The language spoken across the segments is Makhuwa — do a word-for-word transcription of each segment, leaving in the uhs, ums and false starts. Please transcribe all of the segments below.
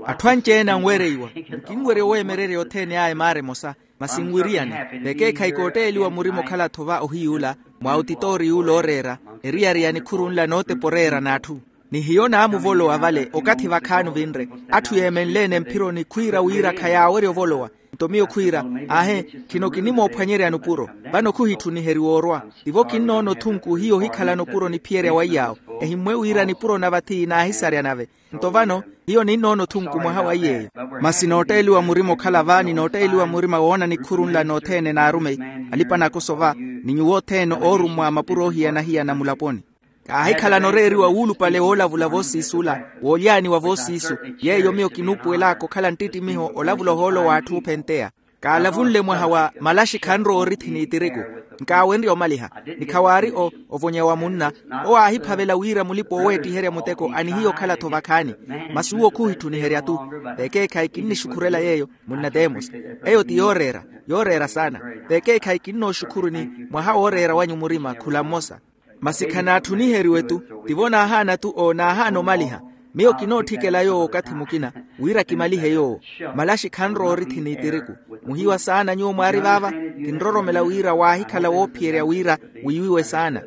Atthu anci-ene anwereiwa. Nkinwerya oweemererya othene aya emaara emosa, masi nwiriyane. Vekeekhayi kootteeliwa murima okhala-tho va ohiy'ula, mwa otitoori y'ula ooreera, eriyari ya nikhuru nla nootepa oreera n'atthu. Ni hiyo naamuvolowa vale okathi vakhaani ovinre, atthu yeemenle-ene mphironi khwiira wira khayaawerya ovolowa. Nto miyo khwiira, aahe, khino kinimoophwanyerya nupuro. Vano khuhitthuniheriwa orwa. Tivo kinnoona othunku hiyo ohikhalana opuro niphiyerya waiy'awo. Ehimmwe wira nipuro na vathi naahisarya nave. Nto vano hiyo ninnoona othunku mwaha wa iy'eyo. Masi nootteeliwa murima okhala va ni nootteeliwa murima woona nikhuru nla nothene n'arumeyi, alipa-nakoso va, ni nyuwo othene oorummwa mapuro oohiyana-hiyana mulaponi. Kaahikhalana oreeriwa wuulupale woolavula voosiisula, woolyaaniwa voosiisu. Yeeyo miyo kinuupuwel'aka okhala nttittimiho olavula ohoolo w'atthu ophenteya. Kaalavunle mwaha wa malaxi khanrowa orithi n'itiriku. Nkaawenrya omaliha. Ni khawaari o, ovonya wa munna. Owo aahiphavela wira mulipa-ooweettiherya muteko anihiya okhala-tho vakhaani. Masi uwo khuhitthuniheriya-tu. Vekeekhayi kinnixukhurela yeeyo, munna temosi. Eyo ti yooreera, yooreera saana. Vekeekhayi kinnooxukhuru ni mwaha wooreera wanyu murima khula mmosa. Masi khanaatthuniheriwe-tu. Tivo naahaana-tu o naahaana omaliha. Miyo kinootthikela yoowo okathi mukina, wira kimalihe yoowo. Malaxi khanrowa orithi n'itiriku. Muhiwa saana nyuwo mwaari vaava. Kinroromela wira waahikhala woophiyerya wira wiiwiwe saana.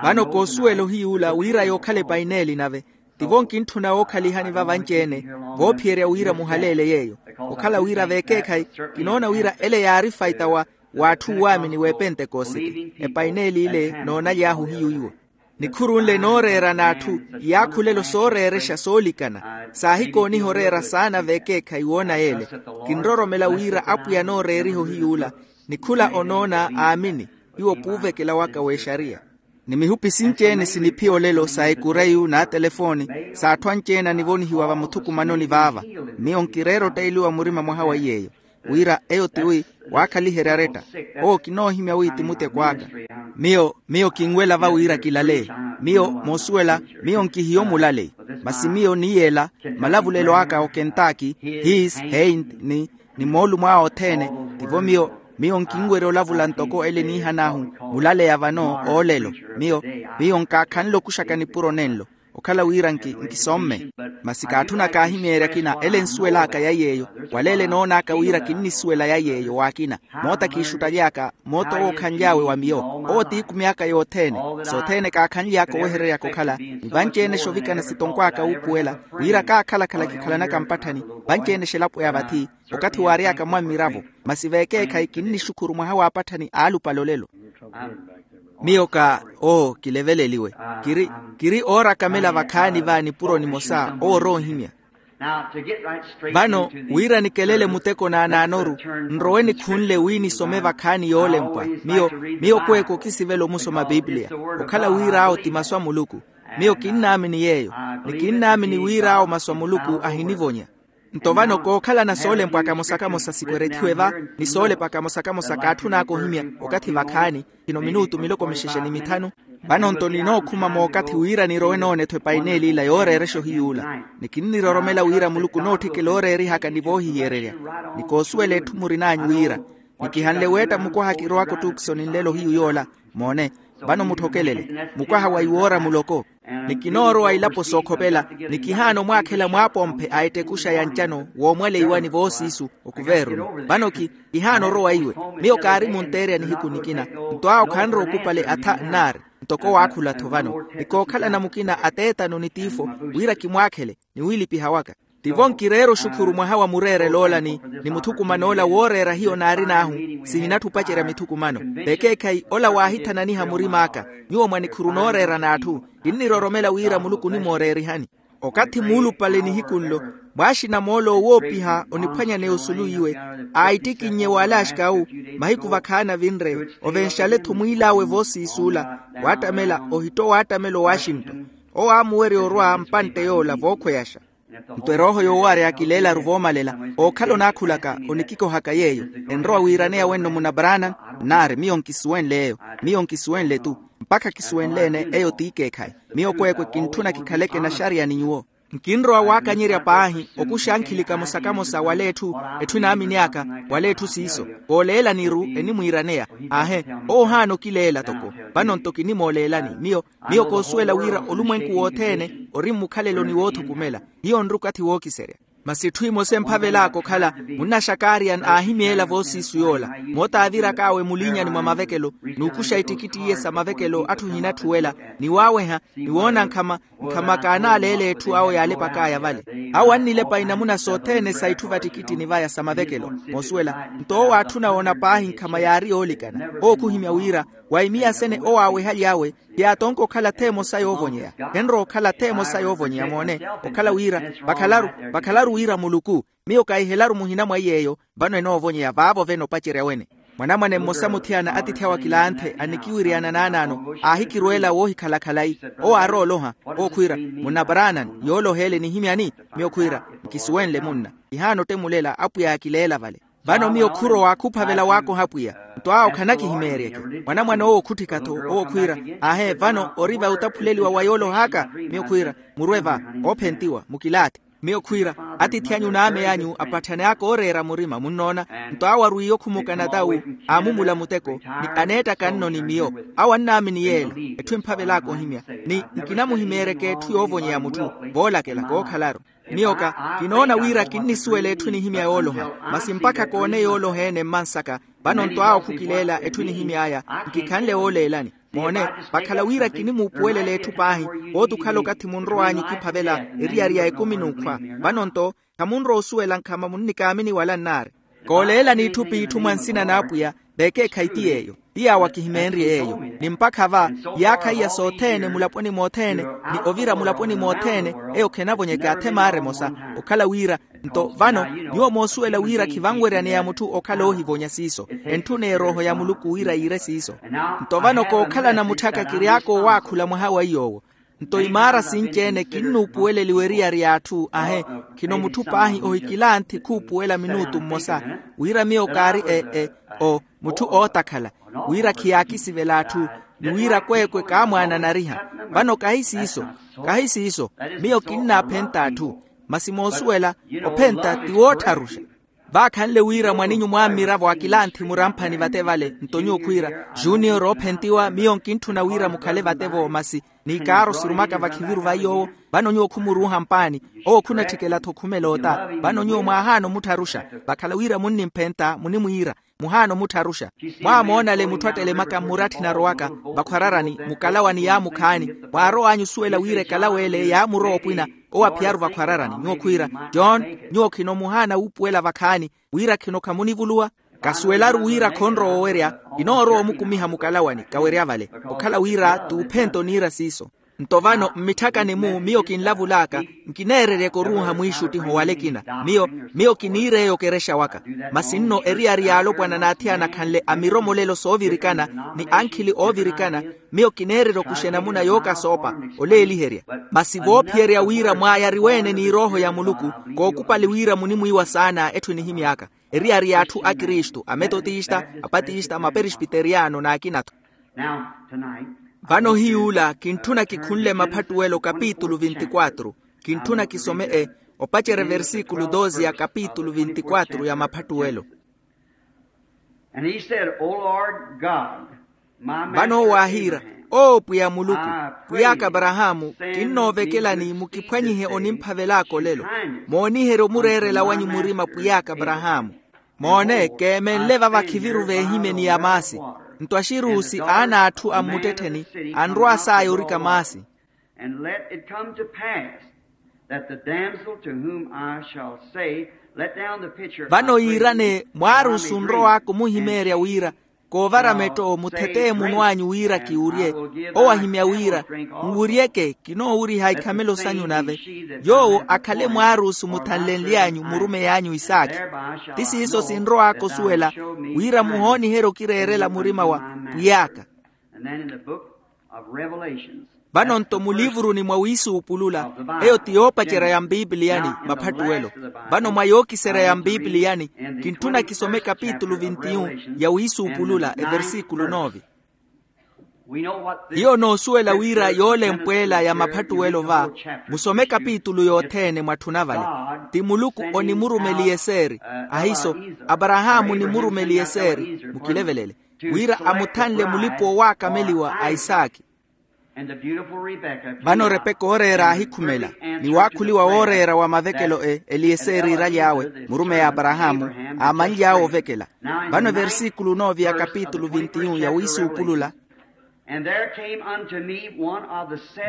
Vano koosuwela ohiy'ula wira yookhala epaineeli nave. Tivo nkintthuna wookhalihani va vanci-ene, voophiyerya wira muhaleele yeeyo. Okhala wira vekeekhayi, kinoona wira ele yaari faita wa w'atthu uwaamini w'epentekosite. Epaineeli ile noonaly'ahu hiyu iwo. Nikhuru nle nooreera n'atthu, iyaakhulelo sooreerexa soolikana. Saahikooniha oreera saana vekeekhayi woona yeele. Kinroromela wira apwiya nooreeriha ohiy'ula. Nikhula onoona aamini. Iwo puuvekela waka w'exariya. Ni mihupi sinci-ene siniphiya olelo sa ekureyu n'atelefooni, s'atthu anci-ene anivonihiwa vamuthukumanoni vaava. Miyo nkireera otteeliwa murima mwaha wa iy'eyo, wira eyo tiwi waakhaliherya aretta. Owo kinoohimya wi ti muteko aka. Miyo miyo kinwela va wira kilale. Miyo moosuwela, miyo nkihiyo mulale. Masi miyo niyeela malavulelo aka okentaki, his heint ni ni moolumo awe othene. Tivo miyo miyo nkinwerya olavula ntoko ele niihan'ahu mulaleya vano oolelo. Miyo miyo nkaakhanle okuxaka nipuro nenlo, okhala wira nki nkisomme. Masi kaatthuna kaahimyeerya akina ele nsuwel'aka ya yeeyo. Waleele noon'aka wira kinnisuwela ya yeeyo w'akina. Moota kiixuttaly'aka moota owo okhanly'awe wa miyo. Owo ti ikumi aka yothene. Sothene kaakhanly'aka owehereryaka okhala ni vanci-ene exovikana sitonkw'aka wuupuwela, wira kaakhala-khala kikhalanaka mpatthani vanci-ene exelapo ya vathi. Okathi waary'aka mwa mmiravo. Masi vekeekhayi kinnixukhuru mwaha waapatthani aalupale olelo. Miyo ka oo kileveleliwe. Kiri kiri oorakamela vakhaani va nipuro nimosa owo orowa ohimya. Vano wira nikelele muteko naanaanoru, nrowe nikhunle wi nisome vakhaani yoolempwa. Miyo miyo kweeko kisivela omusoma pipiliya. Okhala wir'awo ti masu a muluku. Miyo kinnaamini yeeyo. Ni kinnaamini wir'awo masu a muluku ahinivonya. Nto vano kookhalana soolempwa kamosa-kamosa sikwerethiwe va, ni soolepa kamosa-kamosa kaatthun'aka ohimya okathi vakhaani. Khino minutu miloko mixexe ni mithanu. Vano nto ninookhuma mookathi wira nirowe noone-tho epaineeli ila yooreerexa ohiy'ula. Ni kinniroromela wira muluku nootthikela ooreerihaka ni voohihiyererya. Ni koosuwela etthu murin'anyu wira nikihanle weetta mukwaha kirowaka ottuukisoni nlelo hiyu yoola. Moone, vano mutthokelele mukwaha wa iwoora muloko. Ni kinoorowa ilapo sookhopela. Ni kihaana omwaakhela mwaapomphe a ettekuxa ya ncano woomwaleiwani voosiisu. Okuveeruni vano ki kihaana orowa iwe. Miyo kaari munteerya nihiku nikina. Nto awo khanrowa okupale atha nnaari. Ntoko waakhula-tho vano ni kookhalana mukina ateetano ni tiifo wira kimwaakhele ni wiilipiha waka. Tivo nkireera oxukhuru mwaha wa mureerel'ola ni muthukuman'ola wooreera hiyo naarin'ahu. Sihinatthi opacerya mithukumano. Vekeekhayi ola waahithananiha murim'aka. Nyuwo mwa nikhuru nooreera n'atthu kinniroromela wira muluku onimooreerihani. Okathi muulupale nihiku nlo mwaaxina moolo owoopiha oniphwanyaneya osulu iwe. Aittikinnye w'ale axik'awu mahiku vakhaani avinre. Ovenxale-tho mwiil'awe voosiisuula waattamela ohitta owaattamela owashington. Owo aamuwerya orwa mpantte yoola vookhweyaxa. Nto erooho yoowarya kileelaru voomalela. Ookhala onaakhulaka onikikohaka yeeyo enrowa wiiraneya wenno munabaraana. Nnaari miyo nkisuwenle eyo. Miyo nkisuwenle-tu mpakha kisuwenle-ene eyo t'ikeekhayi. Miyo kweekwe kintthuna kikhaleke naxariya ni nyuwo. Nkinrowa waakanyerya paahi okuxa ankhili kamosa-kamosa wala etthu etthu enaamini aka wala etthu siiso. Kooleelani-ru enimwiiraneya. Aahe, owo ohaana okileela toko. Vano nto kinimooleelani miyo miyo koosuwela wira olumwenku wothene ori mmukhaleloni woothukumela. Hiyo nri okathi wookiserya. Masi etthu emosa emphavel'aka okhala, munnaxakaariya aahimyeela voosiisu yoola, moota aavirak'awe muliinyani mwa mavekelo, n'ukuxa ettikitti iye sa mavekelo atthu ohinatthi wela, ni waaweha, ni woona nkhama nkhama kaanaaleela etthu awo yaalepak'aya vale. Awo annilepa inamuna sothene sa itthu vattikittini vaya sa mavekelo. Moosuwela, nto owo aatthuna woona paahi nkhama yaari yoolikana. Owo khuhimya wira, wa imiyasene owo aawehaly'awe, ti aatonke okhala ath'emosa yoovonyeya. Khenrowa okhala ath'emosa yoovonyeya moone, okhala wira, vakhalaru wira muluku, miyo kahihelaru muhina mwa iy'eyo. Vano enoovonyeya vaavo vene opacerya wene. Mwanamwane mmosa muthiyana atiithi awe akilanthe annikiwiriyana naanaano, aahikirweela woohikhala khalayi. Owo aarowa oloha, owo khwiira, munna branan, yooloha ele nihimyani? Miyo khwiira, nkisuwenle munna. Kihaana ottemulela, apwiya aakileela vale. Vano miyo khurowa khuphavela waakoha apwiya. Nto awo khanakihimeeryeke. Mwanamwane owo khutthika-tho, owo khwiira, aahe vano ori va otaphuleliwa wa yooloh'aka? Miyo khwiira, murwe va, oophentiwa mukilaathi. Miyo khwiira, atiithi anyu n'ame anyu apatthane aka ooreera murima munnoona. Nto awo arwiiye okhumukana tawu, aamumula muteko, ni aneettaka nno ni miyo. Awo annaamini yeela, etthu emphavel'aka ohimya, ni nkinamuhimeeryeke etthu yoovonyeya mutthu, voolakela kookhalaru. Miyo ka, kinoona wira kinnisuwela etthu enihimya yooloha. Masi mpakha koone yooloha-ene mmansaka. Vano nto awo khukileela etthu enihimy'aya, nkikhanle wooleelani. Moone, vakhala wira kinimuupuwelela etthu paahi, wooti okhala okathi munrow'anyu okiphavela eriyari ya ekumi n'ukhwa. Vano nto, khamunrowa osuwela nkhama munnikaamini wala nnaari. Kooleelani itthu p'itthu mwa nsina n'apwiya, veekeekhayi ti yeeyo. Ti yaawo akihimeenrye yeeyo. Ni mpakha va, iyaakha iya sothene mulaponi mothene, ni ovira mulaponi mothene, eyo khenavonyeke athemaari emosa. Okhala wira, nto vano, nyuwo moosuwela wira khivanweryaneya mutthu okhala oohivonya siiso. Entthuneya erooho ya muluku wira yiire siiso. Nto vano kookhalana mutthaka kiry'aka owaakhula mwaha wa iy'owo. Nto imaara sinci-ene kinnuupuweleliwa eriyari y'atthu ahe. Khino mutthu paahi ohikilanthi khuupuwela minutu mmosa, wira miyo kaari e e o mutthu ootakhala, wira khiyaakisivela atthu, ni wira kweekwe kaamwaananariha. Vano kahi siiso, kahi siiso, miyo kinnaaphenta atthu. Masi moosuwela, ophenta ti woottharuxa. Vaakhanle wira mwaninyu mwammiravo akilanthi muramphani vate vale nto nyuwo khwiira, junior oophentiwa miyo nkintthuna wira mukhale vate-vo masi, ni kaaro sirumaka vakhiviru va iy'owo. Vano nyuwo khumuruuha mpaani, owo khunatthikela-tho khumela ota. Vano nyuwo mwaahaana omuttharuxa, vakhala wira munnimphenta munimwiira, muhaana omuttharuxa. Mwaamoonale mutthu attelemaka mmuratthi narowaka, vakhwararani mukalawani yaamukhaani. Mwaarow'anyu osuwela wira ekalaweele yaamurowa opwina, owo aphiyaru vakhwararani nyuwo khwiira, john, nyuwo khino muhaana wuupuwela vakhaani, wira khino khamunivuluwa? Kasuwelaru wira khonrowa owerya, kinoorowa omukumiha mukalawani kawerya vale. Okhala wira t'uphenta oniira siiso. Nto vano mmitthakani-mu miyo kinlavul'aka, nkineereryeke oruuha mwiixuttiho wala ekina. Miyo, miyo kiniir'eyo okerexa waka. Masi nno eriyari y'alopwana n'athiyana akhanle a miromolelo soovirikana, ni ankhili oovirikana, miyo kineererya okuxa enamuna yookasoopa, oleeliherya. Masi voophiyerya wira mwaayariwe-ene n'irooho ya muluku, kookupali wira munimwiiwa saana etthu enihimy'aka, eriyari y'atthu a kristu a metotista, a patista ma perespiteriyano n'akina-tho. Vano hiy'ula kintthuna kikhunle maphattuwelo kapitulu vinti-quatru. Kintthuna kisome e, opacerya versikulu doze ya kapitulu vinti-quatru ya maphattuwelo. Vano owo aahiira, oo pwiya muluku, pwiy'aka aparahaamu, kinnoovekelani mukiphwanyihe onimphavel'aka olelo. Mooniherye omureerela wanyu murima pwiy'aka aparahaamu. Moone keemenle vava khiviru veehimye ni ya maasi. Nto axiruusi aana a atthu a mmuttettheni, anrwa saaya orika maasi. And let it come to pass that the damsel to whom I shall say, let down the pitcher. Vano yiirane mwaarusu onrow'aka omuhimeerya wira, koovara metto mutheteeye munw'anyu wira kiwurye. Owo ahimya wira, nwuryeke kinoowuriha ikhamelo sanyu nave. Yoowo akhale mwaarusu muthanlenly'anyu murumey'anyu isaakhi. Ti siiso sinrow'aka osuwela, wira muhooniherye okireerela murima wa pwiy'aka. Vano-nto mulivuruni mwa wiisuupulula, eyo ti yoopacerya ya mpipiliyani maphattuwelo. Vano mwa yookiserya ya mpipiliyani, kintthuna kisome kapitulu vinti-yu ya wiisuupulula eversikulu nove. Hiyo onoosuwela wira yoolempwela ya maphattuwelo va, musome kapitulu yothene mwatthuna vale. Ti muluku onimurume eliyeseeri, ahiiso, aparahaamu onimurume eliyeseeri mukilevelele, wira amuthanle mulipa owaakameliwa a isaakhi. Vano repeka ooreera aahikhumela, ni waakhuliwa wooreera wa mavekelo e eliyeseeri iiraly'awe murumeyi aparahaamu, aamanly'awe ovekela. Vano eversikulu nove ya kapitulu vinti-yu ya wiisuupulula.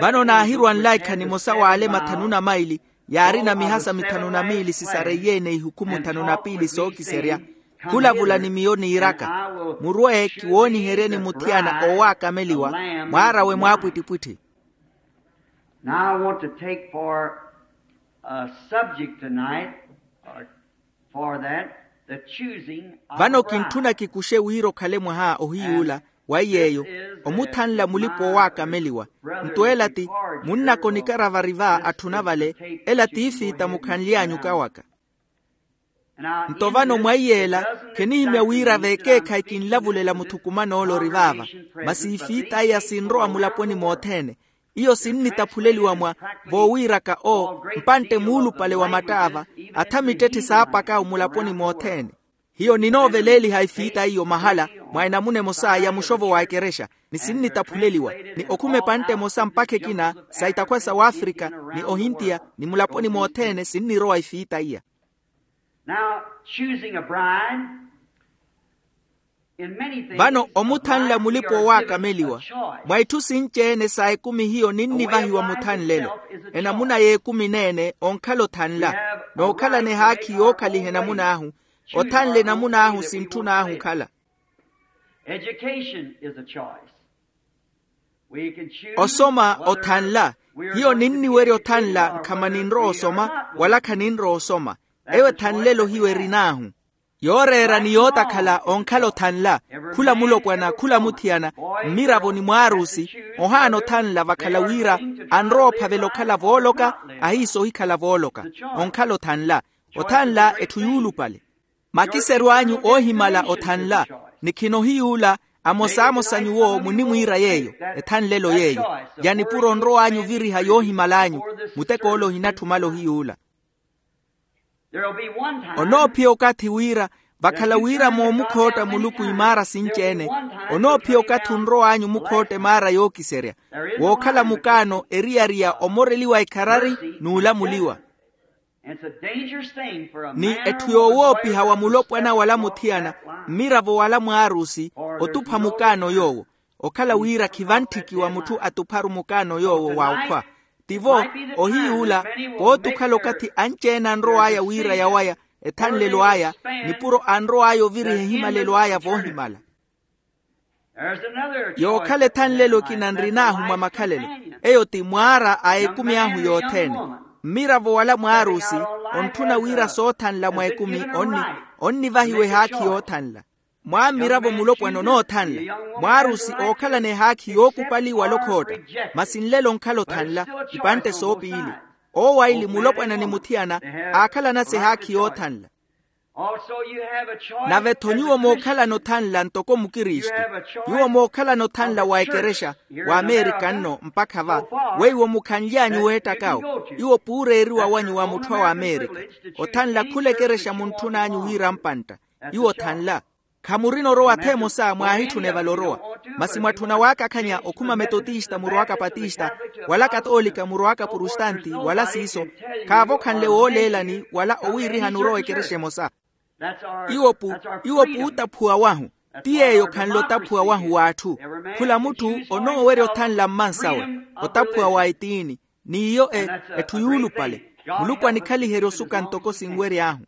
Vano naahirwa nlaikha nimosa w'ale mathanu na maili, yaarina mihasa mithanu na miili sisareiye-ene ihukumu thanu na piili sookiserya, khulavula ni miyo niiraka, murwe kiwooniheryeni muthiyana oowaakameliwa, mwaar'awe mwaapwittipwitthi. Now I want to take for a subject tonight, or for that, the choosing of a bride. Vano kintthuna kikuxe wira okhale mwaha ohiy'ula, wa iy'eyo, omuthanla mulipa owaakameliwa. Nto ela ti munnaka onikaravariva atthuna vale, ela ti ifiita mukhanly'anyu kawaka. Nto vano mwa iy'ela, khenihimya wira veekeekhayi kinlavulela muthukuman'ole ori vaava, masi ifiita iya sinrowa mulaponi mothene. Iyo sinnitaphuleliwa mwa voowiraka o mpantte muulupale wa mattaava, atha mittetthi saapaka omulaponi mothene. Hiyo ninooveleliha ifiita iyo mahala mwa enamuna emosa ya muxovo wa ekerexa, ni sinnitaphuleliwa, ni okhuma epantte emosa mpakha ekina sa itakhwa sa wafrika, ni ohintiya, ni mulaponi mothene sinnirowa ifiita iya. Now, choosing a bride, in many things, vano omuthanla mulipa owaakameliwa. Mwa itthu sinci-ene sa ekumi hiyo ninnivahiwa muthanlelo. Enamuna y'ekumi n'ene onkhala othanla, nookhalana ehaakhi yookhaliha enamun'ahu, othanla enamun'ahu sintthun'ahu okhala. Osoma othanla. Hiyo ninniwerya othanla nkhama ninrowa osoma wala khaninrowa osoma. Eyo ethanlelo hiyo erin'ahu. Yooreera ni yootakhala onkhala othanla. Khula mulopwana, khula muthiyana, mmiravo ni mwaarusi, ohaana othanla vakhala wira anrowa ophavela okhala vooloka, ahiisa ohikhala vooloka. Onkhala othanla. Othanla etthu yuulupale. Makiseryo anyu oohimala othanla, ni khinohiy'ula. Amosamosa nyuwo munnimwiira yeeyo, ethanlelo yeeyo. Ya nipuro onrow'anyu oviriha yoohimal'anyu, muteko ole ohinatthumala ohiy'ula. Onoophiya okathi wira, vakhala wira moomukhootta muluku imaara sinci-ene, onoophiya okathi onrow'anyu omukhootta emaara yookiserya, wookhala mukaano eriyari ya omoreliwa ekharari n'ulamuliwa. Ni etthu yoowoopiha wa mulopwana wala muthiyana, mmiravo wala mwaarusi, otupha mukaano yoowo. Okhala wira khivantthiki wa mutthu atupharu mukaano yoowo wa okhwa. Tivo, ohiy'ula, pooti okhala okathi anci-ene anrow'aya wira yawaya ethanlelo aya, nipuro anrow'aya oviriha ehimalelo aya voohimala. Yookhala ethanlelo ekina nrin'ahu mwa makhalelo, eyo ti mwaara a ekumi ahu yothene. Mmiravo wala mwaarusi, ontthuna wira soothanla mwa ekumi onni, onnivahiwa ehaakhi yoothanla. Mwaammiravo mulopwana onoothanla, mwaarusi ookhalana ehaakhi yookupali wala okhootta, masi nlelo onkhala othanla, ipantte soopiili. Owo aili mulopwana ni muthiyana, aakhalanasa ehaakhi yoothanla. Nave-tho nyuwo mookhalana othanla ntoko mukristu. Nyuwo mookhalana othanla wa ekerexa, wa amerika nno mpakha va. Weiwo mukhanly'anyu weettakawo, iwo puureeriwa wanyu wa mutthu a wa amerika. Othanla khula ekerexa muntthun'anyu wira mpantta. Iwo othanla. Khamurina orowa atha emosa mwaahitthune vale orowa. Masi mwatthuna waakakhanya okhuma metotista murowaka patista, wala katoolika murowaka porostanti wala siiso, khaavokhanle wooleelani wala owiirihani orowa ekerexa emosa. Iwo pu iwo puutaphuwa wahu. Ti yeeyo khanle otaphuwa wahu w'atthu. Khula mutthu onoowerya othanla mmansawe, otaphuwa wa etiini. N'iyo e etthu yuulupale. Muluku anikhaliherya osuka ntoko sinwery'ahu.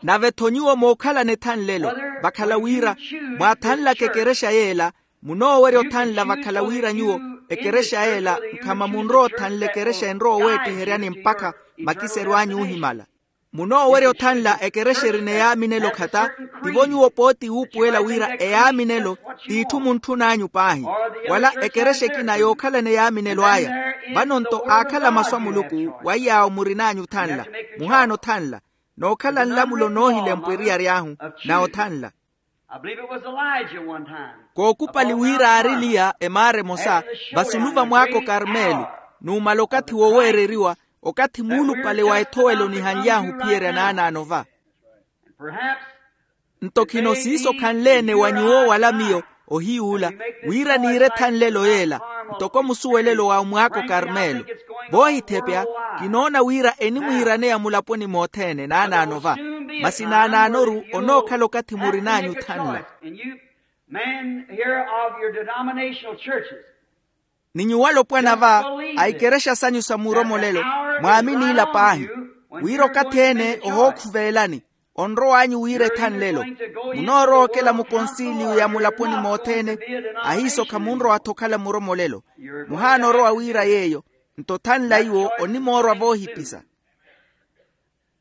Nave-tho nyuwo mookhalana ethanlelo, vakhala wira mwaathanlaka ekerexa yeela, munoowerya othanla vakhala wira nyuwo ekerexa yeela nkhama munrowa othanla ekerexa enrowa oweettiheryani mpakha makiseryo anyu oohimala. Munoowerya othanla ekerexa erina eyaaminelo khata. Tivo nyuwo pooti wuupuwela wira eyaaminelo t'itthu muntthun'anyu paahi, wala ekerexa ekina yookhalana eyaaminelo aya. Vano-nto aakhala masu a muluku wa iy'awo murin'anyu othanla, muhaana othanla. Nookhala nlamulo noohilempwa eriyari ahu na othanla. Kookupali wira aari eliya emaara emosa vasulu va mwaaka okarmelu, numala okathi woweereriwa, okathi muulupale wa ethowelo onihanly'ahu ophiyerya naanaano va. Nto khino siiso khanle-ene wa nyuwo wala miyo. Ohiy'ula, wira niire thanlelo yeela, ntoko musuwelelo wa mwaako karmelo. Voohithepya, kinoona wira enimwiiraneya mulaponi mothene naanaano va. Masi naanaanoru onookhala okathi murin'anyu thanla. Men here of your denominational churches. Ni nyuwo alopwana va a ikerexa sanyu sa muromolelo, mwaaminiila paahi wira okathi ene ohookhuvelani, onrow'anyu wira ethanlelo. Munoorowa okela mukonsiliyo ya mulaponi mothene. Ahiiso khamunrowa-tho okhala muromolelo. Muhaana orowa wira yeeyo. Nto thanla iwo onimoorwa voohipisa.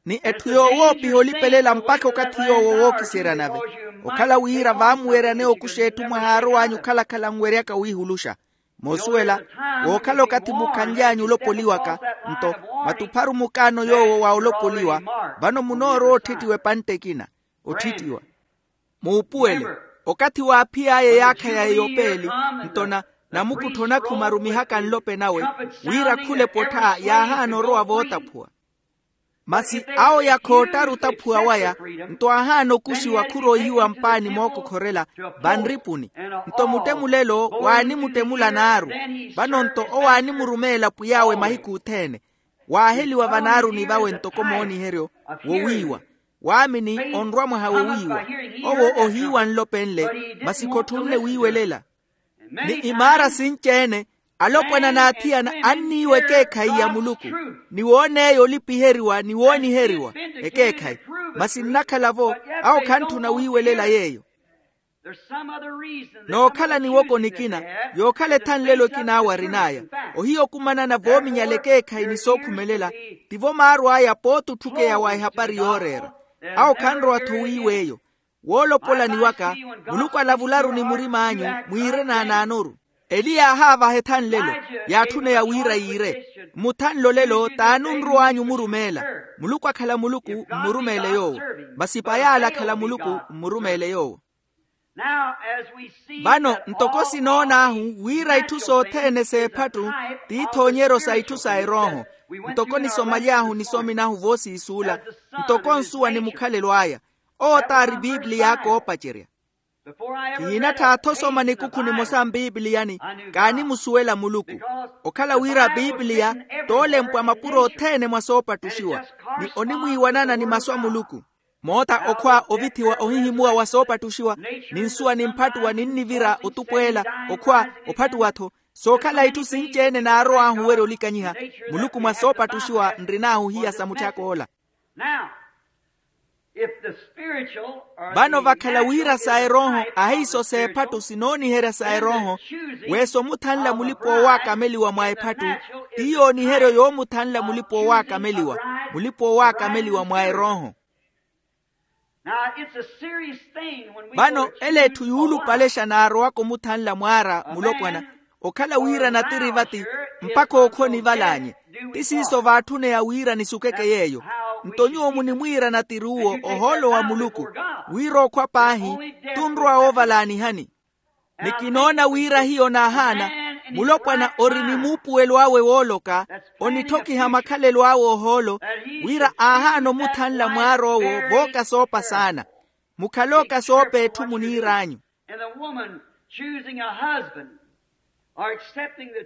Ni etthu yoowoopiha olipelela mpakha okathi yoowo wookiseerya nave. Okhala wira vaamuweryaneya okuxa etthu mwahaarow'anyu okhalakhala nweryaka wiihuluxa. Moosuwela, wookhala okathi mukhanly'anyu olopoliwaka, nto matupharu mukaano yoowo wa olopoliwa. Vano munoorowa otthittiwa epantte ekina. Otthittiwa. Muupuwele, okathi waaphiy'aya eyaakha ya eyopeeli, nto na namukuttho onakhuma arumihaka nlope nawe, wira khula epottha yaahaana orowa vootaphuwa. Masi awo yakhoottari otaphuwa waya, nto aahaana okuxiwa khuroihiwa mpaani mookokhorela vanripuni. Nto muttemulelo waanimuttemula naaru. Vano nto owo aanimurumeela pwiy'awe mahiku othene. Waaheliwa vanaaruni vawe ntoko mooniheryo wowiiwa. Waamini onrwa mwaha wowiiwa. Owo ohiiwa nlopenle, masi khotthunne wiiwelela. Ni imaara sinci-ene, alopwana n'athiyana anniiwa ekeekhayi ya muluku, ni woon'eyo olipiheriwa ni wooniheriwa ekeekhayi. Masi nnakhala-vo, awo khantthuna wiiwelela yeeyo. Nookhala niwoko nikina, yookhala ethanlelo ekina awo arin'aya. Ohiya okumanana voominyala ekeekhayi ni sookhumelela, tivo maarw'aya pooti otthukheya wa ehapari yooreera. Awo khanrowa-tho wiiwa eyo. Woolopolani waka, muluku alavularu ni murim'anyu, mwiire naanaanoru. Eli yaahaavaha ethanlelo, yaatthuneya wira yiire. Mmuthanle olelo t'ani onrow'anyu omurumeela. Muluku akhala muluku, mmurumeele yoowo. Masi pay'ale akhala muluku, mmurumeele yoowo. Vano ntoko sinoon'ahu wira itthu sothene s'ephattu ti ithoonyeryo sa itthu sa erooho. Ntoko nisomaly'ahu nisomi nahu voosiisuula, ntoko nsuwa ni mukhalelo aya. Owo t'ari pipiliya aka oopacerya. Kihinattha-tho osoma nikukhu nimosa mpipiliyani, kaanimusuwela muluku. Okhala wira pipiliya t'olempwa mapuro othene mwa soopattuxiwa, ni onimwiiwanana ni masu a muluku. Moota okhwa ovithiwa ohihimuwa wa soopattuxiwa, ni nsuwa nimphattuwa ninnivira otupweela. Okhwa, ophattuwa-tho, sookhala itthu sinci-ene naarow'ahu owerya olikanyiha. Muluku mwa soopattuxiwa nrin'ahu ohiya sa mutthak'ola. Vano vakhala wira sa erooho ahiiso s'ephattu sinooniherya sa erooho. Weesa omuthanla mulipa-oowaakameliwa mwa ephattu, ti yooniheryo yoomuthanla mulipa-oowaakameliwa, mulipa-oowaakameliwa mwa erooho. Vano ele etthu yuulupalexa naarowaka omuthanla mwaara mulopwana, okhala wira natiri vati mpakha ookhwa onivalaanye. Ti siiso vaatthuneya wira nisukeke yeeyo. Nto nyuwo munimwiira natiri uwo ohoolo wa muluku, wira okhwa paahi tunrowa woovalaanihani. Ni kinoona wira hiyo naahaana, mulopwana ori ni muupuwelo awe wooloka, onithokiha makhalelo awe ohoolo, wira aahaana omuthanla mwaar'owo vooka soopa saana. Mukhale okasoopa etthu muniir'anyu.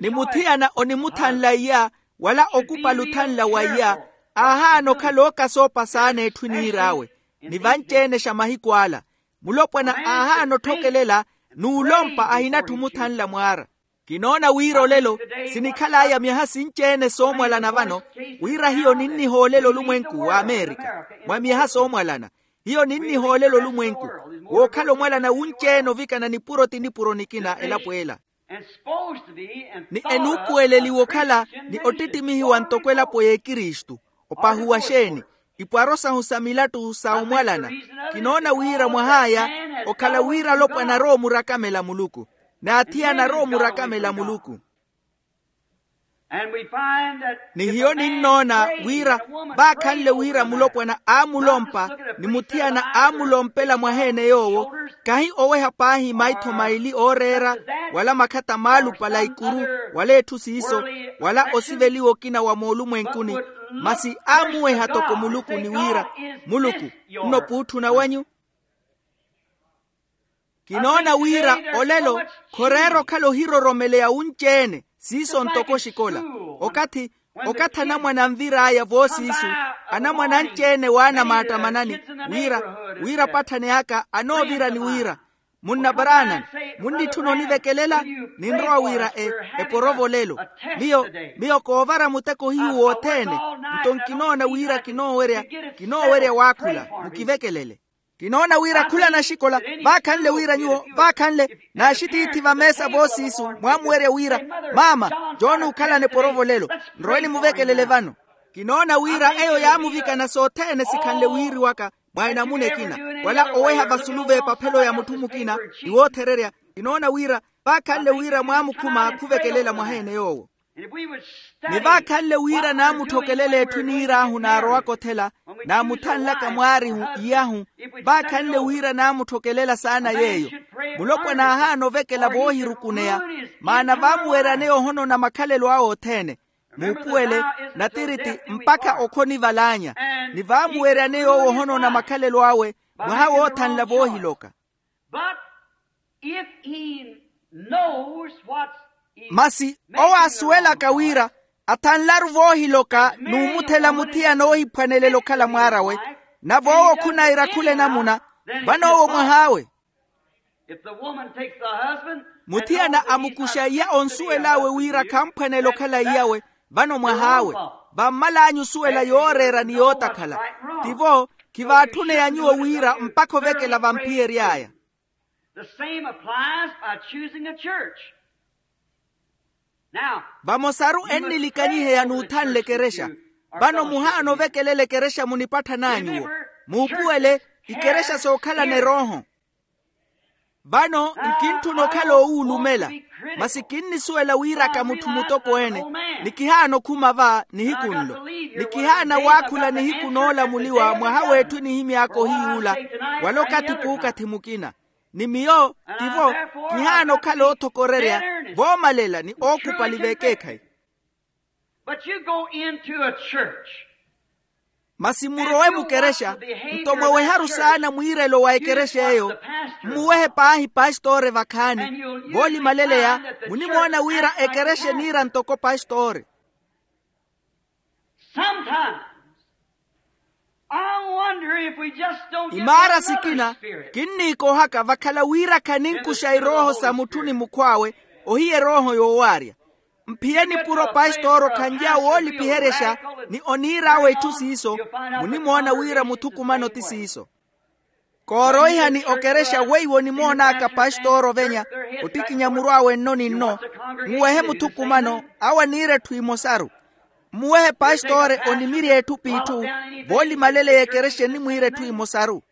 Ni muthiyana onimuthanla iya, wala okupala othanla wa iya, aahaana okhala okasoopa saana etthu eniir'awe. Ni vanci-ene xa mahiku ala, mulopwana aahaana otthokelela, n'ulompa ahinatthu omuthanla mwaara. Kinoona wira olelo sinikhal'aya myaha sinci-ene soomwalana vano, wira hiyo ninnihoolela olumwenku w'amerika mwa myaha soomwalana. Hiyo ninnihoolela olumwenku wookhala omwalana wunci-ene ovikana nipuro ti nipuro nikina elapo ela. Ni enuupuweleliwa okhala ni ottittimihiwa ntoko elapo y'ekristu. Opahuwa xeeni? Ipwaro sahu sa milattu sa omwalana. Kinoona wira mwah'aya okhala wira alopwana arowa omurakamela muluku, n'athiyana arowa omurakamela muluku. Ni hiyo ninnoona wira vaakhanle wira mulopwana aamulompa ni muthiyana aamulompela mwaheene yoowo, kahi oweha paahi maitho maili ooreera, wala makhata maalupala ikuru, wala etthu siiso, wala osiveliwa okina wa moolumwenkuni, masi aamuweha toko muluku ni wira, muluku, nno puutthuna wanyu? Kinoona wira olelo khoreera okhala ohiroromeleya wunci-ene. Siiso ntoko oxikola okathi okathi anamwane anvir'aya voosiisu, anamwane anci-ene waana maattamanani wira wira apatthani aka anoovira ni wira, munna paraana munnitthuna onivekelela? Ninrowa wira eporovo olelo. Miyo miyo koovara muteko hiyu wothene. Nto nkinoona wira kinoowerya kinoowerya waakhula. Mukivekelele. Kinoona wira khula naxikola vaakhanle wira nyuwo vaakhanle naaxitiithi vameesa voosiisu mwaamuwerya wira, maama, jooni ookhalana eporovo olelo, nrowe nimuvekelele vano. Kinoona wira eyo yaamuvikana sothene sikhanle wiiriwaka mwa enamuna ekina, wala oweha vasulu v'epaphelo ya mutthu mukina ni woothererya. Kinoona wira vaakhanle wira mwaamukhuma khuvekelela mwaha-ene yoowo. Ni vaakhanle wira naamutthokelela etthu eniir'ahu naarowaka othela, naamuthanlaka mwaarihu iyahu, vaakhanle wira naamutthokelela saana yeeyo. Mulopwana aahaana ovekela voohirukuneya, maana vaamuweryaneya ohonona makhalelo awe othene. Muupuwele, natiriti mpakha okhonival'anya. Ni vaamuweryaneya owo ohonona makhalelo awe mwaha woothanla voohiloka. But if he knows what's in masi owo asuwelaka wira athanlaru voohiloka n'umuthela muthiyana oohiphwanelela okhala mwaar'awe, nave owo khunaira khula enamuna, vano owo mwah'awe. If the woman takes the husband, muthiyana amukuxa iya onsuwel'awe wira khamphwanelela okhala iyawe, vano mwah'awe. Vammal'anyu osuwela yooreera ni yootakhala. Tivo, khivaatthuneya nyuwo wira mpakha ovekela vamphiyery'aya. The same applies by choosing a church. Now, vamosaru ennilikanyiheya n'uthanla ekerexa. Vano muhaana ovekelela ekerexa munipatthan'anyuwo. Muupuwele, ikerexa sookhalana erooho. Vano nkintthuna okhala owuulumela, masi kinnisuwela wiiraka mutthu mutokweene. Ni kihaana okhuma va nihiku nlo, ni kihaana waakhula nihiku noolamuliwa mwaha w'etthu enihimy'aka ohiy'ula, wala okathi puukathi mukina. Ni miyo tivo, kihaana okhala oothokorerya voomalela ni ookupali v'ekeekhayi. But you go into a church. Masi murowe mukerexa, nto mwaweharu saana mwiirelo wa ekerexa eyo, mmuwehe paahi pastore vakhaani. Voolimaleleya, munimoona wira ekerexa eniira ntoko pastore. Sometimes I wonder if we just don't get imaara sikina kinniikoohaka vakhala wira khaninkuxa erooho sa mutthu ni mukhw'awe, ohiya erooho yoowaarya. Mphiye nipuro pastoro khanly'awe woolipiheryexa ni oniir'awe itthu siiso, munimoona wira muthukumano ti siiso. Kooroihani okerexa weiwo onimoon'aka pastoro ovenya, ottikinya muru awe nno ni nno, mmuwehe muthukumano, awo aniira etthu emosaru. Mmuwehe pastore onimirya etthu p'itthu, voolimaleleya ekerexa enimwiira etthu emosaru.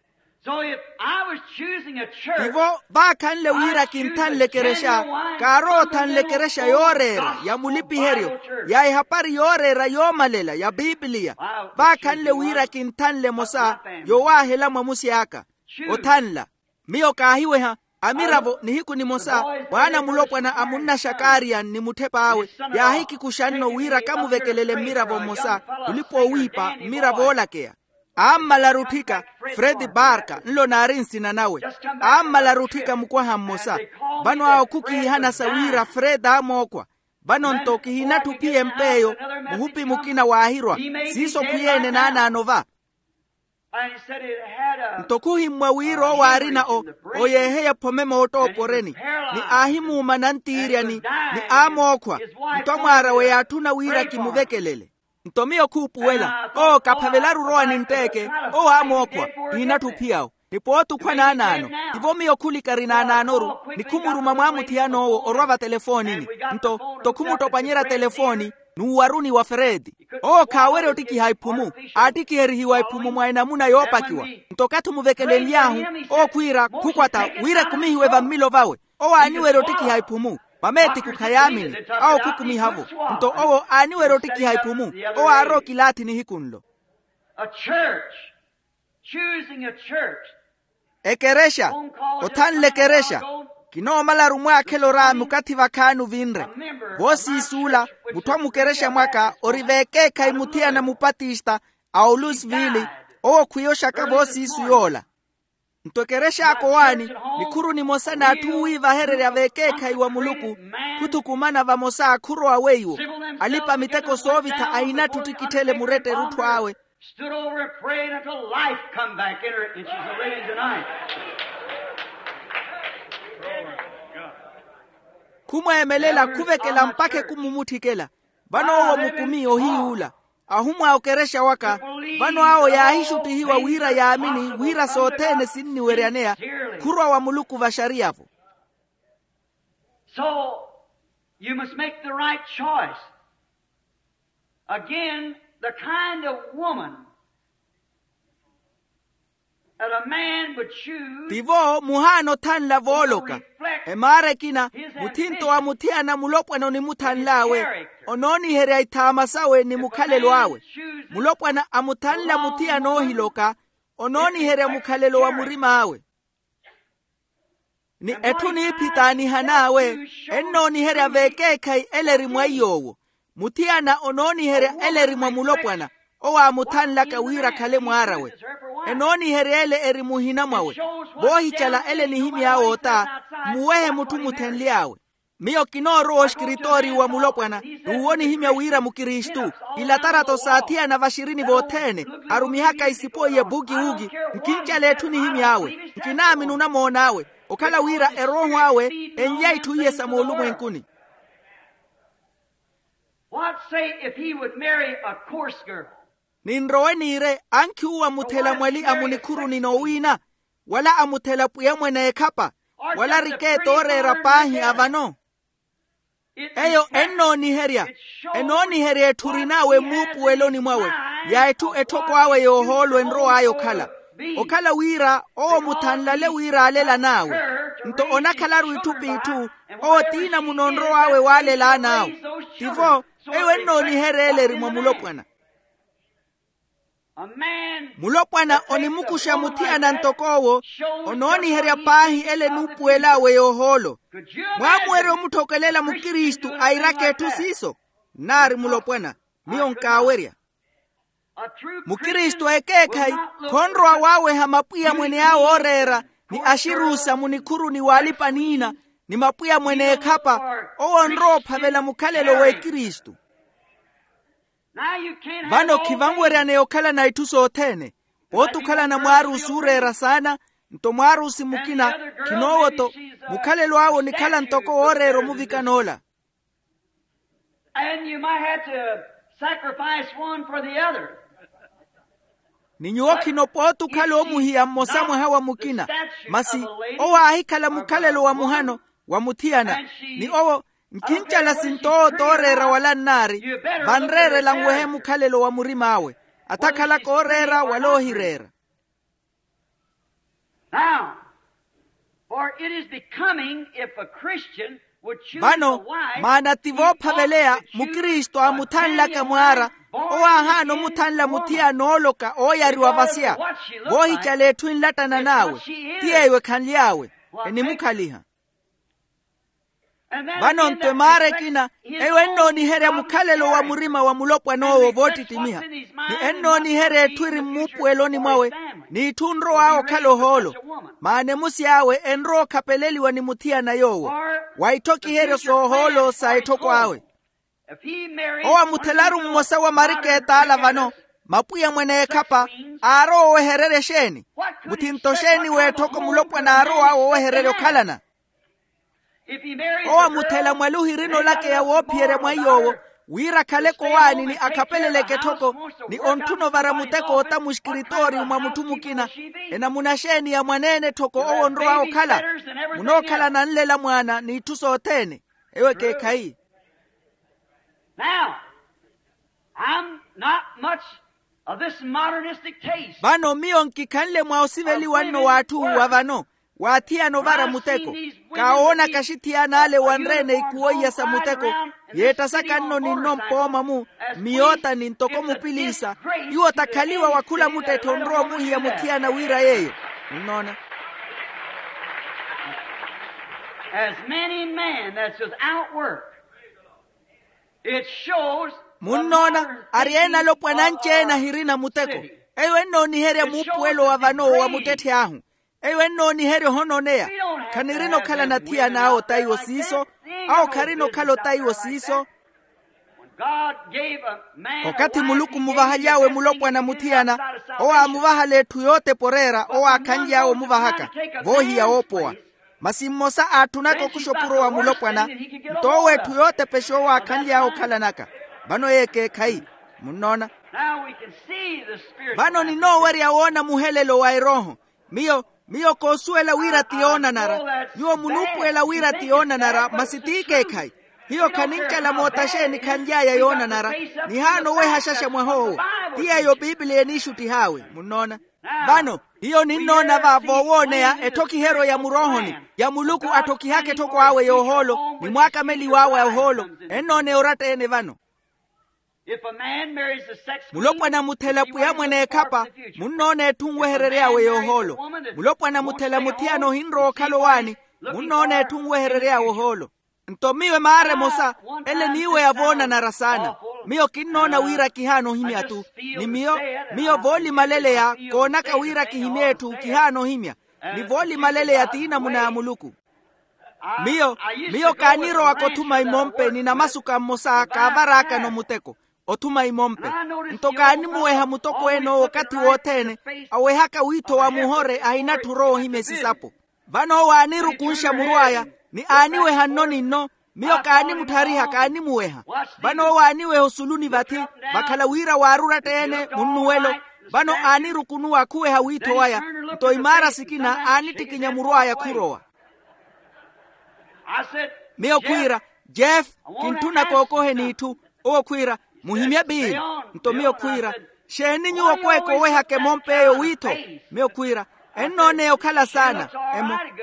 So if I was choosing a church, tivo vaakhanle wira kinthanle ekerexa, kaarowa othanle ekerexa yooreera ya mulipiheryo, ya ehapari yooreera yoomalela ya pipiliya. Vaakhanle wira kinthanle emosa yowaahela mwamusi aka. Othanla. Miyo kaahiweha amiravo nihiku nimosa, mwaana mulopwana a munnaxakaariya ni mutthep'awe, yaahikikuxa nno wira kamuvekelele mmiravo mmosa, mulipa owiipa mmiravo oolakeya. Aammalaru otthika, fredi barka nlo naari nsina nawe. Aammalaru otthika mukwaha mmosa. Vano awo khukiihana sa wira fredi aamookhwa. Vano nto kihinatthi ophiya emp'eyo. Muhupi mukina waahirwa. Siiso khwiyeene naanaano va. Nto khuhimmwa wira owo aarina oyeeheya ephome moottooporeni, ni aahimuuma nantiiryani, ni aamookhwa. Nto amwaar'awe yaatthuna wira kimuvekelele. Nto miyo khuupuwela owo kaphavelaru orowa nintteke. Owo aamookhwa. Kihinatthi ophiy'awe. Ni pooti okhwa naanaano. Tivo miyo khulikari naanaanoru, ni khumuruma mwaamuthiyana owo orwa vatelefoonini. Nto nto khumuttopanyerya telefooni, n'uwaruni wa fredi. Owo khaawerya ottikiha iphumu. Aattikiherihiwa iphumu mwa enamuna yoopakiwa. Nto okathi omuvekelenly'ahu, owo khwiira khukwata wira ekumihiwe vammilo vawe. Owo aaniwerya ottikiha iphumu. Vameetiku khayaamini. Awo khukumiha-vo. Nto owo aaniwerya ottikiha iphumu. Owo aarowa okilaathi nihiku nlo. A church. Choosing a church. Ekerexa. Othanle ekerexa. Kinoomalaru mwaakhela oraami okathi vakhaani ovinre. Voosiisuula, mutthu a mukerexa mwaka ori v'ekeekhayi muthiyana mupatista a olusivili. Owo khwiya oxaka voosiisu yoola. Nto ekerexa ya kowaani, nikhuru nimosa n'atthu wiivahererya v'ekeekhayi wa muluku, khuthukumana vamosa khurowa weiwo. Alipa miteko soovitha ahinatthi ottikitthele muretta erutthu awe. Stood over and prayed until life come back in her, and she's a living tonight. Khumweemelela khuvekela mpakha ekumumutthikela. Vano owo mukumi ohiy'ula. Ahumwa okerexa waka. Vano awo yaahixuttihiwa wira yaamini wira sothene sinniweryaneya. Khurowa wa muluku vaxariya-vo. So you must make the right choice. Again, the kind of woman that a man would choose. Tivo muhaana othanla vooloka. Emaara ekina, muthinto wa muthiyana mulopwana onimuthanl'awe, onooniherya ithaama sawe ni mukhalelo awe. Mulopwana amuthanla muthiyana oohiloka, onooniherya mukhalelo wa murim'awe. Ni etthu niiphi t'anihan'awe, ennooniherya v'ekeekhayi ele eri mwa iy'owo. Muthiyana onooniherya ele eri mwa mulopwana, owo aamuthanlaka wira akhale mwaar'awe. Enooniherya ele eri muhina mwawe. Voohicala ele enihimy'awe ota, mmuwehe mutthu muthenly'awe. Miyo kinoorowa oxikiritooriyu wa mulopwana, n'uwo onihimya wira mukristu. Ilatarato s'athiyana vaxirini vothene, arumihaka isipo iye bukiwuki. Nkincala etthu enihimy'awe. Nkinaamini onamoon'awe. Okhala wira erooho awe enlya itthu iye sa moolumwenkuni. What say if he would marry a coarse girl? Ninrowe niire ankhi uwo amuthela mwali a munikhuruni n'owiina, wala amuthela pwiya mwene ekhapa, wala arikeeti ooreera paahi a vano. Eyo ennooniherya, enooniherya etthu orin'awe mmuupuweloni mwawe, ya etthu etthoko awe yoohoolo enrow'aya okhala. Okhala wira owo muthanlale wira aalelana awe. Nto onakhalaru itthu p'itthu, owo tiina muno onrow'awe waalelana awe. Tivo, eyo ennooniherya ele eri mwa mulopwana. Mulopwana onimukuxa muthiyana ntoko owo, onooniherya paahi ele enuupuwel'awe yoohoolo. Mwaamuwerya omutthokelela mukristu airaka etthu siiso? Nnaari mulopwana. Miyo nkaawerya. Mukristu ekeekhayi khonrowa waaweha mapwiya mwene awe ooreera, ni axiruusa munikhuruni w'alipa-niina, ni mapwiya mwene ekhapa. Owo onrowa ophavela mukhalelo w'ekristu. Vano khivanweryaneya okhalana itthu sothene. Pooti okhalana mwaarusi ooreera saana, nto mwaarusi mukina, khinoowo-to. Mukhalelo awe onikhala ntoko wooreera omuvikan'ola. And you might have to sacrifice one for the other. Ni nyuwo khino pooti okhala omuhiya mmosa mwaha wa mukina. Masi owo aahikhala mukhalelo wa muhano wa muthiyana, ni owo nkincala sinto owo tooreera wala nnaari, vanreerela nwehe mukhalelo wa murim'awe, atakhalaka ooreera wala oohireera. Now, for it is becoming if a Christian would choose a wife. Vano maana ti voophaveleya mukristu aamuthanlaka mwaara, owo aahaana omuthanla muthiyana ooloka ooyariwa vasia. Voohicala etthu enlattana n'awe, ti yeeyo ekhanly'awe, enimukhaliha. Vano nto emaara ekina, eyo ennooniherya mukhalelo wa murima wa mulopwan'owo voottittimiha, ni ennooniherya etthu eri mmuupuweloni mwawe, n'itthu onrow'awe okhala ohoolo. Maana emusi awe enrowa okhapeleliwa ni muthiyana yoowo, wa itthokiheryo s'ohoolo sa etthoko awe. Owo amuthelaru mmosa wa mariket'ala vano, mapwiya mwene ekhapa, aarowa owehererya exeeni? Muthinto xeeni w'etthoko mulopwana aarow'awe owehererya okhalana? Owo amuthela mwali ohirina olakeya woophiyerya mwa iy'owo, wira akhale kowaani ni akhapeleleke etthoko, ni ontthuna ovara muteko ota muxikiritooriyu mwa mutthu mukina. Enamuna xeeni ya mwaneene etthoko owo onrow'awe okhala? Munookhalana nlela mwaana n'itthu sothene. Eyo ekeekhayi. Now, I'm not much of this modernistic taste. Vano miyo nkikhanle mwa osiveliwa nno w'atthu wa vano, waathiyana ovara muteko. Kaawoonaka axithiyana ale wanreene ikuwo iya sa muteko, yeettasaka nno ni nno mpooma-mu, mmiyootani ntoko mupiliisa. Iwo takhaliwa wa khula muttetthe onrowa omuhiya muthiyana wira yeeyo. Munnoona? As many men that's without work. It shows. Munnoona, ari ena alopwana anci-ene ahirina muteko. Eyo ennooniherya muupuwelo wa vano wa muttetthe ahu. Eyo ennooniherya ohononeya. Khanirina okhala nathiyana awo taiwo siiso. Awo kharina okhala otaiwo siiso. When God gave a man a wife, okathi muluku muvahaly'awe mulopwana muthiyana, owo aamuvahala etthu yootepa oreera owo aakhanly'awe omuvahaka voohiya woopowa. Masi mmosa aatthunaka okuxa opuro wa mulopwana, nto owo etthu yootepexa owo aakhanly'awe okhalanaka. Vano yeekeekhayi. Munnoona? Vano ninoowerya woona muhelelo wa erooho. Miyo miyo koosuwela wira ti yoonanara. Nyuwo munuupuwela wira ti yoonanara masi t'ikeekhayi. Hiyo khanincala moota xeeni khanly'aya yoonanara. Nihaana owehaxaxa mwaha owo. Ti yeeyo piipiliya eniixuttih'awe munnoona. Vano hiyo ninnoona va voowooneya etthokihero ya muroohoni, ya muluku atthokihaka etthoko awe yoohoolo ni mwaakameliw'awe a ohoolo. Ennooneya oratta-ene vano. Mulopwana muthela pwiya mwene ekhapa. Munnoona etthu nweherery'awe yoohoolo. Mulopwana muthela muthiyana ohinrowa okhala owaani. Munnoona etthu nweherery'awe ohoolo. Nto miyo emaara emosa ele niiweya voonanara saana. Miyo kinnoona wira kihaana ohimya-tu. Ni miyo miyo voolimaleleya koonaka wira kihimye etthu kihaana ohimya. Ni voolimaleleya t'inamuna ya muluku. Miyo miyo kaanirowaka othuma imompe ni namasuka mmosa kaavaraakano muteko. Othuma imompe. Nto kaanimuweha mutokweene owo okathi wothene awehaka wiitho wa muhore ahinatthi orowa ohimya esisapo. Vano owo aanirukunxa murw'aya ni aaniweha nno ni nno. Miyo kaanimutthariha kaanimuweha. Vano owo aaniweha osuluni vathi vakhala wira waaruratteene munnuwelo. Vano aanirukunuwa akhuweha wiitho waya. Nto imaara sikina aanittikinya murw'aya khurowa. Miyo khwiira, jeff, kintthuna kookoheni itthu. Owo khwiira, muhimye biili. Nto miyo khwiira, xeeni nyuwo okweeka owehaka emompe eyo wiitho? Miyo khwiira, ennooneya okhala saana.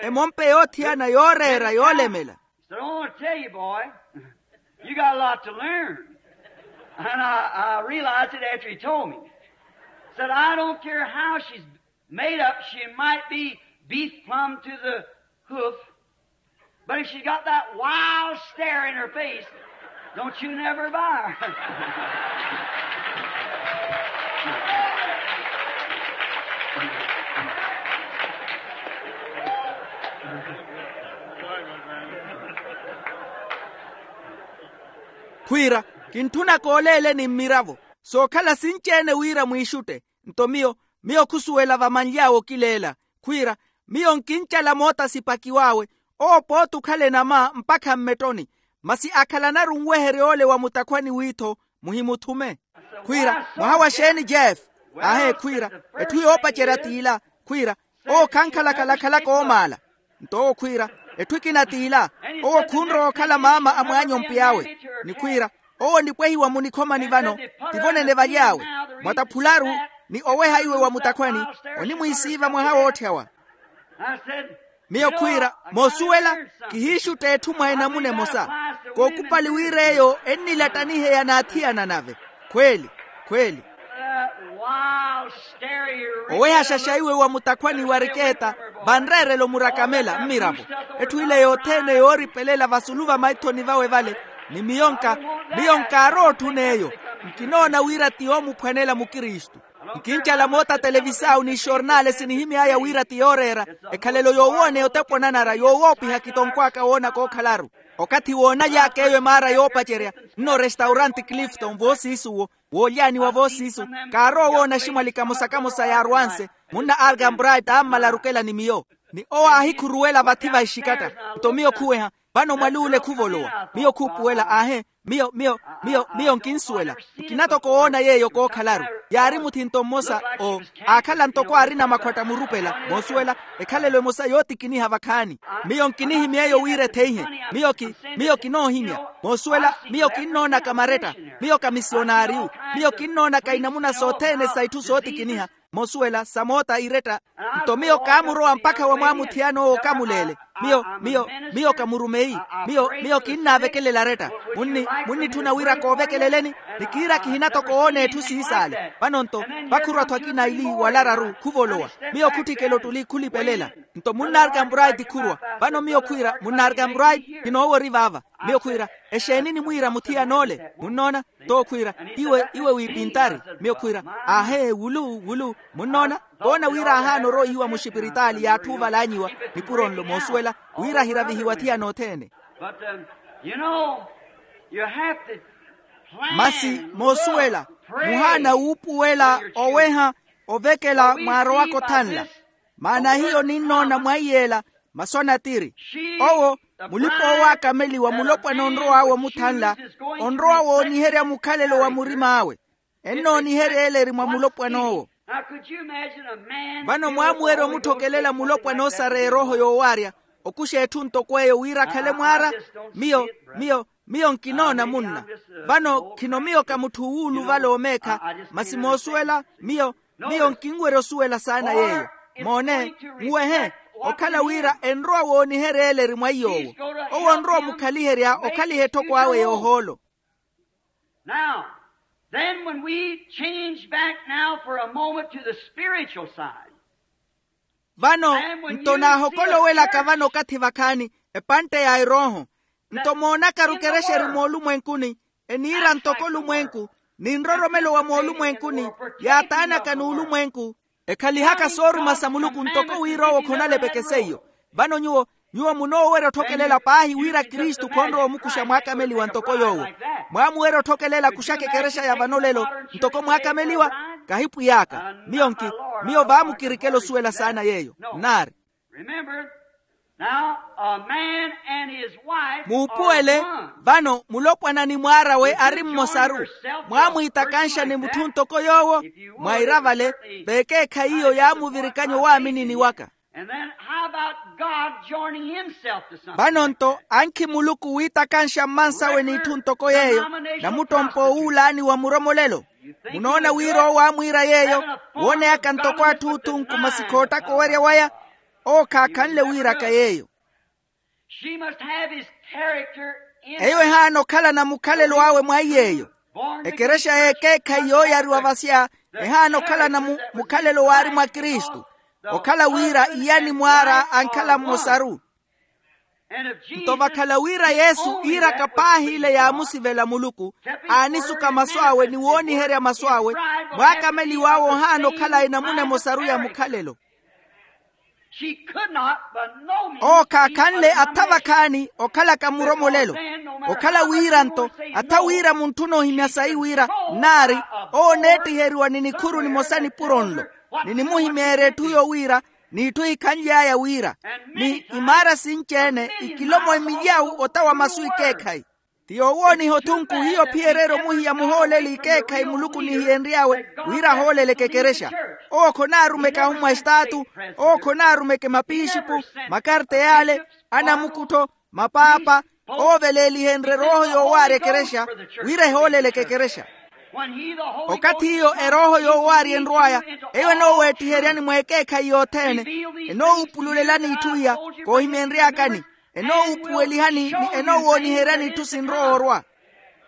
Emompe yoothiyana yooreera yoolemela. Said, I want to tell you, boy, you got a lot to learn. And I, I realized it after he told me. Said, I don't care how she's made up, she might be beef plumb to the hoof, but if she got that wild stare in her face, don't you never buy her. Khwiira, kintthunaka oleeleni mmiravo sookhala sinci-ene wira mwiixutte. Nto miyo miyo khusuwela vamanly'awe okileela. Khwiira, miyo nkincala moota sipakiw'awe. Owo pooti okhala enama mpakha mmettoni. Masi akhalanaru nweherya ole wa mutakhwani wiitho, muhimuthume. Khwiira, mwaha wa xeeni jeff? Ahe khwiira, etthu yoopacerya t'ila. Khwiira, owo khankhala khalakhala koomaala. Nto owo khwiira, etthu ekina t'ila. Owo khunrowa okhala maama a mwaanyompe awe. Ni khwiira, owo onipwehiwa munikhomani vano. Tivo nene valy'awe. Mwataphularu ni oweha iwe wa mutakhwani, onimwiisiiva mwaha wootthy'awa. Miyo khwiira, moosuwela, kihiixutta etthu mwa enamuna emosa. Kookupali wira eyo ennilattaniheya n'athiyana nave. Khweeli, khweeli. Owehaxaxa iwe wa mutakhwani wa rikeeta, vanreerela omurakamela mmiravo. Etthu ile yothene yooripelela vasulu va maithoni vawe vale. Ni miyo nka miyo nkaarowa otthuna eyo. Nkinoona wira ti yoomuphwanela mukristu. Nkincala moota televisau ni xornale sinihimy'aya wira ti yooreera. Ekhalelo yoowooneya otepo nanara yoowoopiha kitonkw'aka woona kookhalaru. Okathi woonaly'aka eyo emaara yoopacerya, nno restauranti clifton voosiisuwo, woolyaaniwa voosiisu. Kaarowa owoona aximwali kamosa-kamosa yaarwanse. Munna argan bright aammala arukela ni miyo. Ni owo aahikhuruwela vathi va exikatta. Nto miyo khuweha, vano mwaluule khuvolowa. Miyo khuupuwela aahe. Miyo miyo miyo miyo nkinsuwela. Nkina toko woona yeeyo kookhalaru. Yaari muthinto mmosa oo aakhala ntoko aarina makhwatta murupela moosuwela. Ekhalelo emosa yootikiniha vakhaani. Miyo nkinihimy'eyo wira etheihe. Miyo ki miyo kinoohimya. Moosuwela, miyo kinnoonaka maretta. Miyo ka misionariyu. Miyo kinnoonaka inamuna sothene sa itthu sootikiniha. Moosuwela sa moota iretta. Nto miyo kaamurowa mpakha wa mwaamuthiyana owo okamuleele. Miyo miyo miyo ka murumeyi. Miyo miyo kinnaavekelela aretta. Munni munnitthuna wira koovekeleleni. Ni kiira kihina toko woona etthu siisaale. Vano nto vakhurwa-tho akina ili walararu khuvolowa. Miyo khutthikela ottuli khulipelela. Nto munnaarika mbraiti khurwa. Vano miyo khwiira munnaarika mbraiti. Kinoowori vaava. Miyo khwiira, exeeni nimwiira muthiyana ole? Munnoona? Tookhwiira, iwe iwe wiipintari. Miyo khwiira, aahe wulu wulu. Munnoona? Koona wira ahaana oroihiwa muxipiritaali y'atthu ovalanyiwa, nipuro nlo moosuwela wira ahiravihiwa thiyana othene. Masi moosuwela, muhaana wuupuwela, oweha, ovekela mwaarowaka othanla. Maana hiyo ninnoona mwaiy'ela, masu anatiri. Owo, mulipa-owo aakameliwa mulopwana onrow'awe omuthanla, onrowa wooniherya mukhalelo wa murim'awe. Ennooniherya ele eri mwa mulopwan'owo. Vano mwaamuwerya omutthokelela mulopwana oosareya erooho yoowarya, okuxa etthu ntoko eyo wira akhale mwaara. Miyo miyo miyo nkinoona munna. Vano khino miyo ka mutthu wuuluvala omeekha, masi moosuwela miyo miyo nkinwerya osuwela saana yeeyo. Moone, muwehe, okhala wira enrowa wooniherya ele eri mwa iy'owo. Owo onrowa omukhaliherya okhaliha etthoko awe yoohoolo. Now, then, when we change back now for a moment to the spiritual side. Vano, nto naahokolowelaka vano okathi vakhaani, epantte ya erooho. Nto moonakaru ekerexa eri moolumwenkuni, eniira ntoko olumwenku, ni nroromelo wa moolumwenkuni, yaataanaka n'ulumwenku, ekhalihaka sooruma sa muluku ntoko wira owo khonalepeke seiyo. Vano nyuwo nyuwo munoowerya otthokelela paahi wira kristu khonrowa omukuxa mwaakameliwa ntoko yoowo. Mwaamuwerya otthokelela kuxaka ekerexa ya vano lelo ntoko mwaakameliwa. Kahipwiy'aka miyo nki miyo vaamukirikela osuwela saana yeeyo nnaari. Remember, now, a man and his wife muupuwele are one. Vano mulopwana ni mwaar'awe ari mmosaru. Mwaamwiitakanxa ni mutthu ntoko yoowo mwaira vale. Vekeekhayi iyo yaamuvirikanya owaaminini waka. And then how about God joining himself to something? Vano nto ankhi muluku wiitakanxa mmansawe n'itthu ntoko yeeyo, namuttompa owuulaani wa muromolelo. Munoona wira owo aamwiira yeeyo wooneyaka ntoko atthu othunku masi khoottaka owerya waya. Owo khaakhanle wiiraka yeeyo. She must have his character in her. Eyo ehaana okhalana mukhalelo awe mwa iy'eyo. Ekerexa y'ekeekhayi yooyariwa vasya ehaana okhalana mu mukhalelo waari mwa kristu. Okhala wira iyani mwaara ankhala mmosaru. Nto vakhala wira yesu iiraka paahi ile yaamusivela muluku, aanisuka masu awe ni wooniherya masu awe, mwaakameliw'awe ohaana okhala enamuna emosaru ya mukhalelo. Owo khaakhanle atha vakhaani okhalaka muromolelo. Okhala wira nto atha wira munthu onoohimya sayi wira nnaari, owo oneettiheriwa ni nikhuru nimosa nipuro nlo. Ni nimuhimeerya etthu yowira n'itthu ehikhanly'aya wira ni imaara sinci-ene ikilomo emilyawu ota wa masu ikeekhayi. Ti yoowooniha othunku hiyo phiyererye omuhiya muhooleli ikeekhayi muluku nihiyenry'awe wira ahooleleke ekerexa. Owo khonaarumeke ahumwa estaatu. Owo khonaarumeke mapixipu, makarteyale, anamukuttho, mapaapa. Owo veleelihenrye erooho yoowaarya ekerexa wira ehooleleke ekerexa. Okathi iyo erooho yoowaarya enrw'aya eyo enooweettiheryani mweekeekhayi yothene, enoowupululelani itthu iya koohimenry'akani. Enoowupuwelihani ni enoowooniheryani itthu sinrowa orwa.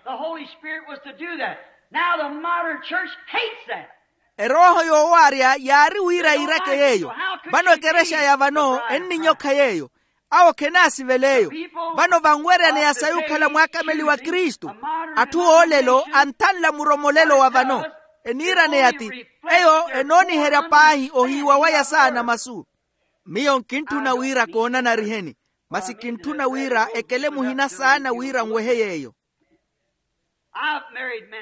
The Holy Spirit was to do that. Now the modern church hates that. Erooho yoowaarya yaari wira yiirake yeeyo. Vano ekerexa ya vano enninyokha yeeyo. Awo khenaasiveleeyo. Vano vanweryaneya sayi okhala mwaakameliwa kristu. Atthu oolelo anthanla muromolelo wa vano. Eniiraneya ti eyo enooniherya paahi ohiiwa waya saana masu. Miyo nkintthuna wira koonanariheni, masi kintthuna wira ekele muhina saana wira nwehe yeeyo.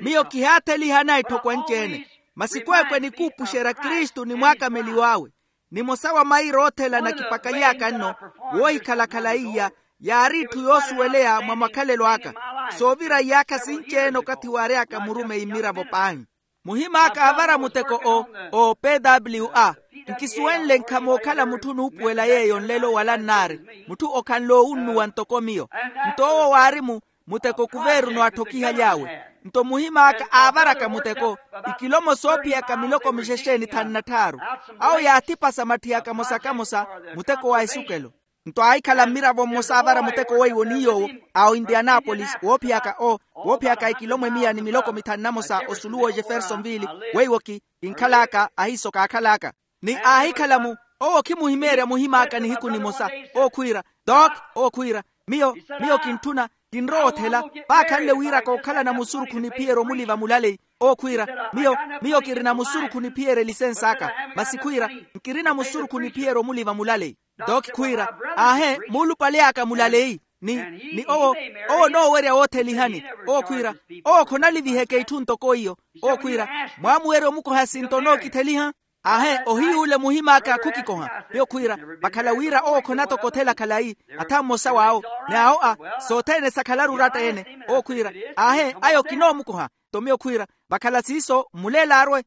Miyo kihaatheliha anaitthoko anci-ene, masi kweekwe nikuupuxerya kristu ni mwaakameliw'awe. Nimosa wa maira oothelana kipakaly'aka nno woohikhala-khala iya, yaari itthu yoosuweleya mwa makhalelo aka. Soovira iyaakha sinci-ene okathi waary'aka murumeyi mmiravo paahi. Muhim'aka aavara muteko o o pwa. Nkisuwenle nkhamookhala mutthu onuupuwela yeeyo nlelo wala nnaari, mutthu okhanle oowunnuwa ntoko miyo. Nto owo waari mu muteko kuveeruno atthokihaly'awe. Nto muhim'aka aavaraka muteko ikilomo soophiyaka miloko mixexe ni thanu na tthaaru. Awo yaathipasa matthi akamosa-kamosa muteko wa esukelo. Nto aahikhala mmiravo mmosa aavara muteko weiwo ni yoowo a oindianapolisi woophiyaka o woophiyaka ikilomo emiya ni miloko mithanu na mosa osulu w'ojefersonville. Weiwo ki kinkhal'aka ahiiso kaakhal'aka. Ni aahikhala mu owo khimuhimeerya muhim'aka nihiku nimosa. Owo khwiira dok owo khwiira miyo miyo kintthuna Kinrowa othela. Paakhanle wira kookhalana musurukhu niphiyerya omuli vamulaleyi. Owo khwiira, miyo miyo kirina musurukhu niphiyerya elisensi aka. Masi khwiira, nkirina musurukhu niphiyerya omuli vamulaleyi. Doki khwiira, aahe, muulupale aka mulaleyi. Ni ni owo owo onoowerya woothelihani. Owo khwiira, owo khonaliviheke itthu ntoko iyo. Owo khwiira, mwaamuwerya omukoha sinto onookitheliha? Aahe, ohiyuule muhim'aka khukikoha. Miyo khwiira, vakhala wira owo khonatokothela khalayi. Atha mmosa w'awo, ni awo a sothene sakhalaru oratta-ene. Owo khwiira, aahe, ayo kinoomukoha. Nto miyo khwiira, vakhala siiso mmuleele arwe.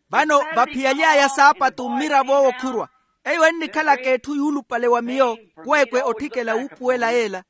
Vano vaphiyaly'aya saapatu mmiravo owo khurwa. Eyo ennikhalaka etthu yuulupale wa miyo, kweekwe otthikela wuupuwela yeela.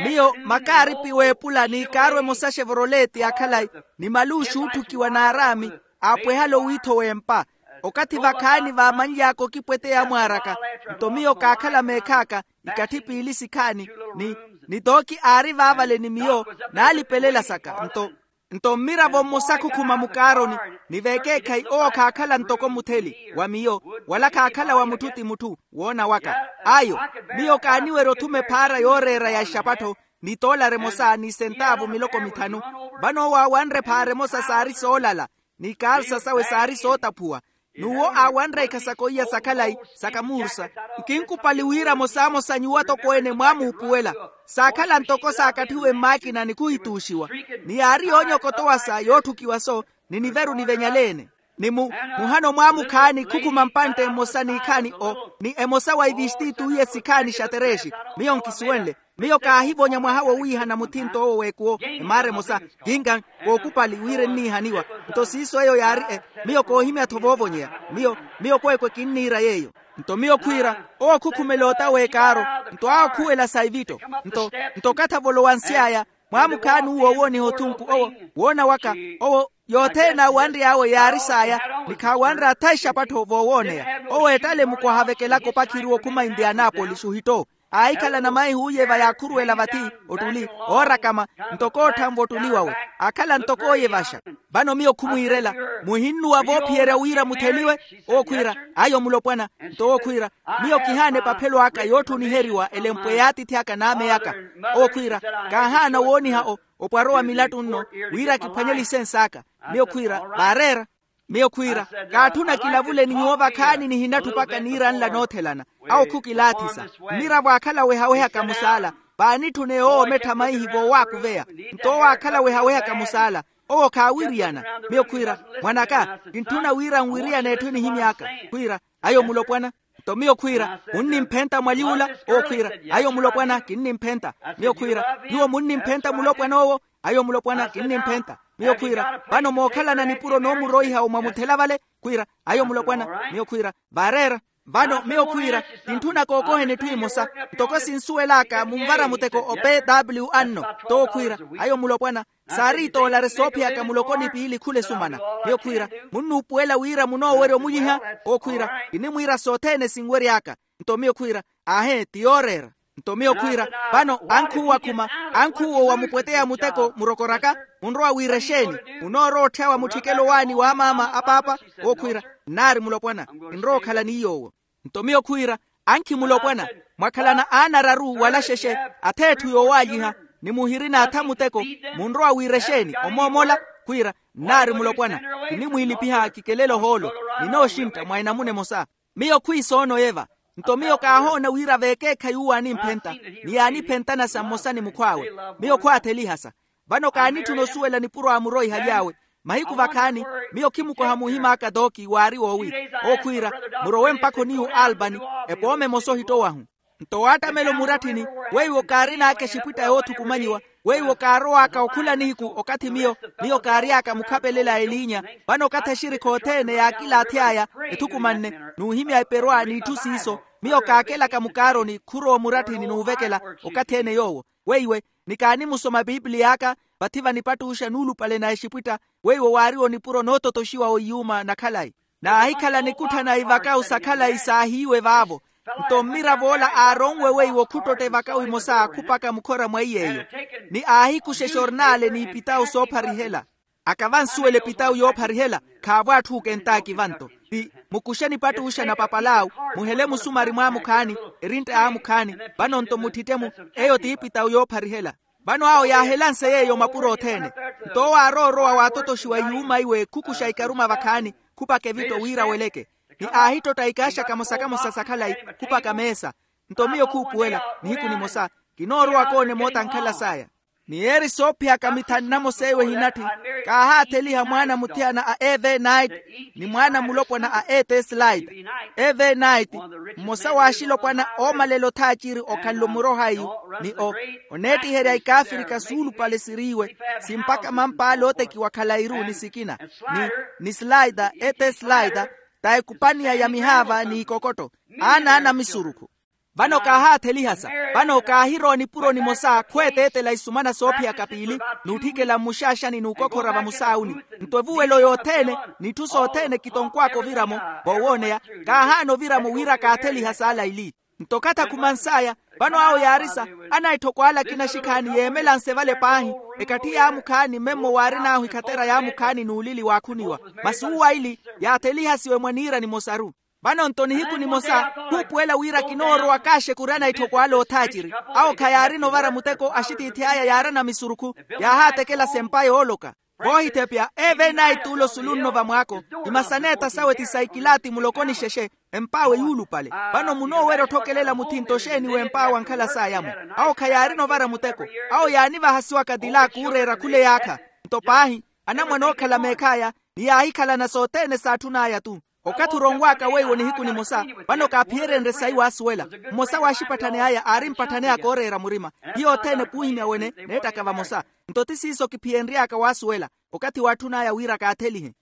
Miyo makaaripi w'epula ni kaarwe emosa xevroleti ya khalayi, ni maluuxi ootthukiwa n'araami, aapwehale owiitho w'empa. Okathi vakhaani vaamanly'aka okipweteya amwaar'aka. Nto miyo kaakhala meekh'aka ikatthi piili sikhaani, ni ni tooki aari vaavale ni miyo, naalipelela saka nto nto mmiravo mmosa khukhuma mukaaroni, ni vekeekhayi owo khaakhala ntoko mutheli wa miyo, wala khaakhala wa mutthu ti mutthu. Woona waka ayo, miyo kaaniwerya othuma ephaara yooreera ya exapattho, ni toolara emosa ni sentaavu miloko mithanu. Vano owo aawanre ephaara emosa saari soolala, ni ikaalsa sawe saari sootaphuwa. N'uwo aawanre ikhasako iya sa khalayi, sa kamuursa. Nkinkupali wira mosamosa nyuwo atokweene mwaamuupuwela. Saakhala ntoko saakatthiwe mmaakina ni khuhituuxiwa, ni yaari yoonyokotowasa yootthukiwa-so, ni niveru nivenyale-ene. Ni mu muhano mwaamukhaani khukhuma mpantte mmosa n'ikhaani o ni emosa wa ivistitu iye sikhaani xatereexi. Miyo nkisuwenle. Miyo kaahivonya mwaha wowiihana muthinto owo w'ekuwo, emaara emosa, kinkan, kookupali wira enniihaniwa. Nto siiso eyo yaari e miyo koohimya-tho voovonyeya. Miyo miyo kweekwe kinniira yeeyo. Nto miyo khwiira, owo khukhumela ota w'ekaaro, nto awo khuwela sa ivitto. Nto nto okathi avolowansy'aya, mwaamukhaani uwo owooniha othunku owo, woona waka, owo yothene aawanry'awe yaari saya, ni khaawanre atha exapattho voowooneya. Owo eettale mukwaha avekelaka opakhiri wokhuma indianapolisi ohitto. Aahikhalana maihi uuyeva yaakhuruwela vathi, ottuli, oorakama, ntoko ootthanva ottuli wawe. Aakhala ntoko ooyevaxa. Vano miyo khumwiirela, muhinnuwa voophiyerya wira mutheliwe? Owo khwiira, ayo mulopwana. Nto owo khwiira, miyo kihaana epaphelo aka yootthuniheriwa elempwe y'atiithi aka n'ame aka. Owo khwiira, kaahaana wooniha o opwaro wa milattu nno, wira kiphwanye lisensi aka. Miyo khwiira, vaareera. Miyo khwiira, kaatthuna kilavule ni nyuwo vakhaani nihinatthupaka niira nla noothelana. Awo khukilaathisa. Mmiravo aakhala wehawehaka musaala, vaanitthune yoowo omettha maihi voowaakuveya. Nto owo aakhala wehawehaka musaala, owo khaawiriyana. Miyo khwiira, mwan'aka, kintthuna wira nwiriyane etthu enihimy'aka. Khwiira, ayo mulopwana. Nto miyo khwiira, munnimphenta mwaly'ula? Owo khwiira, ayo mulopwana kinnimphenta. Miyo khwiira, nyuwo munnimphenta mulopwana owo? Ayo mulopwana kinnimphenta. Miyo khwiira, vano mookhalana nipuro noomuroiha omwamuthela vale? Khwiira, ayo mulopwana. Miyo khwiira, vaareera. Vano miyo khwiira, kintthuna kookoheni etthu emosa, ntoko sinsuwel'aka munvara muteko o pw anno. Nto owo khwiira, ayo mulopwana, saari itoolari soophiyaka muloko ni piili khula esumana. Miyo khwiira, munnuupuwela wira munoowerya omulyiha? Owo khwiira, kinimwiira sothene sinwery'aka. Nto miyo khwiira, aahe ti yooreera. Nto miyo khwiira, vano ankhuuwa khuma, ankhuuwa wamupweteya muteko murokoraka, munrowa wiira exeeni? Munoorowa otthyawa mutthikelo waani w'amaama a paapa? Owo khwiira, nnaari mulopwana, kinrowa okhala ni yoowo. Nto miyo khwiira, ankhi mulopwana, mwakhalana aana araru wala xexe, atha etthu yoowaalyiha, ni muhirina atha muteko, munrowa wiira exeeni? Omoomola? Khwiira, nnaari mulopwana, kinimwiilipiha kikelele ohoolo, ninooxintta mwa enamuna emosa. Miyo khwiisoono eva. Nto miyo kaahoona wira veekeekhayi uwo aanimphenta, ni yaaniphentana sa mmosa ni mukhw'awe. Miyo khwaatheliha sa. Vano kaanitthuna osuwela nipuro aamuroihaly'awe. Mahiku vakhaani, miyo khimukoha muhim'aka dooki waari woowi, owo khwiira, murowe mpakha oniiwa o albani, epooma emosa ohittowahu. Nto waattamela omuratthini, weiwo kaarin'aka exipwitta yoothukumanyiwa, weiwo kaarow'aka okhula nihiku okathi miyo miyo kaary'aka mukhapelela a eliinya. Vano okathi exirikha othene yaakilaathi aya ethukumanne, n'uhimya eperwa n'itthu siiso, miyo kaakelaka mukaaroni khurowa omuratthini n'uvekela. Okathi-ene yoowo weiwe, ni kaanimusoma pipiliy'aka, vathi vanipattuxa nuulupale na exipwitta, weiwo waariwo nipuro noototoxiwa wa iyuuma na khalayi. Naahikhala nikutthana ivakawu sa khalayi saahiiwe vaavo. Nto mmirav'ola aaronwe weiwo khuttotta evakawu emosa khupaka mukhora mwa iy'eyo, ni aahikuxa exornaale n'ipitawu soopharihela. Aka vansuwela epitawu yoopharihela. Khaavo atthu okentaaki vanto. Ti mukuxe nipattuxa na papalaawu, muhele musumari mwaamukhaani, erintta yaamukhaani. Vano-nto muttitte-mu. Eyo t'ipitawu yoopharihela. Vano awo yaahelanse yeeyo mapuro othene. Nto owo aaroorowa waatotoxiwa iyuuma iwe khukuxa ikaruma vakhaani, khupaka evitto wira aweleke. Ni aahittotta ikaaxa kamosa-kamosa sa khalayi, khupaka meesa. Nto miyo khuupuwela, nihiku nimosa kinoorowa koona emoota ankhala saya. Ni yeeri soophiyaka mithanu namosa eyo ehinatthi. Kaahaatheliha mwaana muthiyana a evenite, ni mwaana mulopwana a eteslaita. Evenite, mmosa w'axilopwana oomalela othaaciri okhanle omuroha iyu, ni o oneettiherya ikaafirika suulupale siriiwe, simpaka mamp'ale ootekiwa khalayi-ru ni sikina, ni ni slaita, eteslaita, ta ekupaniya ya mihaava n'ikokotto, aana anamisurukhu. Vano kaahaatheliha sa. Vano kaahirowa nipuro nimosa khweeteetela isumana soophiyaka piili, n'utthikela mmuxaaxani n'ukokhora vamusaawuni. Nto evuwelo yothene, n'itthu sothene kitonkw'aka oviramo. Voowooneya, kaahaana oviramo wira kaatheliha saala ili. Nto okhathi akhumans'aya, vano awo yaari sa. Anaitthoko ale akina axikhaani yeemelanse vale paahi, ekatthi yaamukhaani memmo waarin'ahu ikhatera yaamukhaani n'ulili waakhuniwa. Masi uwo aili, yaathelihasiwe mwa niira nimosa-ru. Vano-nto nihiku nimosa khuupuwela wira kinoorowa kaaxekuri anaitthoko ale oothaaciri. Awo khayaarina ovara muteko axitiithi aya yaari anamisurukhu, yaahaatekela sempa yooloka. Voohithepya evenite t'ule osulunno vamwaako. Imasaneeta sawe ti saikilaati muloko ni xexe. Emp'awe yuulupale. Vano munoowerya otthokelela muthinto xeeni w'emp'awe ankhala saaya-mo. Awo khayaarina ovara muteko. Awo yaanivahasiwaka tilaaku ooreera khula eyaakha. Nto paahi, anamwane ookhala meekh'aya, ni yaahikhalana sothene s'atthun'aya-tu. Okathi oronw'aka weiwo nihiku nimosa, vano kaaphiyerenrye sayi waasuwela. Mmosa w'axipatthani aya aari mpatthani aka ooreera murima. Hiyo othene puuhimya wene neettaka vamosa. Nto ti siiso kiphiyenry'aka waasuwela. Okathi waatthun'aya wira kaathelihe.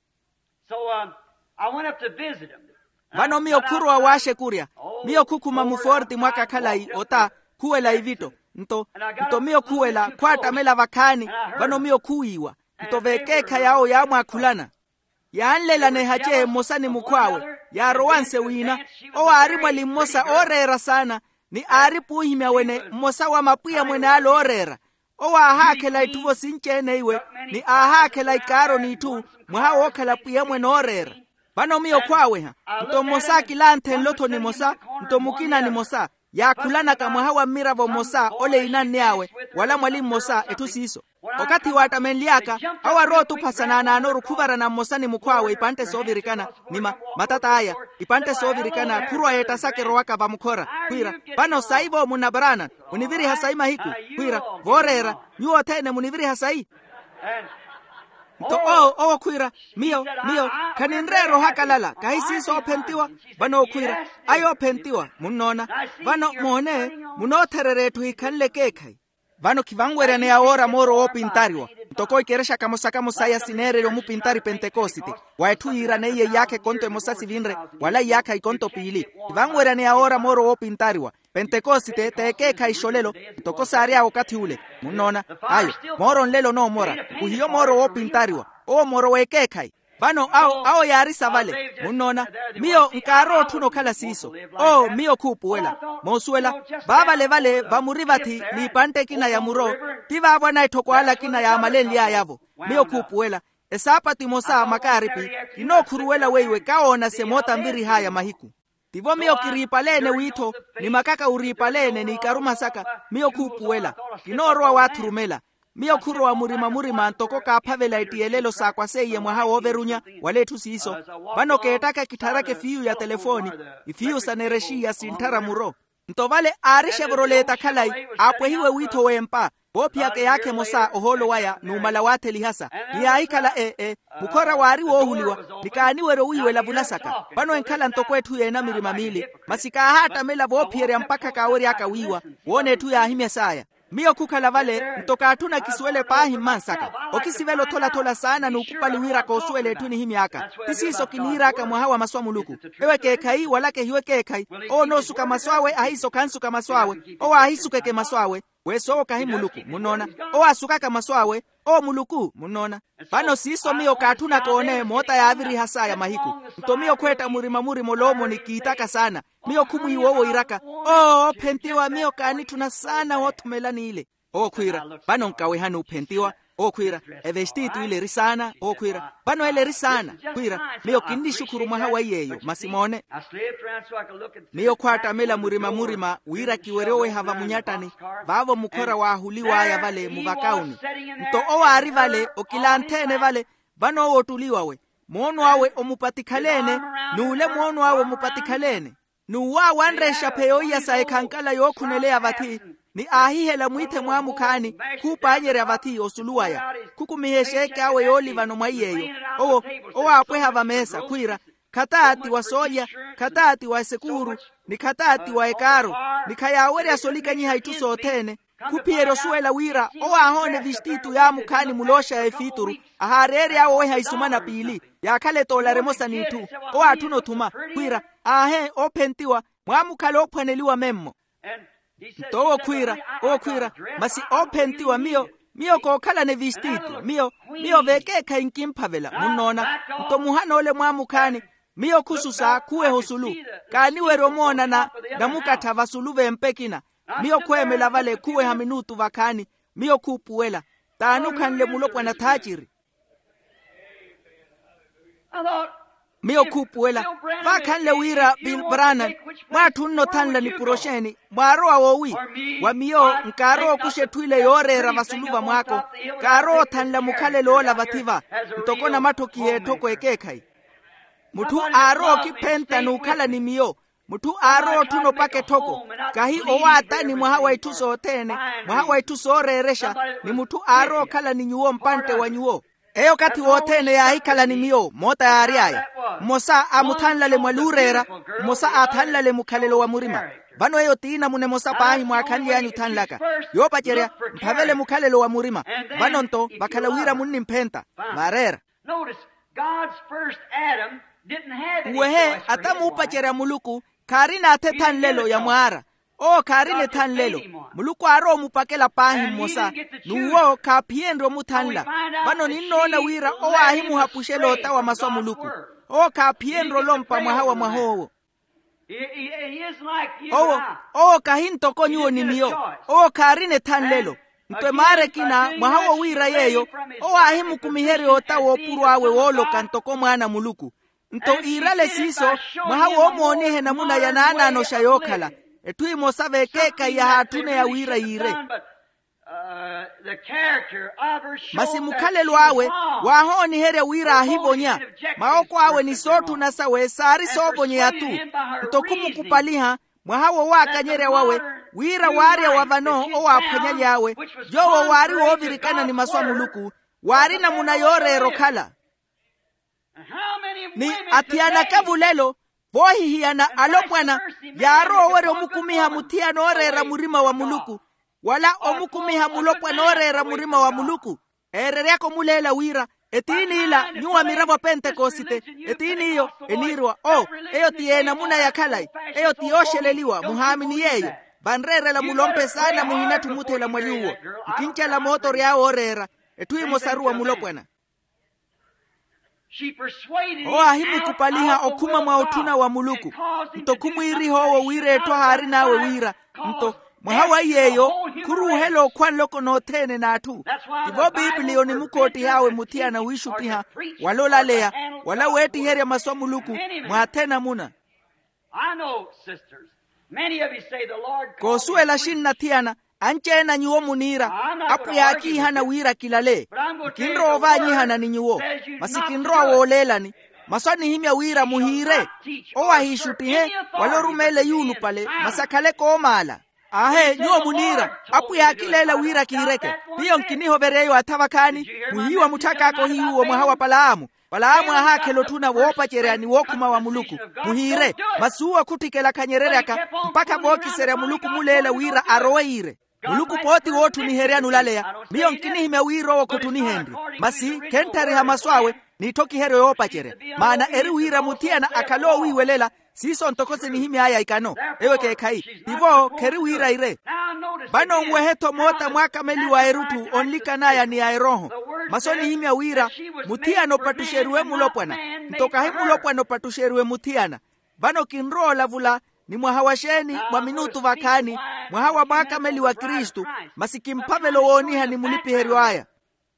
Vano miyo khurowa waaxekurya. Miyo khukhuma muforti mwaka khalayi ota, khuwela ivitto. Nto nto miyo khuwela khwaattamela vakhaani. Vano miyo khuwiiwa. Nto veekeekhayi awo yaamwaakhulana. Yaanlelana ehace mmosa ni mukhw'awe, yaarowanse wiina. Owo aari mwali mmosa ooreera saana, ni aari puuhimya wene mmosa wa mapwiya mwene ale ooreera. Owo aahaakhela itthu vosinci-ene iwe, ni aahaakhela ikaaro n'itthu, mwaha wookhala pwiya mwene ooreera. Vano miyo khwaaweha. Nto mmosa akilanthenle otho nimosa, nto mukina nimosa, yaakhulanaka mwaha wa mmiravo mmosa ole einanny'awe, wala mwali mmosa etthu siiso. Okathi waattamenly'aka, awo arowa otupha sanaanaanoru khuvarana mmosa ni mukhw'awe ipantte soovirikana, ni ma matat'aya, ipantte soovirikana khurowa yeettasaka erowaka vamukhora, khwiira, vano sayi-vo munna brana, muniviriha sayi mahiku? Khwiira, vooreera, nyuwo othene muniviriha sayi? Nto owo owo khwiira, miyo miyo khaninreera ohakalala kahi siiso oophentiwa. Vano owo khwiira, ayo oophentiwa munnoona. Vano moone, munoothererya etthu hikhanle ekeekhayi. Vano khivanweryaneya woora mooro woopintariwa, ntoko ikerexa kamosa-kamosa iya sineererya omupintari pentekosite, wa etthu yiiraneiye iyaakha ekonto emosa sivinre, wala iyaakha ikonto piili. Khivanweryaneya woora mooro woopintariwa. Pentekosite t'ekeekhayi xolelo, ntoko saary'awe okathi ule. Munnoona? Ayo, mooro nlelo onoomora. Khuhiyo mooro woopintariwa. Owo mooro w'ekeekhayi. Vano awo awo yaari sa vale. Munnoona? Miyo nkaarowa otthuna okhala siiso. Oo miyo khuupuwela. Moosuwela, vaavale-vale vamuri vathi n'ipantte ekina ya muro, ti vaavo anaitthoko ale akina yaamalenly'aya-vo. Miyo khuupuwela. Esaapatu emosa makaaripi, kinookhuruwela weiwe kawoonase moota nvirih'aya mahiku. Tivo miyo kiriipaleene wiitho, ni makaka uriipaleene n'ikaruma saka. Miyo khuupuwela. Kinoorowa waathurumela. Miyo khurowa murima-murima ntoko kaaphavela ettiyelelo saakwa seiye mwaha wooverunya, wala etthu siiso. Vano keettaka kittharaka efiiyu ya telefooni, ifiiyu sa nerexiya sintthara muro. Nto vale aari exevoroleta khalayi, aapwehiwe wiitho w'empa, voophiyaka eyaakha emosa ohoolo waya numala waatheliha sa. Ni yaahikhala e e mukhora waari woohuliwa, ni kaaniwerya owiiwela vulasaka. Vano enkhala ntoko etthu yeena mirima miili, masi kaahaattamela voophiyerya mpakha kaawery'aka wiiwa. Woona etthu yaahimya saaya. Miyo khukhala vale, nto kaatthuna kisuwele paahi mmansaka. Okisivela othola-thola saana n'ukupali wira koosuwela etthu enihimy'aka. Ti siiso kiniir'aka mwaha wa masu a muluku. Ewo ekeekhayi wala kehiwe ekeekhayi. Owo onoosuka masu awe ahiiso khansuka masu awe. Owo aahisukeke masu awe. Weso owo kahi muluku munnoona. Owo aasukaka masu awe. Owo muluku munnoona. Vano siiso miyo kaatthunaka oone moota yaaviriha saaya mahiku. Nto miyo khweetta murima-murima oloomoni kiitaka saana. Miyo khumwiiwa owo iiraka, oo oophentiwa miyo kaanitthuna saana woothumela n'ile. Owo khwiira, vano nkawehani ophentiwa. Owo khwiira, evestitu ile eri saana. Owo khwiira, vano ele eri saana. Khwiira, miyo kinnixukhuru mwaha wa iy'eyo masi moone. Miyo khwaattamela murima-murima wira kiwerye oweha vamunyattani. Vaavo mukhora waahuliw'aya vale muvakauni. Nto owo aari vale okilanthe-ene vale. Vano owo ottuliwawe, moono awe omupatikhala-ene. N'ule moono awe omupatikhala-ene. N'uwo aawanre exaphe yooiya sa ekhankala yookhuneleya vathi, ni aahihela mwiithe mwaamukhaani, khuupaanyerya vathi osulu waya. Khukumiha exeeke awe yoolivano mwa iy'eyo. Owo, owo aapweha vameesa khwiira, khataati wa soolya, khataati wa esekuuru, ni khataati wa ekaaro, ni khayaawerya solikanyiha itthu sothene. Khuphiyerya osuwela wira owo aahoona evestitu yaamukhaani mulooxa ya efiituru, ahaareery'awe oweha isumana piili, yaakhala etoolari emosa n'itthu. Owo aatthuna othuma khwiira, aahe oophentiwa, mwaamukhala oophwaneliwa memmo. Nto owo khwiira, owo khwiira, masi oophentiwa miyo, miyo kookhalana evestitu miyo, miyo vekeekhayi nkimphavela munnoona. Nto muhana ole mwaamukhaani, miyo khususa khuweha osulu, kaaniwerya omoona na namukattha vasulu v'empa ekina. Miyo khweemela vale khuweha minutu vakhaani. Miyo khuupuwela, t'ani okhanle mulopwana thaaciri? Miyo khuupuwela, vaakhanle wira bill branham, mwaatthunna othanla ni puroxeni mwaarowa woowi? Wa miyo nkaarowa okuxa etthu ile yooreera vasulu vamwaako. Kaarowa othanla mukhalelo ola vathi-va, ntoko namatthokiha etthoko ekeekhayi. Mutthu aarowa okiphenta n'ukhala ni miyo. Mutthu aarowa otthuna opaka etthoko, kahi owaatani mwaha wa itthu sothene, mwaha wa itthu sooreerexa, ni mutthu aarowa okhala ni nyuwo mpantte wa nyuwo. Eyo okathi wothene yaahikhala ni miyo moota yaary'aya. Mmosa aamuthanlale mwaluureera, mmosa aathanlale mukhalelo wa murima. Vano eyo ti namuna emosa paahi mwaakhanly'anyu othanlaka. Yoopacerya, mphavele mukhalelo wa murima. Vano-nto vakhala wira munnimphenta. Vaareera. Notice, God's first Adam didn't have any choice for his wife. Uwehe ata muupacerya muluku, khaarina atha ethanlelo ya mwaara. Owo khaarina ethanlelo. Muluku aarowa omupakela paahi mmosa, n'uwo khaaphiyenrye omuthanla. Vano ninnoona wira owo aahimuhapuxela ota wa masu a muluku. Owo khaaphiyenrye olompa mwaha wa mwah'owo. Owo, owo kahi ntoko nyuwo ni miyo. Owo khaarina ethanlelo. Nto emaara ekina mwaha wowiira yeeyo, owo aahimukumiherya ota woopuro awe wooloka ntoko mwaana a muluku. Nto iirale siiso, mwaha woomooniha enamuna ya naanaanoxa yookhala. Etthu emosa vekeekhayi yahaatthuna ya wira yiire. Masi mukhalelo awe waahooniherya wira aahivonya. Mawoko awe ni sootthuna sawe saari soovonyeya-tu. Nto khumukupaliha mwaha wowaakanyerya wawe, wira waarya wa vano owaaphwanyaly'awe, yoowo waari woovirikana ni masu a muluku, waari namuna yooreera okhala. Ni athiyana-ka vulelo, voohihiyana alopwana, yaarowa owerya omukumiha muthiyana ooreera murima wa muluku, wala omukumiha mulopwana ooreera murima wa muluku. Eereryaka omuleela wira, etiini ila nyuwo a miravo a pentekosite, etiini iyo eniiriwa o, eyo ti y'enamuna ya khalayi. Eyo ti yooxeleliwa muhaamini yeeyo. Vanreerela mulompe saana muhinatthi omuthela mwa nyuwo. Nkincela mootory'awe ooreera, etthu emosaru wa mulopwana. Owo aahimukupaliha okhuma mwa otthuna wa muluku. Nto khumwiiriha owo wira etthu ahaarin'awe wira. Nto mwaha wa iy'eyo khuruuhela okhwa nloko nothene n'atthu. Tivo pipiliya onimukoottih'awe muthiyana wiixuttiha, wala olaleya, wala weettiherya masu a muluku, mwaathe namuna. Koosuwela xinna athiyana, anci-ene a nyuwo muniira, apwiya aakiihana wira kilale. Nkinrowa ovaanyihana ni nyuwo, masi kinrowa wooleelani. Masu anihimya wira muhiire. Owo ahiixuttihe, wala orumeela eyuulupale, masi akhale koomaala. Aahe nyuwo muniira, apwiya aakileela wira kiireke. Miyo nkinihoverya eyo atha vakhaani. Muhiiwa mutthak'aka ohiyuwo mwaha wa palaamu. Palaamu aahaakhela otthuna woopacerya ni wookhuma wa muluku. Muhiire. Masi uwo khutthikela khanyereryaka, mpakha vookiserya muluku muleela wira arowe yiire. Muluku pooti wootthuniheryani olaleya. Miyo nkinihimya wira owo khotthunihenrye. Masi khentthariha masu awe, n'itthokiheryo yoopacerya. Maana eri wira muthiyana akhale oowiiwelela. Siiso ntoko sinihimy'aya ikano. Eyo ekeekhayi. Tivo kheri wira ire. Vano nwehe-tho moota mwaakameliwa a erutthu onlikan'aya ni a erooho. Masu onihimya wira muthiyana opattuxeriwe mulopwana. Nto kahi mulopwana opattuxeriwe muthiyana. Vano kinrowa olavula, Ni mwaha wa xeeni? Mwa minutu vakhaani. Mwaha wa mwaakameli wa kristu. Masi kimphavelo wooniha ni mulipiheryo aya.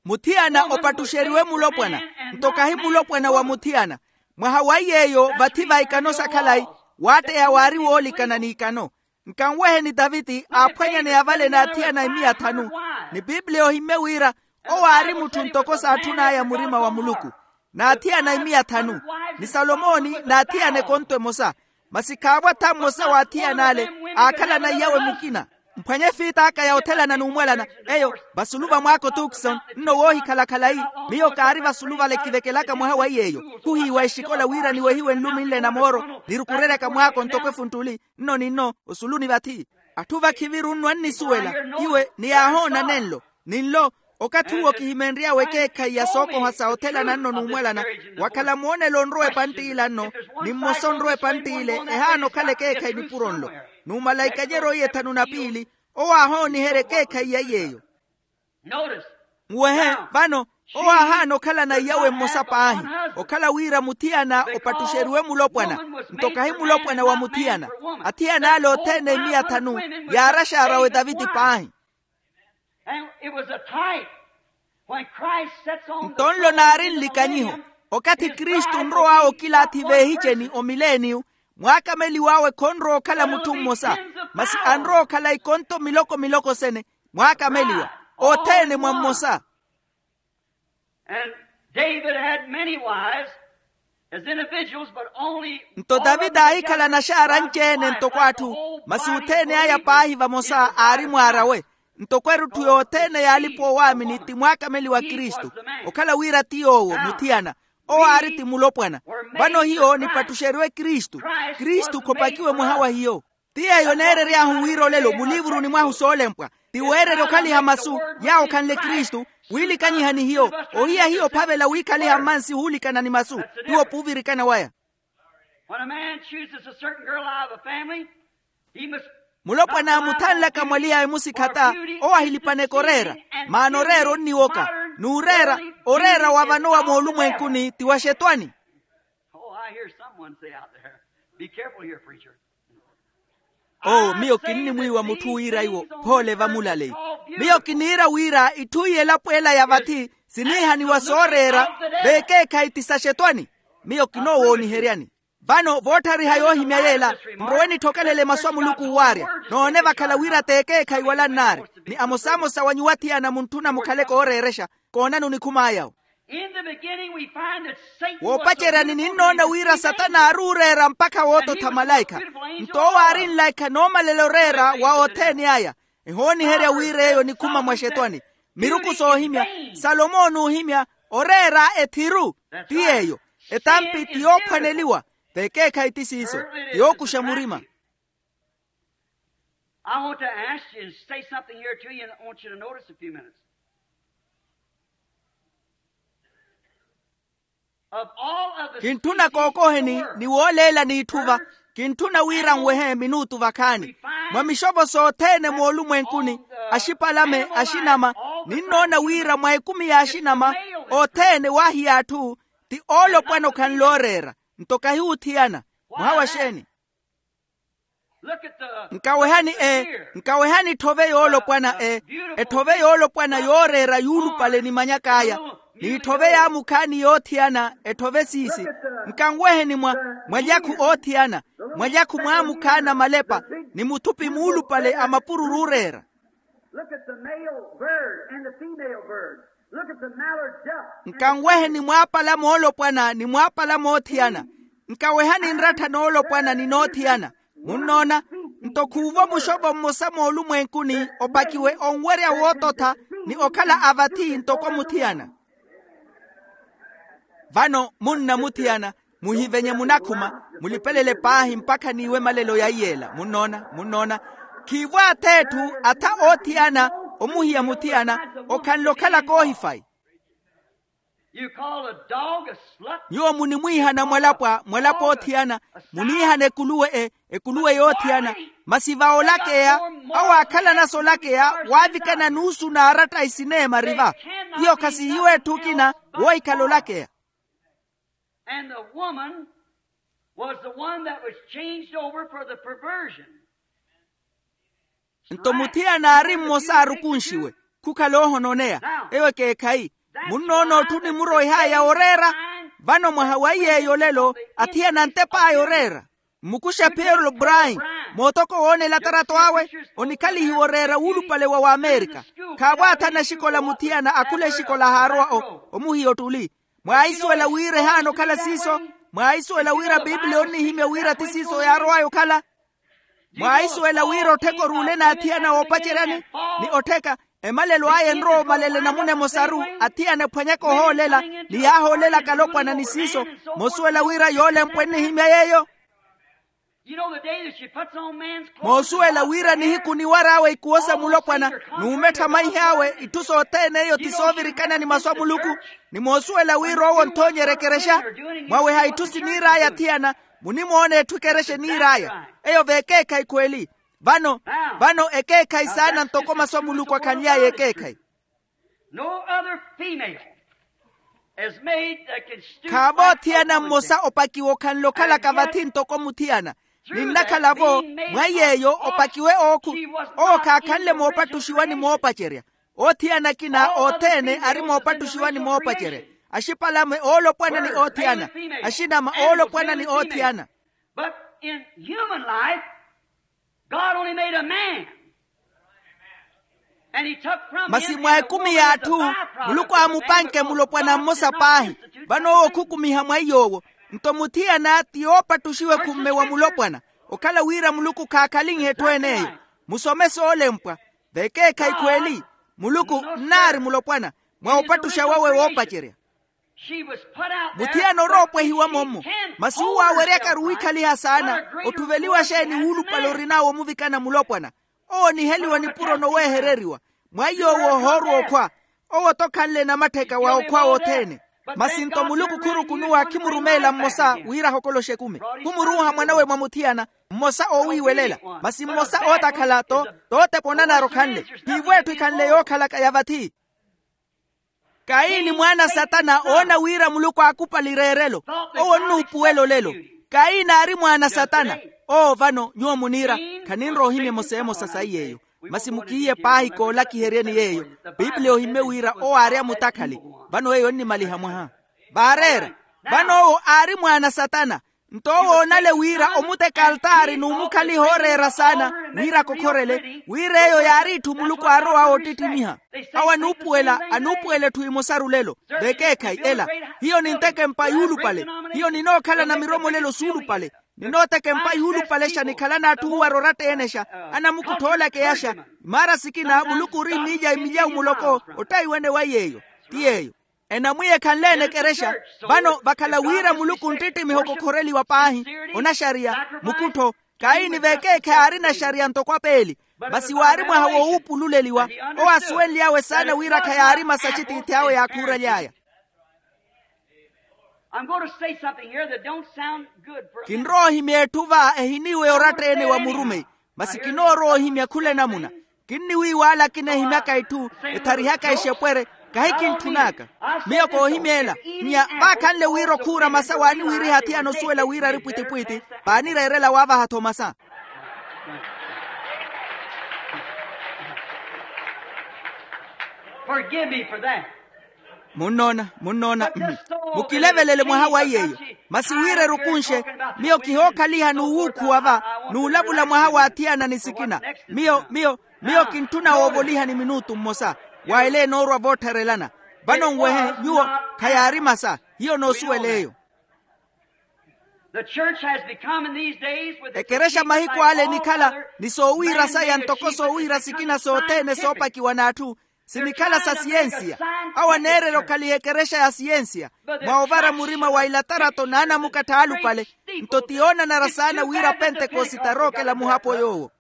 Muthiyana opattuxeriwe mulopwana, nto kahi mulopwana wa muthiyana. Mwaha wa iy'eyo vathi va ikano sa khalayi, waatteya waari woolikana n'ikano. Nkanweheni taviti aaphwanyaneya vale n'athiyana imiya thanu. Ni pipiliya ohimmye wira owo aari mutthu ntoko saatthun'aya murima wa muluku. N'athiyana imiya thanu, ni salomoni n'athiyana ekonto emosa. Masi khaavo atha mmosa w'athiyana ale aakhalana iyawe mukina. Mphwanye efiit'aka ya othelana n'umwalana. Eyo, vasulu va mwaako tuksoni, nno woohikhala khalayi. Miyo kaari vasulu vale kivekelaka mwaha wa iy'eyo. Khuhiiwa exikola wira niwehiwe nlumi nle na mooro, nirukureryaka mwaako ntoko efuntuli. Nno ni nno osuluni vathi. Atthu vakhiviru nno annisuwela iwe ni yaahoona nenlo. Ni nlo, okathi uwo kihimenry'awe ekeekhayi ya sookoha sa othelana nno n'umwalana. Wakhala moonelo onrowa epantt'ila nno, ni mmosa onrowa epantt'ile. Ehaana okhala ekeekhayi nipuro nlo. Numalaika ajerya oiye thanu na piili, owo aahooniherya ekeekhayi ya iy'eyo. Nwehe, vano, owo aahaana okhalana iyawe mmosa paahi. Okhala wira muthiyana opattuxeriwe mulopwana, nto kahi mulopwana wa muthiyana. Athiyana ale othene imiya thanu, yaaraxaarawe taviti paahi. Nto nlo naari nlikanyiho, okathi kristu onrow'awe okilaathi veehiceni omileniyu, mwaakameliw'awe khonrowa okhala mutthu mmosa, masi anrowa okhala ikonto miloko miloko sene. Mwaakameliwa othene mwa mmosa. And david had many wives, as individuals, but only nto taviti aahikhala naxaara anci-ene ntoko atthu, masi othene aya paahi vamosa aari mwaar'awe. Ntoko erutthu yothene y'alipa-oowaamini ti mwaakameliwa kristu. Okhala wira ti yoowo muthiyana, owo aari ti mulopwana. Vano hiyo nipattuxeriwe kristu. Kristu khopakiwe mwaha wa hiyo. Ti yeeyo neerery'ahu wira olelo muliivuruni mwahu soolempwa, ti weererya okhaliha masu yaawo khanle kristu, wiilikanyiha ni hiyo. Ohiya hiyo ophavela wiikhaliha mmansi huulikana ni masu, ti wopuvirikana waya. When a man chooses a certain girl out of a family, he must mulopwana aamuthanlaka mwaliya emusikhata, owo ahilipaneke oreera. Maana oreera onniwoka, n'ureera, oreera wa vano wa moolumwenkuni ti wa xetwani. Oh, I hear someone say out there, be careful here, preacher. Oo miyo kinnimwiiwa mutthu wiira iwo, phoole vamulaleyi. Miyo kiniira wira itthu iy'elapo ela ya vathi siniihaniwa sooreera, veekeekhayi ti saxetwani. Miyo kinoowooniheryani. Vano vootthariha yoohimya yeela, nrowe nitthokelele masu a muluku owaarya. Noone vakhala wira t'ekeekhayi wala nnaari, ni amosamosa wa nyuwo athiyana muntthuna mukhale kooreerexa. Koonani onikhum'aya. Woopaceryani ninnoona wira satana aari ooreera mpakha woototha malaikha. Nto owo aari nlaikha noomalela oreera wa othene aya. Ehooniherya wira eyo onikhuma mwa xetwani. Miruku soohimya, salomo onuuhimya, oreera ethiru. Ti yeeyo. Etampi ti yoophwaneliwa. Vekeekhayi ti siiso, ti yookuxa murima. I want to ask you and say something here to you, and I want you to notice a few minutes. Kintthuna kookoheni ni wooleela n'itthuva. Kintthuna wira nwehe minuutu vakhaani. Mwa mixopo sothene moolumwenkuni, axipalame, axinama, ninnoona wira mwa ekumi y'axinama othene waahiya atthu, ti oolopwana okhanle ooreera. Nto kahi wuthiyana. Mwaha wa xeeni? Nkawehani e, nkawehani etthove yoolopwana e. Etthove yoolopwana yooreera yuulupale nimanyak'aya, n'itthove yaamukhaani yoothiyana. Etthove siisi. Nkanweheni mwa mwalyakhu oothiyana, mwalyakhu mwaamukhaana malepa, ni muthupi muulupale a mapururu ooreera. Look at the male bird and the female bird. Look at the mallard duck. Nkanweheni mwaapala moolopwana ni mwaapala moothiyana. Nkawehani nrattha noolopwana ni noothiyana. Munnoona? Nto khuuvo muxopo mmosa moolumwenkuni opakiwe onwerya woototha, ni okhala a vathi ntoko muthiyana. Vano munna muthiyana, muhivenye munakhuma, mulipelele paahi mpakha n'iwe malelo ya iyela. Munnoona? Munnoona? Khiivo ath'etthu atha oothiyana, omuhiya muthiyana, okhanle okhala koohifayi. Nyuwo munimwiihana mwalapwa mwalapwa oothiyana, muniihana ekuluwe e, ekuluwe yoothiyana. Masi va olakeya, awo aakhalana-so olakeya, waavikana nuusu n'aratta isineema riva. Iyo khasihiwe etthu okina woohikhala olakeya. And the woman Was the one that was changed over for the perversion. Nto muthiyana aari mmosa aarukunxiwe khukhala oohononeya. Eyo ekeekhayi. Munnoona otthu onimuroihaya oreera. Vano mwaha wa iy'eyo olelo athiyana antep'aya oreera. Mmukuxe peter brain, mootoko woona elatarato awe, onikhalihiwa oreera wuulupale wa wamerika. Khaavo athana exikola muthiyana akhula exikola haarowa omuhiya ottuli. Mwaahisuwela wira ehaana okhala siiso? Mwaahisuwela wira a piipiliya onnihimya wira ti siiso yaarowaya okhala? Mwaahisuwela wira ottheka oruule n'athiyana oopaceryani, ni ottheka emalelo aya enrowa omalela enamuna emosaru, athiyana ephwanyaka ohoolela ni yaahoolelaka alopwana ni siiso? Moosuwela wira yoolempwa ennihimya yeeyo. Moosuwela wira nihiku niwar'awe ikuwo sa mulopwana, n'umettha maihi awe itthu sothene eyo ti soovirikana ni masu a muluku. Ni moosuwela wira owo onthoonyerya ekerexa, mwaweha itthu siniir'aya athiyana. Munimoona etthu ekerexa eniir'aya eyo v'ekeekhayi khweli. Vano, vano ekeekhayi saana ntoko masu a muluku akhanly'aya ekeekhayi. No other female is made that can stoop. Khaavo othiyana mmosa opakiwa okhanle okhalaka vathi ntoko muthiyana. Ninnakhala-vo mwa iy'eyo opakiwe ookhu. Owo khaakhanle moopattuxiwa ni moopacerya. Othiyana akina othene ari moopattuxiwa ni moopacerya. Axipalame oolopwana ni othiyana. Axinama oolopwana ni othiyana. But in human life, God only made a man. Masi mwa ekumi y'atthu, muluku aamupanke mulopwana mmosa paahi. Vano owo okhukumiha mwa iy'owo. Nto muthiyana ti yoopattuxiwa ekhumme wa mulopwana, okhala wira muluku khaakhalinhe etthu en'eyo. Musome soolempwa. V'ekeekhayi khweli, muluku nnaari mulopwana mwa opattuxa wawe woopacerya. Muthiyana orowa opwehiwa mommo. Masi uwo aaweryaka aruwikhaliha saana otthuveliwa xeeni wuulupale orin'awe omuvikana mulopwana. Owo oniheliwa nipuro noweehereriwa. Mwa iy'owo ohoorwa okhwa. Owo-tho khanle namattheka wa okhwa wothene. Masi nto muluku khurukunuwa khimurumeela mmosa wira ahokoloxe ekumi. Khumuruuha mwanawe mwa muthiyana, mmosa oowiiwelela. Masi mmosa ootakhala to tootepa onanara okhanle. Khiivo etthu ekhanle yookhalaka ya vathi. Kayini mwaana a satana oona wira muluku aakupali reerelo. Owo onnuupuwela olelo. Kayini aari mwaana a satana. Oo vano nyuwo muniira. Khaninrowa ohimya emosa emosa sayi yeeyo. Masi mukihiye paahi koolakiheryeni yeeyo. Piipiliya ohimmye wira owo aari amutakhali. Vano eyo onnimaliha mwaha. Vaareera. Vano owo aari mwaana a satana. Nto owo oonale wira omuteka altaari n'umukhaliha ooreera saana wira akokhorele. Wira eyo yaari itthu muluku aarowa oottittimiha. Awo anuupuwela anuupuwela etthu emosaru lelo. V'ekeekhayi ela, hiyo ninteka empa yuulupale. Hiyo ninookhalana miromolelo suulupale. Ninooteka empa yuulupalexa nikhalana atthu owara oratta-eenexa. Anamukuttha oolakeyaxa. Imaara sikina muluku ori miilya imilyawu muloko ottayiwene wa yeeyo. Ti yeeyo. Enamwiya ekhanle-ene ekerexa. Vano vakhala wira muluku nttittimiha okokhoreliwa paahi. Onaxariya, mukuttho. Kayini v'ekeekhayi aari naxariya ntoko apeeli. Masi waari mwaha wowuupululeliwa. Owo asuwenly'awe saana wira khayaari masa axitiithi awe yaakhuuraly'aya. Kinrowa ohimya etthu va ehiniiweya oratta-ene wa murumeyi. Masi kinoorowa ohimya khula enamuna. Kinniwiiwaala akina ehimyaka itthu etharihaka exepwere. Kahikintthun'aka. Miyo koohimya ela. Nnya vaakhanle wira okhuura masa waaniwiiriha athiyana osuwela wira ari pwitipwiti. Paanireerela waavaha-tho masa. Forgive me for that. Munnoona, munnoona. Mukilevelele mwaha wa iy'eyo. Masi wira erukunxe. Miyo kihookhaliha n'uwuukhuwa va n'ulavula mwaha w'athiyana ni sikina. Miyo miyo miyo kintthuna woovolihani minutu mmosa. Wa ela enoorwa voottharelana. Vano nwehe nyuwo. Khayaari masa. Hiyo noosuwela eyo. Ekerexa mahiku ale enikhala ni soowiira saya ntoko soowiira sikina sothene soopakiwa n'atthu. Sinikhala sa siyensiya. Awo aneererya okhaliha ekerexa ya siyensiya. Mwa ovara murima wa ilatarato n'anamukattha aalupale. Nto ti yoonanara saana wira apentekosite arookela muhapo yoowo.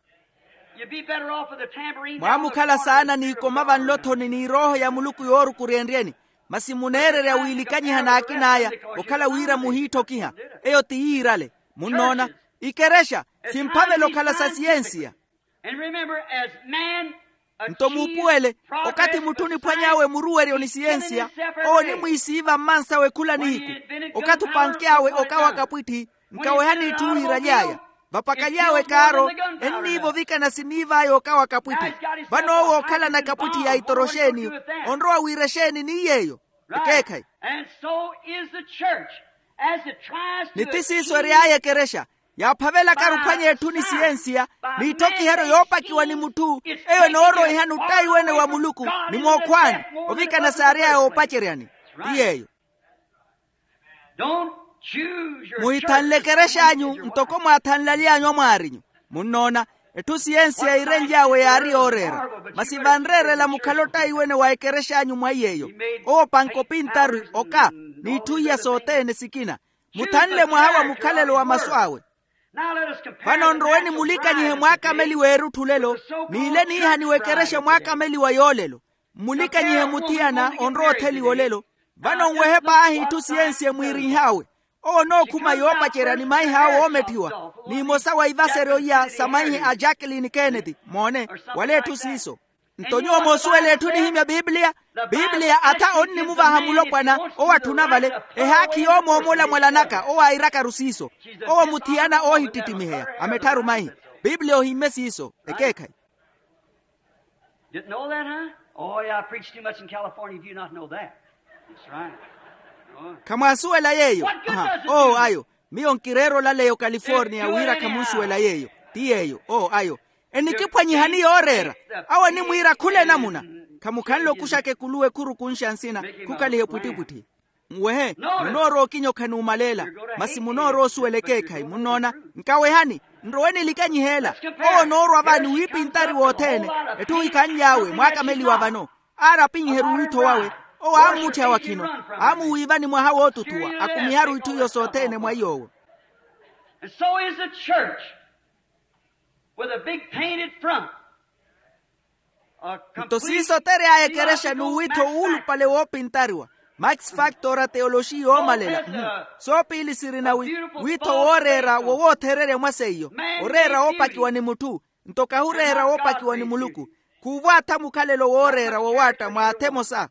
Mwaamukhala saana n'ikoma vanlo-thoni n'irooho ya muluku yoorukuryenryeni. Masi muneererya wiilikanyiha n'akin'aya okhala wira muhiitthokiha. Eyo ti yiirale. Munnoona? Ikerexa simphavela okhala sa siyensiya. Nto muupuwele, okathi mutthu oniphwany'awe muruweryo ni siyensiya, owo onimwiisiiva mmansawe khula nihiku. Okathi opanky'awe okawa kapwitthi, Nkawehani itthu wiiraly'aya. Vapakaly'awe kaaro, enniiva ovikana siniiv'aya okawa kapwitthi. Vano owo ookhalana kapwitthi ya itoroxeeni. Onrowa wiira exeeni ni yeeyo? Ekeekhayi. Ni ti siiso ery'aya ekerexa yaaphavelakaru ophwanya etthu ni siyensiya, n'itthokiheryo yoopakiwa ni mutthu. Eyo enooroihani ottaiwene wa muluku ni mookhwaani, ovikana saary'aya oopaceryani. Ti yeeyo. Muhithanle ekerex'anyu ntoko mwaathanlaly'anyu amwaarinyu. Munnoona, etthu siyensiya iirenly'awe yaari yooreera. Masi vanreerela mukhale ottaiwene wa ekerex'anyu mwa iy'eyo. Owo panka opintari oka, n'itthu iya sothene sikina. Muthanle mwaha wa mukhalelo wa masu awe. Vano nrowe nimulikanyihe mwaakameliwa eerutthulelo, n'ile niihaniwa ekerexa mwaakameliwa yoolelo. Mmulikanyihe muthiyana onrowa otheliwa olelo. Vano nwehe paahi itthu siyensiye mwiirinh'awe. Owo onookhuma yoopacerya ni maihi awe oometthiwa, n'imosa wa ivaseryo iya sa maihi a jackilini kenneti moone, wala etthu siiso. Nto nyuwo moosuwela etthu enihimya pipiliya. Pipiliya atha onnimuvaha mulopwana owo atthuna vale. Ehaakhi yoomoomola mwalanaka owo airakaru siiso. Owo muthiyana oohittittimiheya amettharu maihi. Pipiliya ohimme siiso ekeekhayi. Didn't know that, huh? Oh yeah, I preached too much in California. Do you not know that? That's right. Khamwaasuwela yeeyo. Owo ayo, miyo nkireera olaleya okaliforniya wira khamunsuwela yeeyo. Ti yeeyo owo ayo. Enikiphwanyihani yooreera. Awo enimwiira khula enamuna. Khamukhanle okuxaka ekuluwa ekhurukunxa nsina, khukaliha epwittipwitthi. Nwehe, munoorowa okinyokha n'umaleela. Masi munoorowa osuwela ekeekhayi munnoona. Nkawehani, nrowe nilikanyiheela. Owo onoorwa vaani wiipintari wothene. Etthu ohikhanly'awe mwaakameliwa vano. Aari apinyiherye owiitho wawe. Owo aammutthiha wakhino, aamuwiivani mwaha wootuthuwa akumiharu itthu iyo sothene mwa iy'owo. And so is the church with a big painted front. Nto siiso tery'aya ekerexa n'uwitho wuulupale woopintariwa. Max factor a teoloxiya oomalela. Soopiili sirina wi witho wooreera wowoothererya mwa seiyo. Oreera woopakiwa ni mutthu. Nto kahureera woopakiwa ni muluku. Khuuvwaatha mukhalelo wooreera wowaatta mwaatha emosa.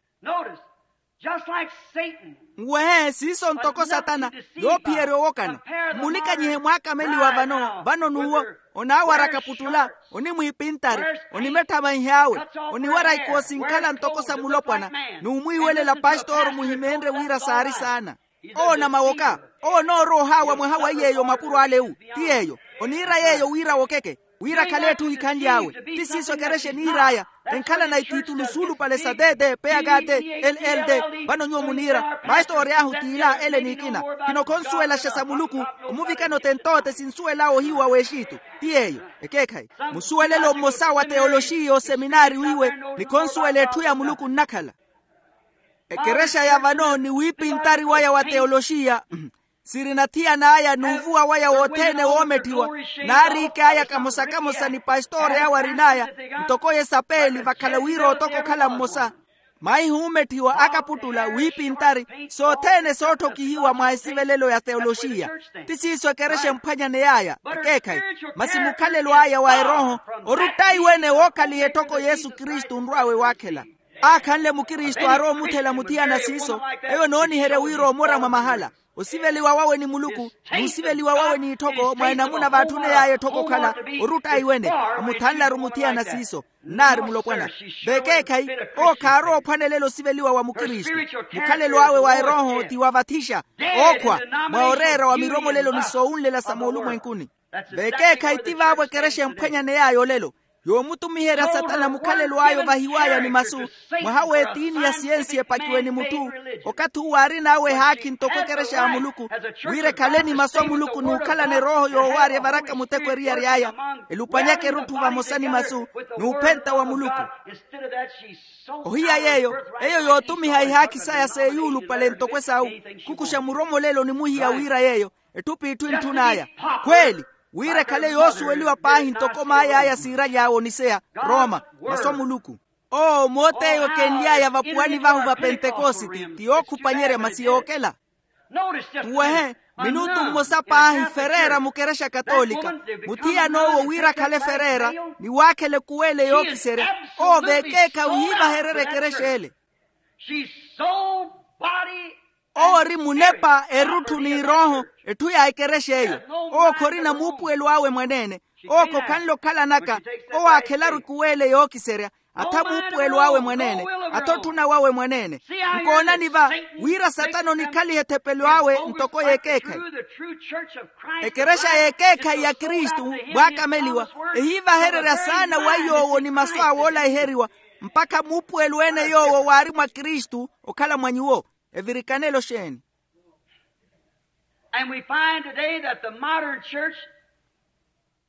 Nwehe siiso ntoko satana yoophiyerya owokana. Mmulikanyihe mwaakameliwa vano vano n'uwo. Onaawara kaputtula, onimwiipintari, onimetthamanh'awe, oniwara ikoosi nkhala ntoko sa mulopwana. N'umwiiwelela pastor muhimeenrye wira saari saana. Owo onamawoka. Owo onoorowa ohaawa mwaha wa iy'eyo mapuro ale ewu. Ti yeeyo. Oniira yeeyo wira awokeke, wira akhale etthu ohikhanly'awe. Ti siiso ekerexa eniir'aya. Enkhalana itiitulu suulupale sa tt pkt, ll. Vano nyuwo muniira pastori ahu t'ila ele n'ikina. Khino khonsuwelaxa sa muluku. Omuvikana otentoote sinsuwel'awe ohiyu wa w'exitu. Ti yeeyo. Ekeekhayi. Musuwelelo mmosa wa teoloxiya oseminaari wiiwe, ni khonsuwela etthu ya muluku nnakhala. Ekerexa ya vano ni wiipintari waya wa teoloxiya sirina thiyan'aya n'uvuwa waya wothene woometthiwa. Naariik'aya kamosa-kamosa ni pastori awe arin'aya ntoko yesapeeli vakhala wira otoka okhala mmosa. Maihi uumetthiwa akaputtula wiipintari sothene sootthokihiwa mwa esivelelo ya teoloxiya. Ti siiso ekerexa emphwanyaney'aya ekeekhayi. Masi mukhalelo aya wa erooho ori ottaiwene wookhaliha etthoko yesu kristu onrw'awe waakhela. Aakhanle mukristu aarowa omuthela muthiyana siiso. Eyo enooniherya wira omora mwa mahala. Osiveliwa wawe ni muluku n'usiveliwa wawe n'itthoko mwa enamuna vaatthuney'aya etthoko okhala. Ori ottaiwene omuthanlaru muthiyana siiso. Nnaari mulopwana vekeekhayi. Owo khaarowa ophwanelela osiveliwa wa mukristu. Mukhalelo awe wa erooho ti wa vathixa, ookhwa, mwa oreera wa miromolelo ni soowunlela sa moolumwenkuni. Vekeekhayi ti vaavo ekerexa emphwanyaney'aya olelo. Yoomutumiherya satana mukhalelo ayo vahiw'aya ni masu. Mwaha w'etiini ya siyensi epakiwe ni mutthu. Okathi uwo aarin'awe ehaakhi ntoko ekerexa ya muluku, wira ekhale ni masu a muluku n'ukhalana erooho yoowaarya evaraka muteko eriyari aya. Elupanyaka erutthu vamosa ni masu n'uphenta wa muluku. Ohiya yeeyo, eyo yootumiha ihaakhi saya seeyuulupale ntoko esawu. Khukuxa muromolelo ni muhiya wira yeeyo etthu p'itthu entthun'aya. Khweeli, wira ekhale yoosuweliwa paahi ntoko maay'aya siiraly'awe oniseya roma, masu a muluku. Owo moot'eyo kenly'aya vapuwani vahu va pentekositi ti yookhupanyerya masi yookela. Tuwehe, minutu mmosa paahi fereera mukerexa katolika. Muthiyan'owo wira akhale fereera ni waakhela ekuweele yookiserya. Owo veekeekhayi ohiivahererya ekerexa ele. Owo ori munepa erutthu n'irooho. Etthu ya ekerexa eyo. Owo khorina muupuwelo awe mwaneene. Owo khokhanle okhalanaka. Owo aakhelaru ekuweele yookiserya. Atha muupuwelo awe mwaneene. Atha otthuna wawe mwaneene. Nkoonani va, wira satana onikhaliha ethepelo awe ntoko y'ekeekhayi. Ekerexa y'ekeekhayi ya kristu, mwaakameliwa, ehiivahererya saana wa yoowo ni masu awe oolaiheriwa, mpakha muupuwelo ene yoowo waari mwa kristu okhala mwa nyuwo. Evirikanelo xeeni? And we find today that the modern church.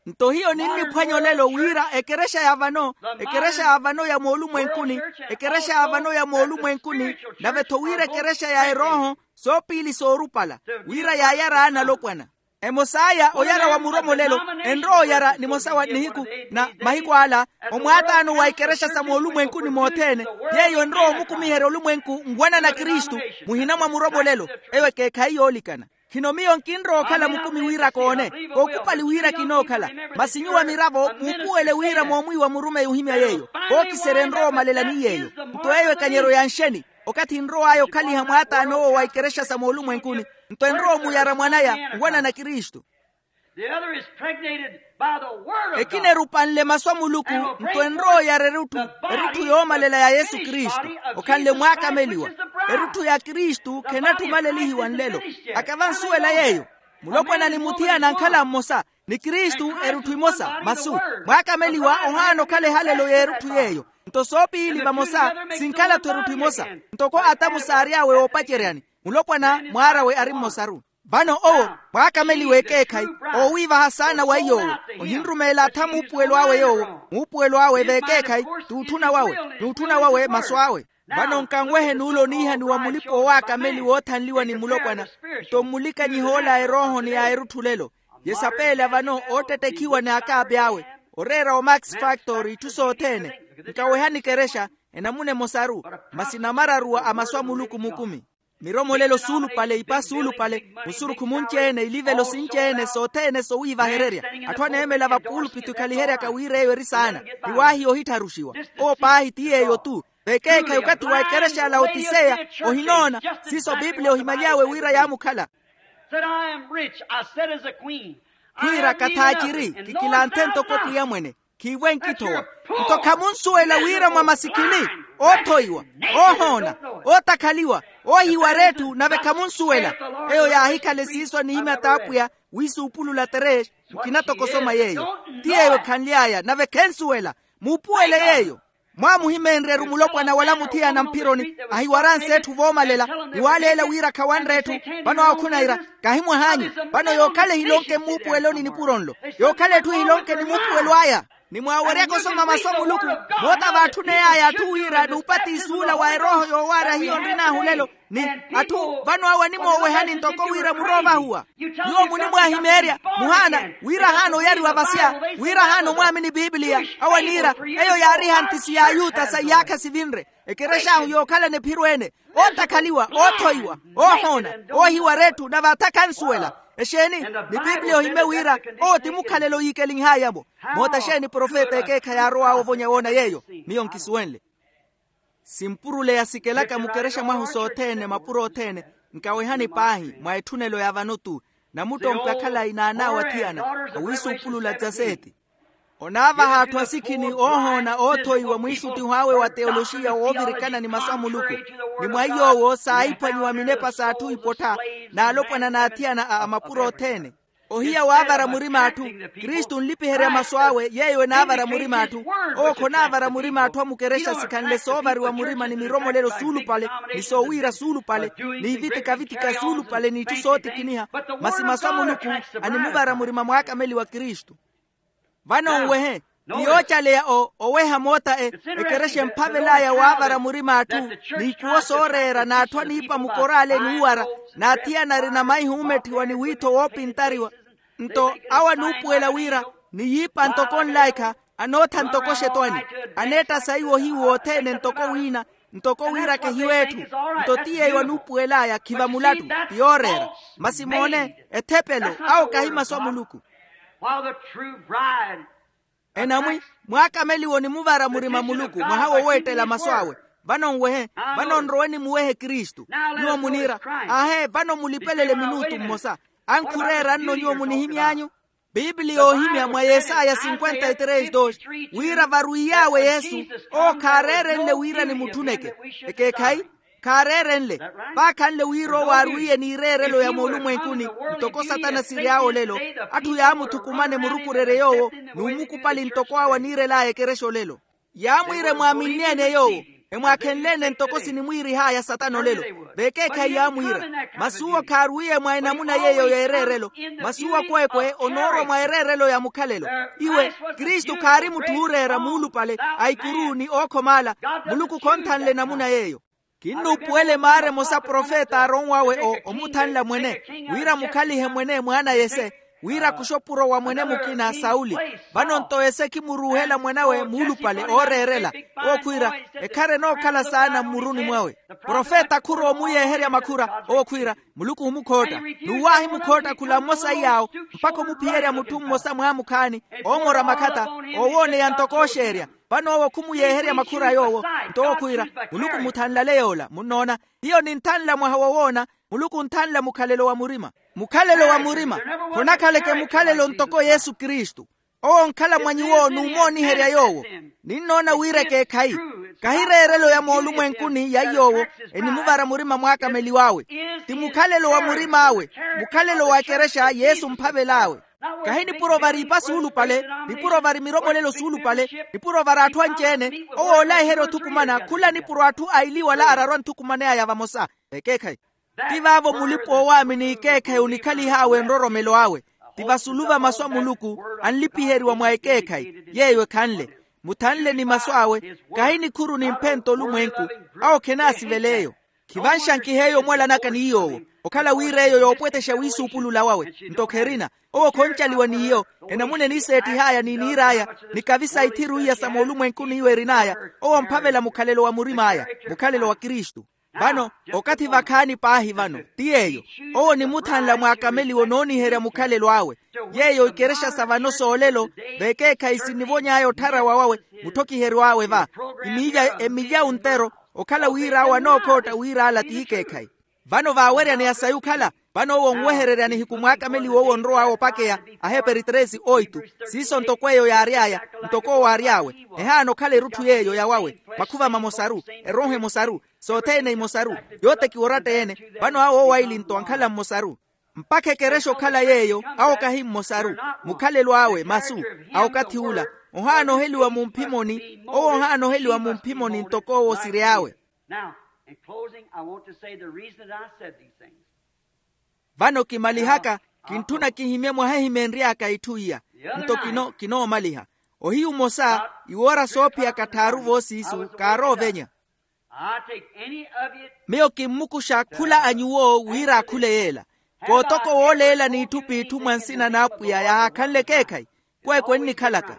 Nto hiyo ninniphwanya olelo wira ekerexa ya vano, ekerexa ya vano ya moolumwenkuni, ekerexa ya vano ya moolumwenkuni, nave-tho wira ekerexa ya erooho, soopiili soorupala, wira yaayara analopwana. Emos'aya oyara wa muromolelo, enrowa oyara nimosa wa nihiku na mahiku ala, omwaataano wa ikerexa sa moolumwenkuni mothene, yeeyo enrowa omukumiherya olumwenku nwanana kristu, muhina mwa muromolelo. Eyo ekeekhayi yoolikana. Khino miyo nkinrowa okhala mukumi wira koone, kookupali wira kinookhala. Masi nyuwo a miravo muupuwele wira moomwiiwa murumeyi ohimya yeeyo. Kookiserya enrowa omalela ni yeeyo. Nto eyo ekanyeryo ya nxeni? Okathi enrow'aya okhaliha mwaataan'owo wa ikerexa sa moolumwenkuni, nto enrowa omuyara mwan'aya nwanana kristu. The other is pregnated by the word of God. Ekina erupanle masu a muluku, nto enrowa oyara erutthu, erutthu yoomalela ya yesu kristu, okhanle mwaakameliwa. Erutthu ya kristu khenattumalelihiwa nlelo. Akava nsuwela yeeyo. Mulopwana ni muthiyana ankhala mmosa, ni kristu erutthu imosa masu. Mwaakameliwa ohaana okhala ehalelo y'erutthu yeeyo. Nto soopiili vamosa, sinkhala-tho erutthu imosa. Ntoko atamu saary'awe oopaceryani, mulopwana mwaar'awe ari mmosaru. Vano owo, mwaakameliwa ekeekhayi, oowiivaha saana wa iy'owo, ohinrumeela atha muupuwelo awe yoowo. Muupuwelo awe v'ekeekhayi, t'utthuna wawe, n'utthuna wawe masu awe. Vano nkanwehe n'ule oniihaniwa mulipa owaakameliwa oothanliwa ni mulopwana. Nto mmulikanyiha ola a erooho ni a erutthu lelo, yesapeela vano oottettekhiwa n'akaapi awe, oreera o max factor itthu sothene. Nkawehani ekerexa, enamuna emosaru, masi namararuwa a masu a muluku mukumi. Miromolelo suulupale, ipa suulupale, musurukhu munci-ene, ilivelo sinci-ene sothene sowiivahererya. Atthu aneemela vapuulupittu ekhaliheryaka wira eyo eri saana, ni waahiya ohittharuxiwa. Owo paahi ti yeeyo-tu. Vekeekhayi okathi wa ekerexa ya laotiseya, ohinoona siiso biblia ohimaly'awe wira yaamukhala. Said I am rich, I said as a queen. Khwiira kathaaciri, kikilanthe ntoko pwiya mwene. Khiivo enkithowa. Nto khamunsuwela wira mwa masikini, oothoiwa, oohoona, ootakhaliwa, oohiwara etthu nave khamunsuwela. Eyo yaahikhala esiiso anihimya t'apwiya, wiisuupulula terex, nkina toko osoma yeeyo. Ti yeeyo khanly'aya nave khensuwela. Muupuwele yeeyo. Mwaamuhimeenrye-ru mulopwana wala muthiyana mphironi, ahiwaranse etthu voomalela, ni waaleela wira khawanre etthu. Vano awo khunaira, kahimwah'anyu. Vano yookhala ehilonke mmuupuweloni nipuro nlo, yookhala etthu ehilonke ni muupuwelo aya. Ni mwaaweryaka osoma masu a muluku, moota vaatthuneyaaya atthu wira n'upatisi ula wa erooho yoowaarya hiyo nrin'ahu lelo. Ni atthu vano awo animoowehani ntoko wira muroovahuwa. Nyuwo munimwaahimeerya, muhaana wira ahaana oyariwa vasya, wira ahaana omwaamini pipiliya. Awo aniira, eyo yaari ehanthisi ya ayuta sa iyaakha sivinre. Ekerex'ahu yookhalana ephiro ene, ootakhaliwa, oothoiwa, oohoona, oohiwara etthu nave atha khansuwela. Exeeni? Ni pipiliya ohimye wira owo ti mukhalelo yiikelinh'aya-mo. Moota exeeni profeta ekeekhayi aarow'awe ovonya woona yeeyo? Miyo nkisuwenle. Simpurule yasikelaka mukerexa mwahu sothene mapuro othene. Nkawehani paahi mwa etthunelo ya vano-tu. Namuttompe akhalayi n'an'awe athiyana awiisuupulula dzaseeti. Onaavaha atthu asikhini oohoona oothoiwa mwiixuttiho awe wa teoloxiya woovirikana ni masu a muluku. Ni mwa iy'owo saahiphwanyiwa minepa s'atthu ipottha, n'alopwana n'athiyana a mapuro othene. Ohiya waavara murima atthu. Kristu onlipiherya masu awe yeeyo enaavara murima atthu. Owo khonaavara murima atthu a mukerexa sikhanle soovariwa murima ni miromolelo suulupale, ni soowiira suulupale, ni ivitikavitika suulupale n'itthu sootikiniha. Masi masu a muluku animuvara murima mwaakameli wa kristu. Vano nwehe, ti yoocaleya oweha moota ekerexa emphavel'aya waavara murima atthu, n'ikuwo sooreera n'atthu aniipa mukoraale n'uwara, n'athiyana arina maihi oometthiwa ni wiitho woopintariwa. Nto awo anuupuwela wira niyiipa ntoko nlaikha, anootha ntoko xetwani, aneetta saiwo ohiwu wothene ntoko wiina, ntoko wira kehiweetthu. Nto ti yeeyo anuupuwel'aya khiva mulattu, ti yooreera. Masi moone, ethepelo awo kahi masu a muluku. While the true bride. Enamwi, mwaakameliwa onimuvara murima muluku mwaha woweettela masu awe. Vano nwehe. Vano nrowe nimuwehe kristu. Nyuwo muniira, ahe vano mulipelele minutu mmosa. Ankhureera nno nyuwo munihimy'anyu. Piipili yoohimya mwa yesaya cinquenta y tres dos, wira varwiy'awe yesu, owo khaareerenle wira nimutthuneke. Ekeekhayi? Khaareerenle. Vaakhanle wira owo aarwiye n'ireerelo ya moolumwenkuni, ntoko satana siry'awe olelo. Atthu yaamuthukumane murukurerye yoowo, n'umukupali ntoko awo aniirel'aya ekerexa olelo. Yaamwiira emwaaminneene yoowo, emwaakhenleene ntoko sinimwiirih'aya satana olelo. Vekeekhayi yaamwiira, masi uwo khaarwiye mwa enamuna yeeyo y'ereerelo. Masi uwo kweekwe onoorwa mwa ereerelo ya mukhalelo. Iwe, kristu khaari mutthu ooreera muulupale, a ikuru ni ookhoma ala. Muluku khonthanle enamuna yeeyo. Kinnuupuwela emaara emosa profeta aaronw'awe o omuthanla mwene, wira mukhalihe mwene mwaana yese, wira kuxopuro wa mwene mukina sauli. Vano-nto yese khimuruuhela mwan'awe muulupale ooreerela. Owo khwiira, ekhara enookhala saana mmuruni mwawe. Profeta khurowa omuyeeherya makhura. Owo khwiira, muluku omukhootta. N'uwo aahimukhootta khula mmosa iy'awo, mpakha omuphiyerya mutthu mmosa mwaamukhaani, oomora makhatta, oowooneya ntoko ooxeerya. Vano owo khumuyeeherya makhura yoowo. Nto owo khwiira, muluku muthanlale yoola munnoona. Hiyo ninthanla mwaha wowoona. Muluku onthanla mukhalelo wa murima. Mukhalelo wa murima khonakhaleke mukhalelo ntoko yesu kristu. Owo onkhala mwa nyuwo n'umooniherya yoowo. Ninnoona wira ekeekhayi, kahi ereerelo ya moolumwenkuni ya yoowo enimuvara murima mwaakameliw'awe. Ti mukhalelo wa murim'awe, mukhalelo wa ekerexa yesu omphavel'awe. Kahi nipuro vari ipa suulupale, nipuro vari miromolelo suulupale, nipuro vari atthu anci-ene. Owo oolaiherya othukumana khula nipuro atthu a iliwala ararwa anthukumaney'aya vamosa. Ekeekhayi. Ti vaavo mulipa oowaamini ekeekhayi onikhalihawe nroromelo awe. Ti vasulu va masu a muluku, anlipiheriwa mwa ekeekhayi yeeyo ekhanle. Muthanle ni masu awe, kahi nikhuru nimphento olumwenku. Awo khenaasivela eyo. Khivanxankiha eyo omwalanaka ni yoowo, okhala wira eyo yoopwetexa wiisuupulula wawe. Nto kherina. Owo khoncaliwa n'iyo. Enamuna eniseettih'aya ni niir'aya, ni kavi sa ithiru iya sa moolumwenkuni iwo erin'aya. Owo omphavela mukhalelo wa murim'aya, mukhalelo wa kristu. Vano, okathi vakhaani paahi vano ti yeeyo. Owo onimuthanla mwaakameliwo nooniherya mukhalelo awe. Yeeyo ikerexa sa vano soolelo, vekeekhayi sinivony'aya ottharawa wawe, mutthokiheryo awe va. Emilya emilya ontero, okhala wira awo anookhootta wira ala ti ikeekhayi. Vano vaaweryaneya sayi okhala, vano owo onwehererya nihiku mwaakameliwo owo onrow'awe opakeya. Aheperi tresi oitu. Siiso ntoko eyo yaary'aya, ntoko owo aary'awe. Ehaana okhala erutthu yeeyo ya wawe, makhuva mamosaru, erooho emosaru, sothene imosaru, yootekiwa oratta-ene. Vano awo owaili-nto ankhala mmosaru. Mpakha ekerexa okhala yeeyo, awo kahi mmosaru. Mukhalelo awe masu, a okathi ula, ohaana oheliwa mumphimoni. Owo ohaana oheliwa mumphimoni ntoko owo osiry'awe. Now, in closing, I want to say the reason that I said these things. Vano kimalihaka, kintthuna kihimye mwahihimenry'aka itthu iya. Nto kino kinoomaliha. Ohiyu mmosa, iwoora soophiyaka tthaaru voosiisu kaaroovenya. I take any of you. Miyo kimmukuxa khula a nyuwo wira akhule yeela. Kootoko wooleela n'itthu p'itthu mwa nsina n'apwiya yaahakhanle ekeekhayi. Kweekwe nnikhalaka.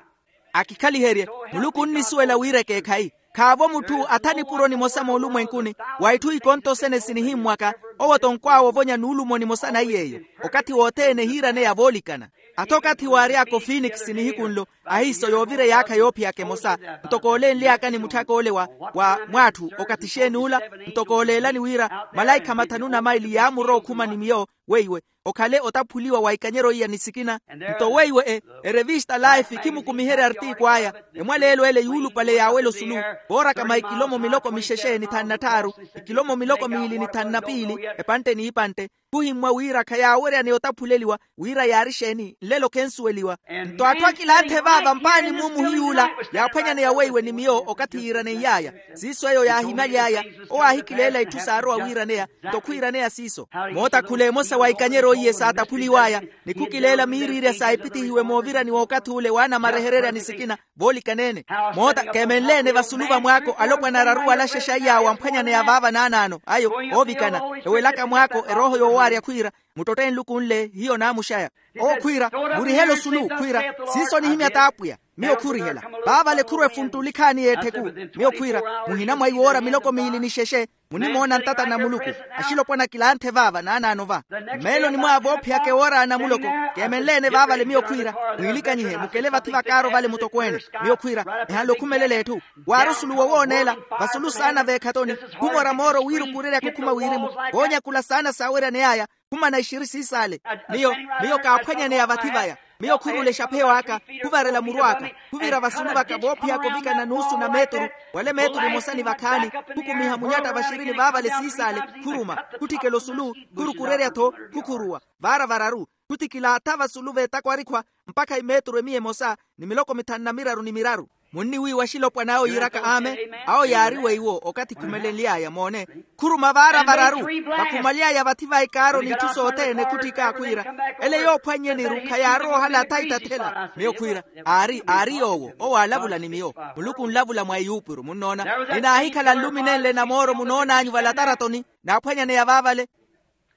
Akikhaliherye, muluku onnisuwela wira ekeekhayi. Khaavo mutthu atha nipuro nimosa moolumwenkuni, wa itthu ikontosene sinihimmwaka. Owo-tho nkwaawovonya nuulumo nimosa na iy'eyo. Okathi wothene ehiiraneya voolikana. Atha okathi waary'aka ofinikisi nihiku nlo, ahiiso yoovira eyaakha yoophiyaka emosa. Ntoko oolenly'aka ni mutthaka ole wa wa mw'atthu okathi exeeni ula. Ntoko ooleelani wira malaikha mathanu na maili yaamurowa okhuma ni miyo weiwe, okhale otaphuliwa wa ikanyeryo iya ni sikina. Nto weiwe e erevista life khimukumiherya artiiku aya. Emwaleelo ele yuulupale yaawela osulu, vooraka mwa ikilomo miloko mixexe ni thanu na tthaaru, ikilomo miloko miili ni thanu na piili, epantte n'ipantte. Khuhimmwa wira khayaaweryaneya otaphuleliwa wira yaari exeeni nlelo khensuweliwa. Nto atthu akilanthe vaava mpaani muumu hiy'ula yaaphwanyaneya weiwe ni miyo okathi yiiraneiyaaya. Siiso eyo yaahimaly'aya. Owo aahikileela itthu saarowa wiiraneya. Nto khwiiraneya siiso. Moota khula emosa wa ikanyeryo iye saataphuliw'aya, ni khukileela miiriirya saipitihiwe moovirani w'okathi ule w'anamarehererya ni sikina. Voolikanene. Moota keemenleene vasulu va mwaako alopwana araru wala axexa iy'awo amphwanyaneya vaava naanaano ayo. Oovikana ewelaka mwaako erooho yoowaarya khwiira, muttotte nluku nle hiyo naamuxaya. Owo khwiira, murihele osulu khwiira, siiso nihimya t'apwiya. Miyo khurihela. Vaavale khurwa efunttuli khaani y'etthe ku. Miyo khwiira, muhina mwa iwoora miloko miili ni xexe, munimoona ntata na muluku. Axilopwana kilanthe vaava naanaano va. Mmeeloni mwaawe oophiyaka ewoora a namuloko, keemenle-ene vaavale miyo khwiira, mwiilikanyihe mukele vathi vakaaro vale mutokweene. Miyo khwiira, ehanle okhumelela etthu. Waari osulu wowooneela, vasulu saana veekhatoni. Khumora mooro wiirukureryaka okhuma wirimu. Voonyakula saana saaweryaney'aya. Khumana ixiri siisaale. Miyo, miyo kaaphwanyaneya vathi vaya. Miyo khurula exapheyo aka, khuvarela muru aka, khuvira vasulu vaka voophiyaka ovikana nuusu na meeturu, wala emeeturu emosa ni vakhaani, khukumiha munyatta vaxirini vaavale siisaale, khuruma, khutthikela osulu, khurukurerya-tho, khukhuruwa, vaara vararu, khutthikilaattha vasulu veetakwa arikhwa, mpakha imeeturu emiya emosa, ni miloko mithanu na miraru ni miraru. Munniwiiwa axilopwana awo yiiraka amen. Awo yaari weiwo okathi khumelenly'aya moone. Khuruma vaara vararu, vakhumaly'aya vathi va ikaaro n'itthu sothene khutthika khwiira, ele yoophwannyeni-ru khayaarowa ohalaatha itathela miyo khwiira, aari aari yoowo owo aalavula ni miyo. Muluku onlavula mwa eyuupuru munnoona. Ninaahikhala nluminenle na mooro munoon'anyu valataratoni, naaphwanyaneya vaavale.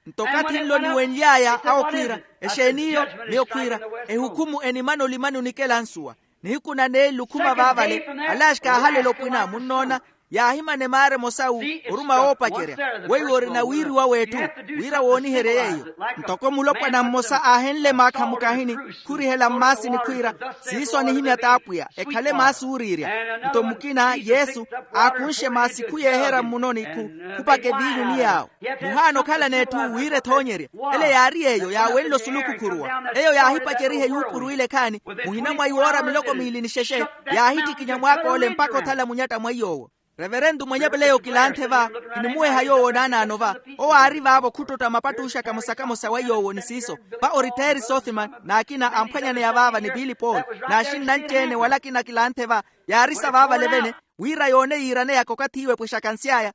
Nto okathi nlo niwenly'aya awo khwiira, exeen'iyo? Miyo khwiira, ehukhumu enimana olimani onikela nsuwa. Nihiku na neeli okhuma vaavale, alaaxi kaahalela opwina munnoona. Yaahimana emaara emosawu, oruma woopacerya. Weiwo orina wiiriwa w'etthu, wira wooniherye yeiyo. Ntoko mulopwana mmosa aahenle maakha mukahini, khurihela mmaasini khwiira, siiso anihimya t'apwiya ekhale maasi ooriirya. Nto mukina yesu, aakunxe maasi khuyeeherya mmunoni khu, khupaka eviinyu ni yaawo. Muhaana okhalana etthu wira ethoonyerye. Ele yaari yeeyo yaawenle osulu khukhuruwa. Eyo yaahipaceriha eyuupuru ile ekhaani, muhina mwa iwoora miloko miili ni xexe, yaahittikinya mwaak'ole mpakha othala munyatta mwa iy'owo. Reverentu mwenye peleyo kilanthe va, kinimuweha yoowo naanaano va. Owo aari vaavo khuttotta mapattuxa kamosa-kamosa wa yoowo ni siiso. Va oritteeri sothimani n'akina amphwanyaneya vaava ni pili paul, n'axinna anci-ene wala akina kilanthe va, yaarisa vaavale vene, wira yoone yiiraneyaka okathi iwe epwexaka nsy'aya.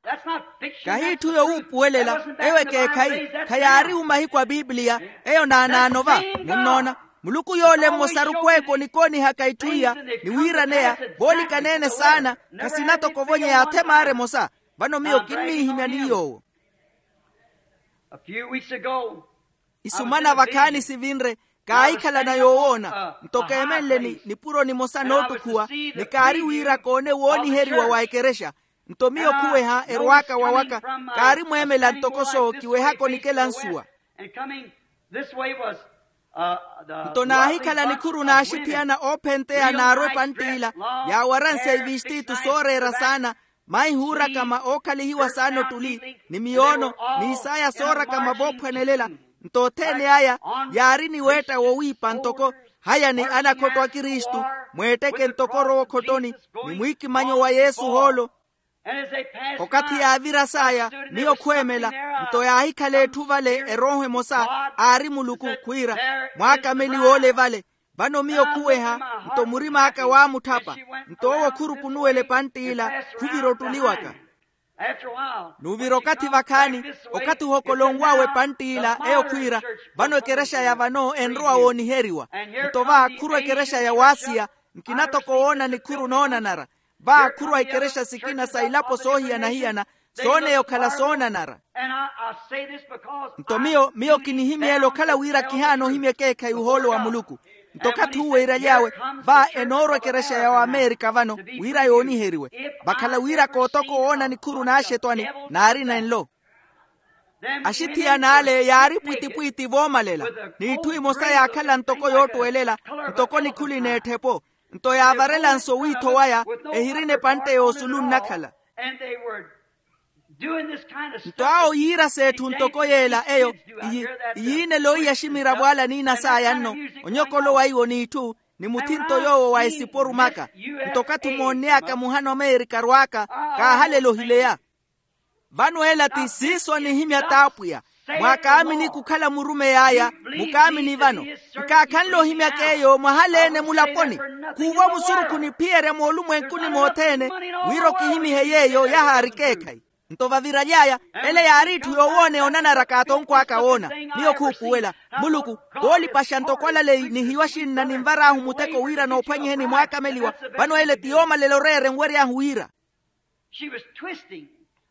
Kahi itthu yowuupuwelela. Eyo ekeekhayi. Khayaari-u mahiku a pipiliya. Eyo naanaano va. Munnoona, muluku yoole mmosaru kweeka onikoonihaka itthu iya, ni wiiraneya, voolikanene saana, khasina toko ovonyeya athe maara emosa. Vano miyo kinniihimya ni yoowo. Isumana vakhaani sivinre, kaahikhalana yoowoona. Nto keemenle ni nipuro nimosa noottukhuwa, ni kaari wira koone wooniheriwa wa ekerexa. Nto miyo khuweha erwaaka wawaka, kaari mweemela ntoko soo kiwehaka onikela nsuwa. Nto naahikhala nikhuru n'axithiyana oophenteya naarwa epantt'ila, yaawaranse ivistitu sooreera saana, maihuura kama ookhalihiwa saana ottuli, ni miyoono, n'isaya soorakama voophwanelela. Nto othene aya yaari ni weetta wowiipa ntoko, haya ni anakhotto a kristu, mweetteke ntoko orowa okhottoni, ni mwiikimanyo wa yesu ohoolo. Okathi yaavira saaya, miyo khweemela. Nto yaahikhala etthu vale erooho emosa, aari muluku khwiira, mwaakameliwa ole vale. Vano miyo khuweha, nto murim'aka waamutthapa. Nto owo khurukunuwela epantt'ila, khuvira ottuli waka. N'uvira okathi vakhaani, okathi ohokolonw'awe epantt'ila eyo khwiira, vano ekerexa ya vano enrowa wooniheriwa. Nto va khurwa ekerexa ya waasiya, nkina toko woona nikhuru noonanara. Va khurwa ikerexa sikina sa ilapo soohiyana-hiyana, sooneya okhala soonanara. Nto miyo miyo kinihimyeela okhala wira kihaana ohimya ekeekhayi ohoolo wa muluku. Nto okathi uwo iiraly'awe, va enoorwa ekerexa ya wamerika vano, wira yooniheriwe. Vakhala wira kootoko woona nikhuru n'axetwani, naari nenlo. Axithiyana ale yaari pwitipwiti voomalela, n'itthu imosa yaakhala ntoko yoottwelela, ntoko nikhuli n'etthe-po. Nto yaavarela nso wiitho waya, ehirina epantte y'osulu nnakhala. Nto awo yiira s'etthu ntoko yeela eyo, iyiinelo iya ximiravo ale aniina saya nno, onyokolowa iwo n'itthu, ni muthinto yoowo wa esipo orumaka. Nto okathi omoonneyaka muhana omeerika arwaaka, kaahalela ohileya. Vano ela ti siiso anihimya t'apwiya, mwaakaamini kukhala murumeyi aya. Mukaamini vano, nkaakhanle ohimyaka eyo mwahaleene mulaponi. Khuuva musurukhu niphiyerya moolumwenkuni mothene, wira okihimihe yeeyo yahaari ekeekhayi. Nto vaviraly'aya, ele yaari itthu yowooneya onanara kaatonkw'aka woona. Miyo khuupuwela, muluku, voolipaxa ntoko alaleyi ni hiyo axinna ninvar'ahu muteko wira noophwanyiheni mwaakameliwa. Vano ele ti yoomalela oreera enwery'ahu wira.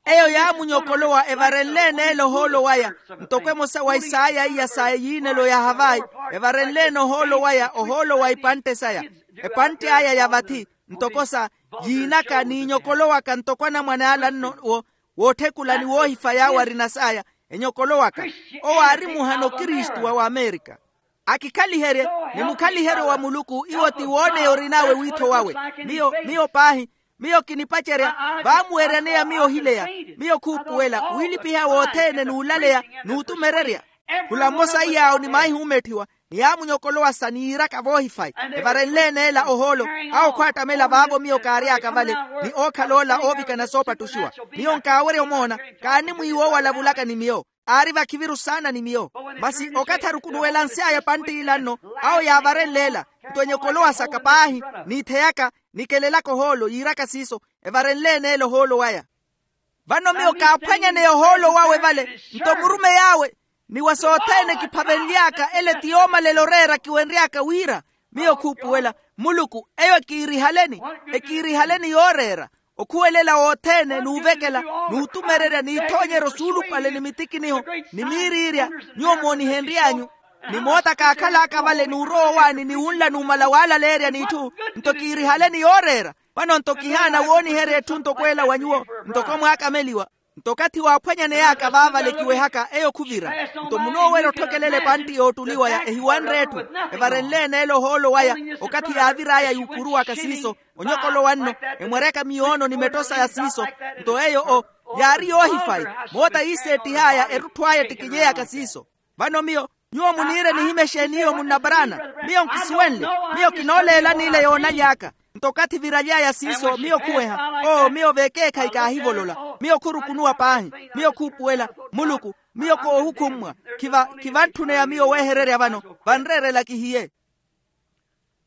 Eyo yaamunyokolowa evarenle-ene ele ohoolo waya, ntoko emosa wa isaaya iya sa eyiinelo ya havayi, evarenle-ene ohoolo waya ohoolo wa ipantte saya. epantte aya ya vathi, ntoko sa yiinaka n'inyokolo waka ntoko anamwane ala nno, wootthekula ni woohifaya awo arina saya, enyokolo waka. Owo aari muhano kristu wa wamerika. Akikhaliherye, ni mukhaliheryo wa muluku iwo ti wooneya orin'awe wiitho wawe. Miyo miyo paahi, miyo kinipacerya, vaamuweryaneya miyo ohileya, miyo khuupuwela wiilipiha wothene n'ulaleya, n'utumererya. Khula mmosa iy'awo ni maahihumetthiwa, ni yaamunyokolowasa ni yiiraka voohifayi, evarenle-ene ela ohoolo. Awo khwaattamela vaavo miyo kaary'aka vale, ni ookhala ola oovikana soopattuxiwa. Miyo nkaawerya omoona, kaani mwiiwa owo alavulaka ni miyo. Aari vakhiviru saana ni miyo. Masi okathi arukunuwelansy'aya epantt'ila nno, awo yaavarenle ela, nto enyokolowa saka paahi, n'iitheyaka, nikelelaka ohoolo yiiraka siiso, evarenle-ene ela ohoolo waya. Vano miyo kaaphwanyaneya ohoolo wawe vale, nto murumey'awe, ni wa sothene kiphavenly'aka ele ti yoomalela oreera kiwenry'aka wira, miyo khuupuwela, muluku eyo ekiirihaleni, ekiirihaleni yooreera, okhuwelela wothene n'uvekela, n'utumererya n'ithoonyeryo suulupale ni mitikiniho, ni miiriirya, nyuwo moonihenry'anyu. Ni moota kaakhal'aka vale n'urowa owaani ni wunla numala waalaleerya n'itthu, nto kiirihaleni yooreera. Vano nto kihaana wooniherya etthu ntoko ela wa nyuwo, ntoko mwaakameliwa. Nto okathi waaphwanyaney'aka vaavale kiwehaka eyo khuvira. Nto munoowerya otthokelela epantti yoottuliwaya ehiwanre etthu, evarenle-ene ela ohoolo waya, okathi yaavir'aya yuukuruwaka siiso, onyokolowa nno, emweryaka miyoono ni metto saya siiso. Nto eyo o, yaari yoohifayi, moota yiiseettih'aya erutthu aya ettikilyeyaka siiso. Vano miyo, nyuwo muniire nihimya exeeni iyo munnaparaana? Miyo nkisuwenle. Miyo kinooleela n'ile yoonaly'aka. Nto okathi viraly'aya siiso miyo khuweha, oo miyo vekeekhayi kaahivolola. Miyo khurukunuwa paahi. Miyo khuupuwela, muluku, miyo koohukhummwa. Khiva khivantthuneya miyo weehererya vano, vanreerela kihiye.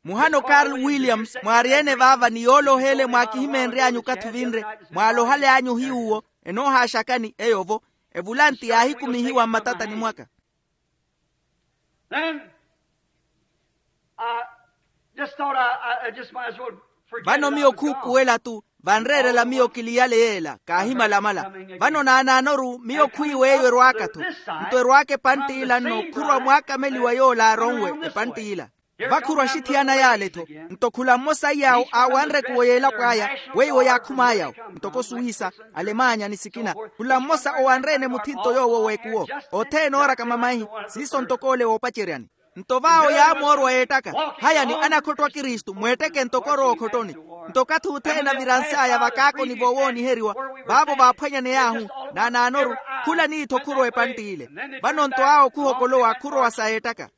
Muhano karl williams mwaaryeene vaava ni yooloha ele mwaakihimeenry'anyu okathi ovinre, mwaalohaly'anyu ohiy'uwo, enoohaaxakani eyo-vo. Evulanti yaahikumihiwa mmatatani mwaka. Vano miyo khuupuwela-tu, vanreerela miyo kiliyale yeela kaahimalamala. Vano naanaanoru miyo khwiiwa eyo erwaaka-tho. Nto erwaaka epantt'ila nno khurwa mwaakameliwa yoola aaronwe. Epantt'ila vakhurwa axithiyana yaale-tho. Nto khula mmosa iy'awo aawanre ekuwo y'elapo aya, weiwo yaakhum'ayawo, ntoko suuhisa, alemanya ni sikina. Khula mmosa owanre-ene muthinto yoowo w'ekuwo. Othene ooraka mamaihi, siiso ntoko ole woopaceryani. Nto vaawo yaamoorwa yeettaka, hayani anakhottwa kristu mweetteke ntoko orowa okhottoni. Nto okathi othene avirans'aya vakaakoni voowooniheriwa, vaavo vaaphwanyaney'ahu. Naanaanoru, khula niitho khurwa epantt'ile. Vano nto awo khuhokolowa khurowa sa yeettaka.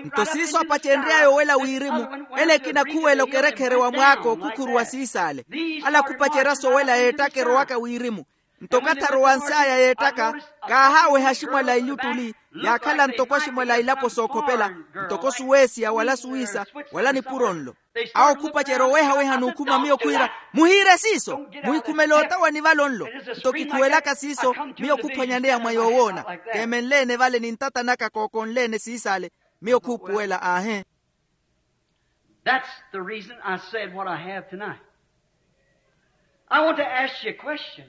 Nto siiso apacenry'aya owela wirimu, ele ekina khuwela okerekhere wa mwaako khukhuruwa siis'ale. Ala khupacerya sowela yeettaka erowaka wirimu. Nto okathi arowans'aya yeettaka, kaahaaweha aximwala a iluttuli, yaakhala ntoko aximwala a ilapo sookhopela, ntoko suweesiya wala suwiisa, wala nipuro nlo. Awo khupacerya owehaweha n'ukhuma miyo khwiira, muhiire siiso, muhikhumele otawani vale onlo. Nto kikhuwelaka siiso, miyo khuphwanyaneya mwa yoowoona. Keemenle-ene vale ni ntata naka kookonle-ene siis'ale. Miyo khuupuwela aahe. That's the reason I said what I have tonight. I want to ask you a question.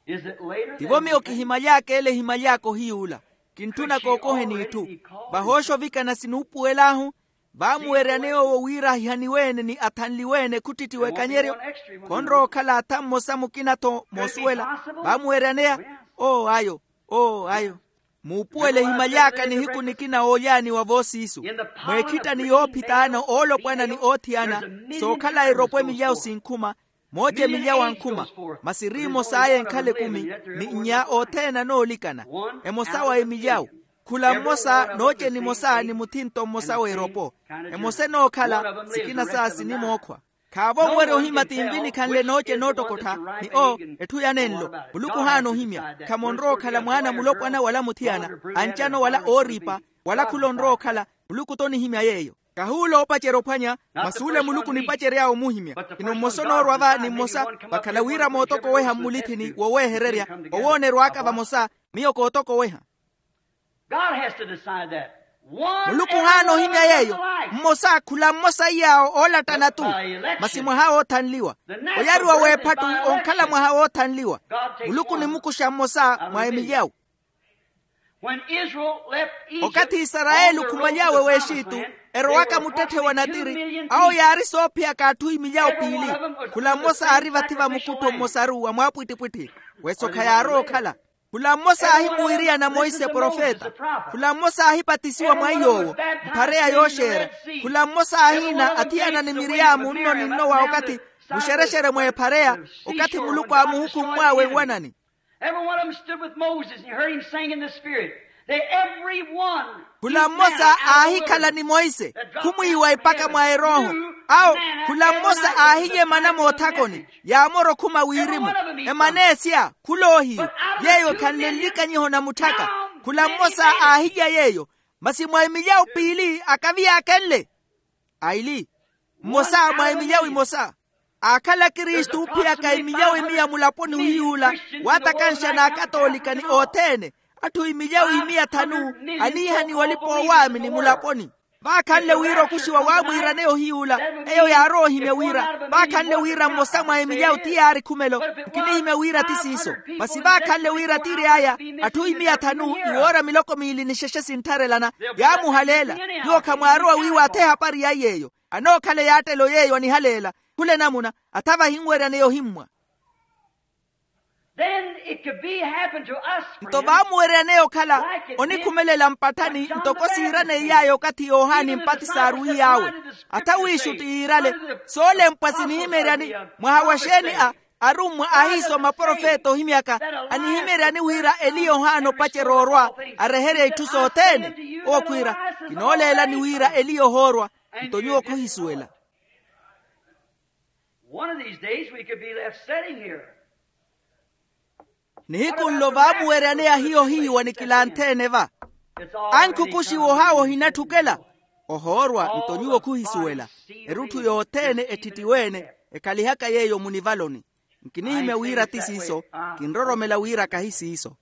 Is it later? Tivo miyo kihimaly'aka ele ehimaly'aka ohiy'ula. Kintthuna kookoheni itthu. Vahooxa ovikana sinuupuwel'ahu. Vaamuweryaneya owo wira ahihaniwe-ene ni athanliwe-ene khuttitthiwa ekanyeryo. Khonrowa okhala atha mmosa mukina-tho moosuwela. Vaamuweryaneya. Oo ayo. Oo ayo. Muupuwele ehimaly'aka nihiku nikina oolyaaniwa voosiisu. Mweekhittani yoophitaana oolopwana ni oothiyana. Sookhala eropo emilyawu sinkhuma. Mooce emilyawu ankhuma. Masi eri emos'aya enkhala ekumi. Ni nnya othene anoolikana. Emosa wa emilyawu. Khula mmosa nooce nimosa ni muthinto mmosa w'eropo. Emosa enookhala sikina saa sinimookhwa. Khaavo owerya ohimya ti nvi nikhanle nooce noottokottha. Ni oo etthu ya nenlo. Muluku ohaana ohimya. Khamonrowa okhala mwaana mulopwana wala muthiyana, ancano wala ooriipa, wala khula onrowa okhala. Muluku t'onihimya yeeyo. Kahuula oopacerya ophwanya. Masi ule muluku onipacery'awe omuhimya. Ino mmosa onoorwa va ni mmosa. Vakhala wira mootokoweha mmulithini woweehererya. Owoonerw'aka vamosa. Miyo kootokoweha. Muluku ohaana ohimya yeeyo. Mmosa khula mmosa iy'awo oolattana-tu. Masi mwaha woothanliwa. Oyariwa w'ephattu onkhala mwaha woothanliwa. Muluku onimukuxa mmosa mwa emilyawu. Okathi isarayeli okhumaly'awe w'exitu, erowaka muttetthe wa natiri, awo yaari soophiyaka atthu imilyawo piili. Khula mmosa aari vathi va mukuttho mmosaru wa mwaapwittipwitthi, wesokha yaarowa okhala. Khula mmosa aahimuwiriyana monse profeta. Khula mmosa aahipatisiwa mwa iy'owo, mphareya yooxeera. Khula mmosa aahiina athiyana ni miriyaamu nno ni nno wa okathi muxerexere mwa ephareya, okathi muluku aamuhukummw'awe nwanani. Every one of them stood with Moses and heard him sing in the Spirit. They, every one. Khula mmosa aahikhala ni monse, khumwiiwa epaka mwa erooho. Awo, khula mmosa aahiye mana moothakoni, yaamora okhuma wirimu. Emaneesya khuloohiyo, yeeyo ekhanle nlikanyiho na mutthaka. Khula mmosa aahiya yeeyo, masi mwa emilyawo piili akavi yaakenle. Aili, mmosa mwa emilyawo imosa aakhala akristu ophiyaka emilyawo imiya mulaponi ohiy'ula, waatakanxa n'akatoolika ni othene, atthu imilyawo imiya thanu aniihaniwa olipa owaamini mulaponi. Vaakhanle wira okuxiwa waamwiiraneya ohiy'ula, eyo yaarowa ohimya wira, vaakhanle wira mmosa mwa emilyawo ti yaari khumelo. Nkinihimya wira ti siiso, masi vaakhanle wira tiiri aya, atthu imiya thanu iwoora miloko miili ni xexe sinttharelana, yaamuhaleela. Nyuwo khamwaarowa wiiwatha ehapari ya iy'eyo. Anookhala eyaattelo yeeyo anihaleela. Khula enamuna, athava ahinweryaneya ohimmwa. Then it could be happen to us, nto friends, vaamuweryaneya okhala, like it did onikhumelela mpatthani when John ntoko the Baptist siiraney'aya came. Okathi yohani mpatisi aaruwiy'awe. Atha wiixutti yiirale, soolempwa sinihimeryani. Mwaha wa xeeni a arummwa aahiisoma profeta ohimyaka, anihimeryani wira eliya ohaana opacerya orwa, areherya itthu sothene. Owo khwiira, kinooleelani wira eliya ohoorwa. Nto nyuwo khuhisuwela. One of these days we could be left sitting here. Nihiku nlo vaamuweryaneya hiyo hiiwa ni kilantheene va. Ankhukuxiwa ohaawa ohinatthukela. Ohoorwa nto nyuwo khuhisuwela. Erutthu yothene etthittiwe-ene, ekhalihaka yeeyo munivaloni. Nkinihimya wira ti siiso, kinroromela wira kahi siiso.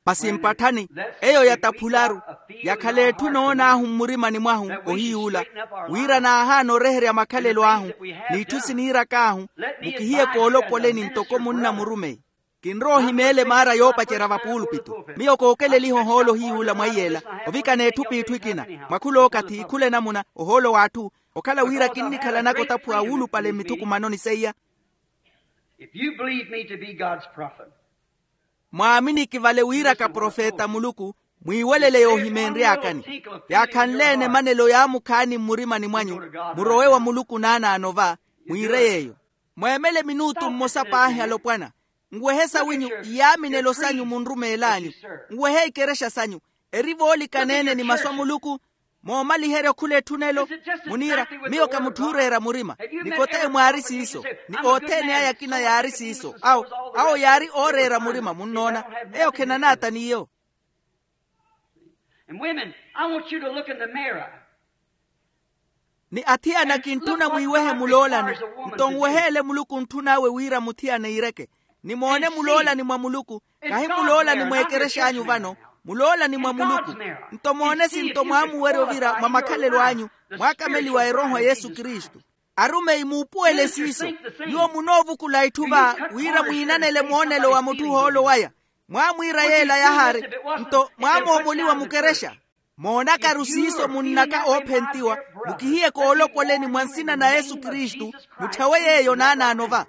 Masi mpatthani, eyo yataphularu, yakhala etthu noon'ahu mmurimani mwahu ohiy'ula, wira naahaana oreherya makhalelo ahu, n'itthu siniirak'ahu, mukihiye koolopoleni ntoko munna murumeyi. Kinrowa ohimeela emaara yoopacerya vapuulupitu. Miyo kookeleliha ohoolo hiy'ula mwa iy'ela, ovikana etthu p'itthu ekina, mwa khul'okathi khula enamuna, ohoolo w'atthu, okhala wira kinnikhalanaka otaphuwa wuulupale mmithukumanoni seiya. If you believe me to be God's prophet, mwaaminiki vale wira ka profeta a muluku, mwiiwelele yoohimeenry'akani. Yaakhanle-ene emanelo yaamukhaani mmurimani mwanyu, murowe wa muluku naanaano va, mwiire yeeyo. Mweemele minutu mmosa paahi alopwana. Nwehe sawinyu, iyaaminelo sanyu munrumeel'anyu. Nwehe ikerexa sanyu. Eri voolikaneene ni masu a muluku. Moomaliherya okhula etthu nelo. Muniira, miyo ka mutthu ooreera murima. Ni koteyi mwaari siiso. Ni othene aya akina yaari siiso. Awo, awo yaari ooreera murima munnoona. Eyo khenanaata n'iyo. And women, I want you to look in the mirror. Ni athiyana kintthuna mwiiwehe muloolani. Nto nweheele muluku ntthun'awe wira muthiyana iireke. Ni moone muloolani mwa muluku. Kahi muloolani mwa ekerex'anyu vano. Muloolani mwa muluku. Nto moone sinto mwaamuwerya ovira mwa makhalelo anyu, mwaakameliwa erooho a yesu kristu. Arumeyi muupuwele siiso. Nyuwo munoovukula itthu va wira mwiinanele moonelo wa mutthu ohoolo waya. Mwaamwiira yeela yahaari. Nto mwaamoomoliwa mukerexa. Moonakaru siiso munnaka oophentiwa, mukihiye koolopoleni mwa nsina na yesu kristu, mutthawe yeeyo naanaano va.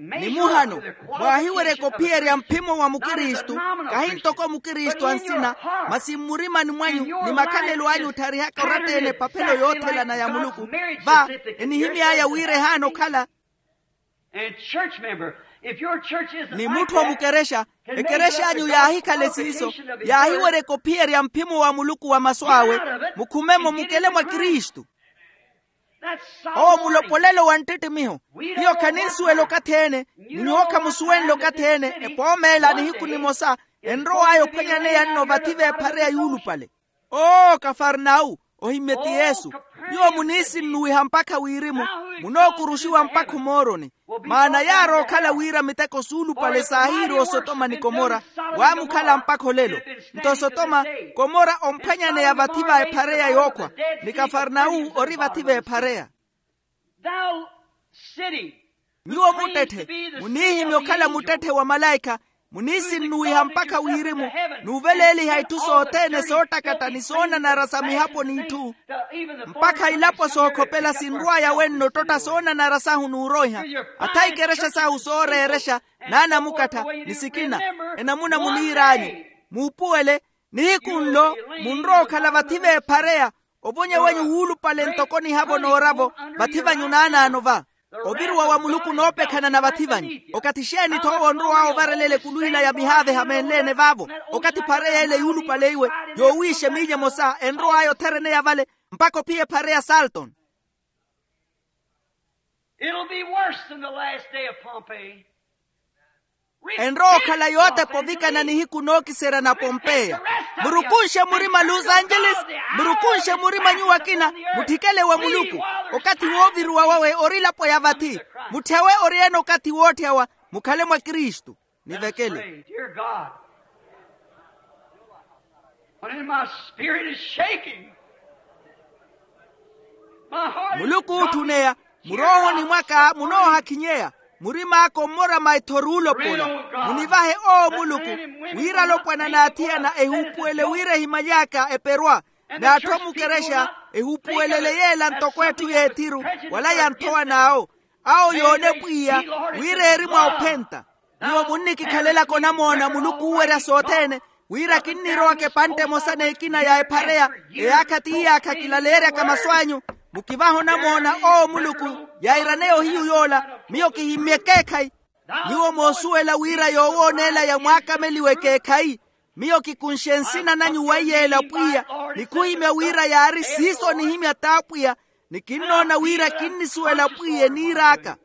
Ni muhano, mwaahiwerya ekophiyerya mphimo wa mukristu, kahi ntoko mukristu a nsina, masi mmurimani mwanyu ni makhalelo anyu ottharihaka oratta-ene epaphelo yoothelana ya muluku, va enihimy'aya wira ehaana okhala. Ni mutthu omukerexa, ekerex'anyu yaahikhale siiso, yaahiwerya ekophiyerya mphimo wa muluku wa masu awe, mukhume-mo mukele mwa kristu. Owo mulopolelo wa nttittimiho. Hiyo khaninsuwela okathi-ene, ni nyuwo khamusuwenle okathi-ene. Epoomeela nihiku nimosa, enrow'aya ophwanyaneya nno vathi v'ephareya yuulupale. Oo kafarnau, ohimmye ti yesu. Nyuwo muniisinnuwiha mpakha wirimu, munookuruxiwa mpakha omooroni. Maana yaari ookhala wira miteko suulupale saahiiri osotoma ni komora, waamukhala mpakha olelo. Nto sotoma, komora omphwanyaneya vathi va ephareya yookhwa, ni kafarnau ori vathi v'ephareya. Nyuwo muttetthe, muniihimya okhala muttetthe wa malaikha. Muniisinnuwiha mpakha wirimu, n'uveleeliha itthu sothene soottakatta ni soonanara sa mihapo n'itthu. Mpakha ilapo sookhopela sinrw'aya wenno ottotta soonanara sahu n'uroiha. Atha ikerexa sahu sooreerexa, n'anamukattha, ni sikina. Enamuna muniir'anyu, muupuwele, nihiku nlo munrowa okhala vathi v'ephareya. Ovonya wanyu wuulupale ntoko nihavo nooravo, vathi vanyu naanaano va. Oviruwa wa muluku noopekhana na vathi vanyu. Okathi exeeni-tho owo onrow'awe ovarelela ekulu ila ya mihaaveha meenle-ene vaavo? Okathi phareya ela yuulupale iwe, yoowiixa emiinya emosa enrow'aya othereneya vale, mpakha ophiya ephare ya salton. It'll be worse than the last day of Pompeii. Enrowa okhala yootepa ovikana nihiku nookiserya na pompeya. Murukunxe murima los angeles. Murukunxe murima nyuwo akina, mutthikele wa muluku. Okathi wooviruwa wawe ori elapo ya vathi. Mutthyawe ori-ene okathi wootthawa, mukhale mwa kristu. Nivekele. Dear God, when my spirit is shaking, my heart is muluku ootthuneya, muroohoni mwaka munoohakhinyeya, murim'aka ommora maitho oruulopola. Munivahe owo muluku, wira alopwana n'athiyana ehuupuwele wira ehimaly'aka eperwa, n'atthu amukerexa ehuupuwelele yeela ntoko etthu y'ethiru, wala ya nthowa n'awo. Awo yoone pwiya, wira eri mwa ophenta. Nyuwo munnikikhalelaka onamoona muluku oowerya sothene, wira kinnirowaka epantte emosa n'ekina ya ephareya, eyaakha ti iyaakha kilaleeryaka masu anyu. Mukivahe onamoona owo muluku, yairaneya ohiyu yoola, miyo kihimmye ekeekhayi. Nyuwo moosuwela wira yoowooneela yamwaakameliwa ekeekhayi. Miyo kikunxe nsina nanyu weiyeela pwiya, ni khuhimya wira yaari siiso onihimya t'apwiya, ni kinnoona wira kinnisuwela pwiya eniir'aka.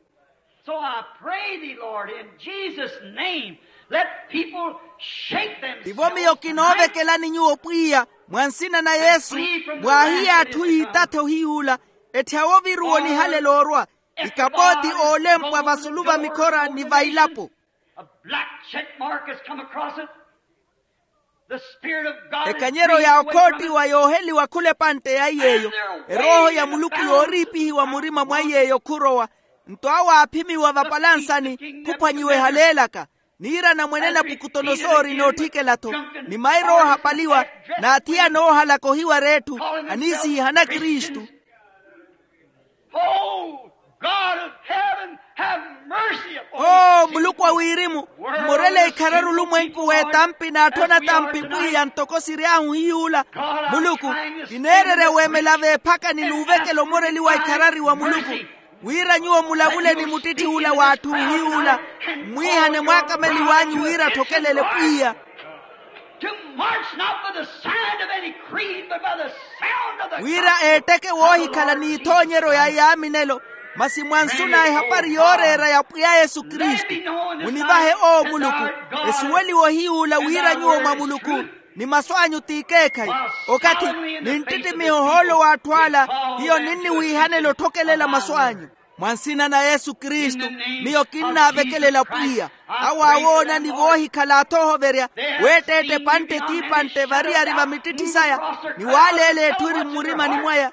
So I pray thee, Lord, in Jesus' name, let people shake themselves. Tivo miyo kinoovekelani nyuwo pwiya, mwa nsina na yesu, mwaahiye atthu yiitathe ohiy'ula, etthyawe oviruwa onihalela orwa, ikapooti oolempwa vasulu va mikhora ni va ilapo. A black check mark has come across it. The Spirit of God is ekanyeryo ya okhoottiwa yooheliwa khula epantte ya iy'eyo. Erooho ya muluku yooriipihiwa murima mwa iy'eyo khurowa. Nto awo aaphimiwa vapalansani, khuphwanyiwa ehaleelaka. Niirana mweene napukutonosoori nootthikela-tho, ni mairo oohapaliwa, n'athiyana oohalaka ohiwara etthu, aniisihihana kristu. Oh, God of heaven, have mercy upon us. Oo muluku a wirimu, mmorele ikhararu olumwenku w'etampi n'atthu anatampi pwiya ntoko siry'ahu hiy'ula. Muluku, kineererya weemela v'ephakani n'uvekela omoreli wa ikharari wa muluku, wira nyuwo mulavule ni muttitthi ula w'atthu hiy'ula, mmwiihane mwaakameli w'anyu wira atthokelele pwiya. To march not by the sign of any creed, but by the sound of the wira eetteke woohikhala n'ithoonyeryo ya yaaminelo, masi mwa nsu na ehapari yooreera ya pwiya yesu kristu. Munivahe owo muluku, esuweliwe ohiy'ula wira nyuwo mwa muluku, ni masu anyu t'ikeekhayi. Okathi ninttittimiha ohoolo w'atthu ala, hiyo ninniwiihanela otthokelela masu anyu. Mwa nsina na yesu kristu, miyo kinnaavekelela pwiya, awo aawoona ni voohikhala athoohoverya, weetteetta epantte t'ipantte variyari va mittitthi saya, ni waaleela etthu eri mmurimani mwaya.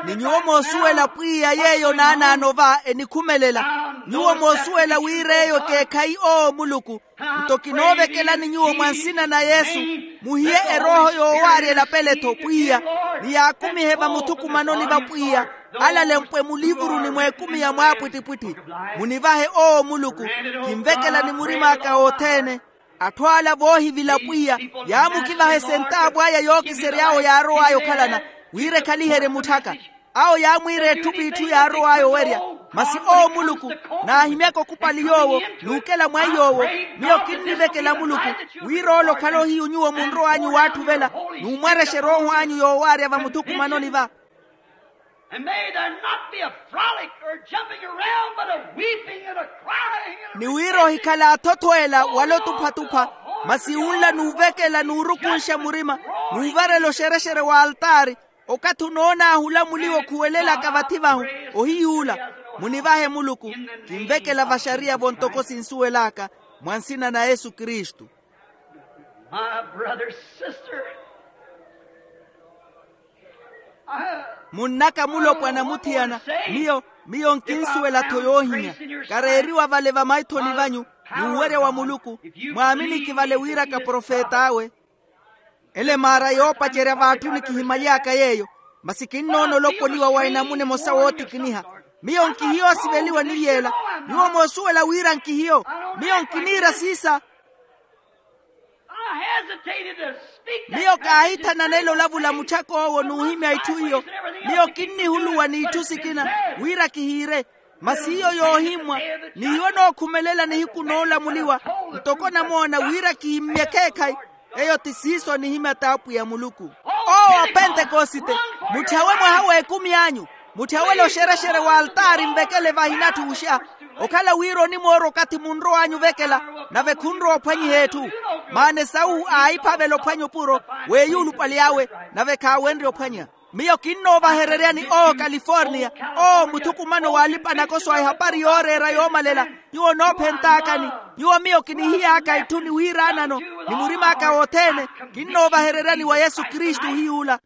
Ni nyuwo moosuwela pwiya yeeyo naanaano va enikhumelela. Nyuwo moosuwela wira eyo ekeekhayi owo muluku. Nto kinoovekelani nyuwo mwa nsina na yesu, muhiye erooho yoowaarya elapele-tho pwiya, ni yaakumihe vamuthukumanoni va pwiya, alalempwe muliivuruni mw'ekumi ya mwaapwittipwitthi. Munivahe owo muluku, kinvekelani murim'aka othene. Atthu ala voohivila pwiya, yaamukivaha esentaavu aya yookisery'awo yaarow'aya okhalana, wira ekhaliherye mutthaka. Awo yaamwiira etthu p'itthu yaarow'aya owerya. Masi owo muluku, naahimyaka okupali yoowo, n'ukela mwa iy'owo. Miyo kinnivekela muluku, wira ole okhale ohiyu nyuwo munrow'anyu waatthuvela, n'umwarexa erooho anyu yoowaarya vamuthukumanoni va. And may there not be a frolic or jumping around, but a weeping and a crying and a ni wira ohikhala athothweela wala otuphatupha, masi unla n'uvekela n'urukunxa murima, n'uvarela oxerexere w'altaari, okathi onoonaahu olamuliwa okhuwelelaka vathi vahu. Ohiy'ula, munivahe muluku, kinvekela vaxariya-vo ntoko sinsuwel'aka, mwa nsina na yesu kristu. My brother, sister, I munnaka mulopwana muthiyana, miyo miyo nkinsuwela-tho yoohimya. Kareeriwa vale vamaithoni vanyu, N'uwerya wa muluku. Mwaaminiki vale wira kaprofet'awe. Ele maara yoopacerya v'atthuni kihimaly'aka yeeyo. Masi kinnoona olopoliwa wa enamuna emosa wootikiniha. Miyo nkihiyo osiveliwa ni yeela. Nyuwo moosuwela wira nkihiyo. Miyo nkiniira siisa. Miyo kaahithananela olavula muchak'owo n'uhimya itthu iyo. Miyo kinnihuluwa n'itthu sikina wira kihiire. Masi iyo yoohimmwa, n'iwo nookhumelela nihiku noolamuliwa ntoko namoona wira kihimmye ekeekhayi. Eyo ti siiso anihimya t'apwiya muluku. Owo wa pentekosite, mutthyawe mwaha w'ekumi anyu. Mutthyawe loxerexere w'altaari nvekele vahinatthu wuxa. Okhala wira onimoora okathi munrow'anyu ovekela, nave khunrowa ophwanyiha etthu. Maana esawu aahiphavela ophwanya opuro w'eyuulupale awe, nave khaawenrye ophwanya. Miyo kinnoovahereryani owo kaliforniya, owo muthukumano w'alipa-nakoso a ehapari yooreera yoomalela. Nyuwo noophent'akani. Nyuwo miyo kinihiy'aka itthu ni wiiraanano, ni murim'aka wothene. Kinnoovahereryani wa yesu kristu ohiy'ula.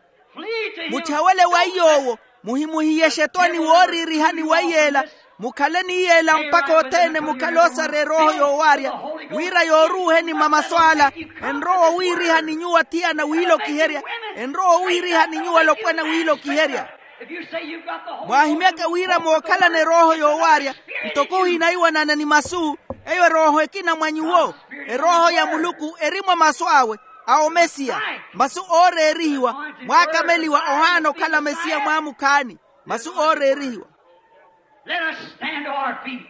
Mutthawele wa iy'owo. Muhimuhiyexe etwani wooriirihani wa iyeela. Mukhale ni iyeela mpakha othene mukhale oosara erooho yoowaarya, wira yooruuheni mamasu ala. Enrowa owiiriha ni nyuwo athiyana wiilokiherya. Enrowa owiiriha ni nyuwo alopwana wiilokiherya. Mwaahimyaka wira mookhalana erooho yoowaarya, ntoko ohinaiwanana ni masu. Eyo erooho ekina mwa nyuwo. Erooho ya muluku eri mwa masu awe, a omesiya. Masu ooreerihiwa, mwaakameliwa ohaana okhala mesiya mwaamukhaani. Masu ooreerihiwa. Let us stand to our feet.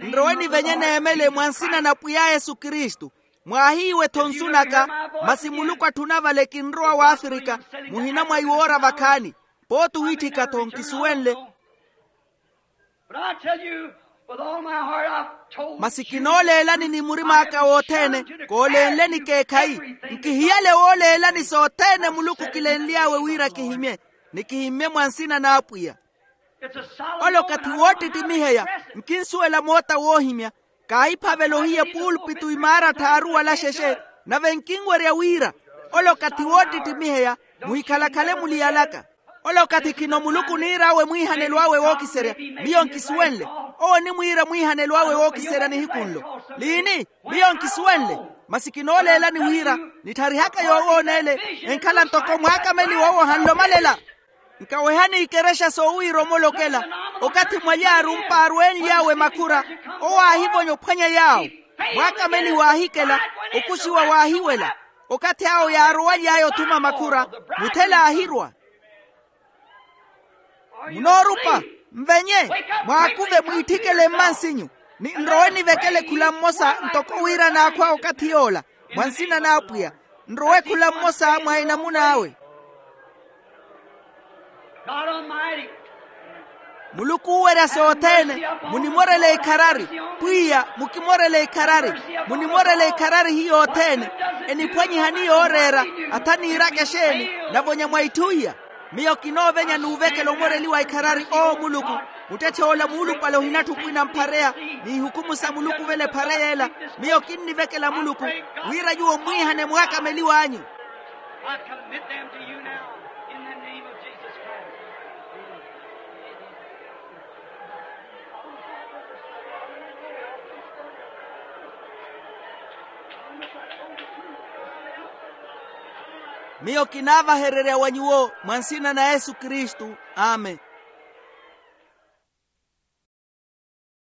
Nrowe nivenye neemele mwa nsina na pwiya yesu kristu. Mwaahiiwe-tho nsu naka. Masi muluku atthuna vale kinrowa w'afrika. Muhina mwa iwoora vakhaani. Pooti ohitthika-tho nkisuwenle. But I tell you, with all my heart, I've told you. Masi kinooleelani ni murim'aka wothene. Koolenleni ekeekhayi. Nkihiyale wooleelani sothene muluku kilenly'awe wira kihimye. Ni kihimmye mwa nsina n'apwiya. Ole okathi woottittimiheya. Nkinsuwela moota woohimya. Kaahiphavela ohiya epulpitu imaara thaaru wala xexe. Nave nkinwerya wira ole okathi woottittimiheya. Muhikhalakhale muliyalaka. Ole okathi khino muluku oniir'awe mwiihanelo awe wookiserya. Miyo nkisuwenle. Owo onimwiira mwiihanelo awe wookiserya nihiku nlo. Liini? Miyo nkisuwenle. Masi kinooleelani wira nitharihaka yoowoona ele. Enkhala ntoko mwaakameliwa owo ahanlomalela. Nkawehani ikerexa soowiira omolokela. Okathi mwaly'arump'aru enly'awe makhura, owo aahivonya ophwanya yaawo. Mwaakameliwa aahikela. Okuxiwa waahiwela. Okathi awo yaarowaly'aya othuma makhura, muthela aahirwa. Munoorupa? Nvenye. Mwaakuve mwiitthikele mmansinyu. Ni nrowe nivekele khula mmosa ntoko wira naakhwa okathi yoola. Mwa nsina n'apwiya. Nrowe khula mmosa mwa enamuna awe. Muluku oowerya sothene. Munimorele ikharari. Pwiya mukimorele ikharari. Munimorele ikharari hiyo othene. Eniphwanyihani yooreera. Atha niiraka exeeni. Navonya mwa itthu iya. Miyo kinoovenya n'uvekela omoreliwa ikharari owo muluku. Muttetthe ola muulupale ohinatthu opwina mphareya. N'ihukumu sa muluku vela ephareya ela. Miyo kinnivekela muluku wira nyuwo mmwiihane mwaakameliw'anyu. I commit them to you now in the name of Jesus Christ. Miyo kinaavahererya wa nyuwo mwa nsina na yesu kristu. Amen.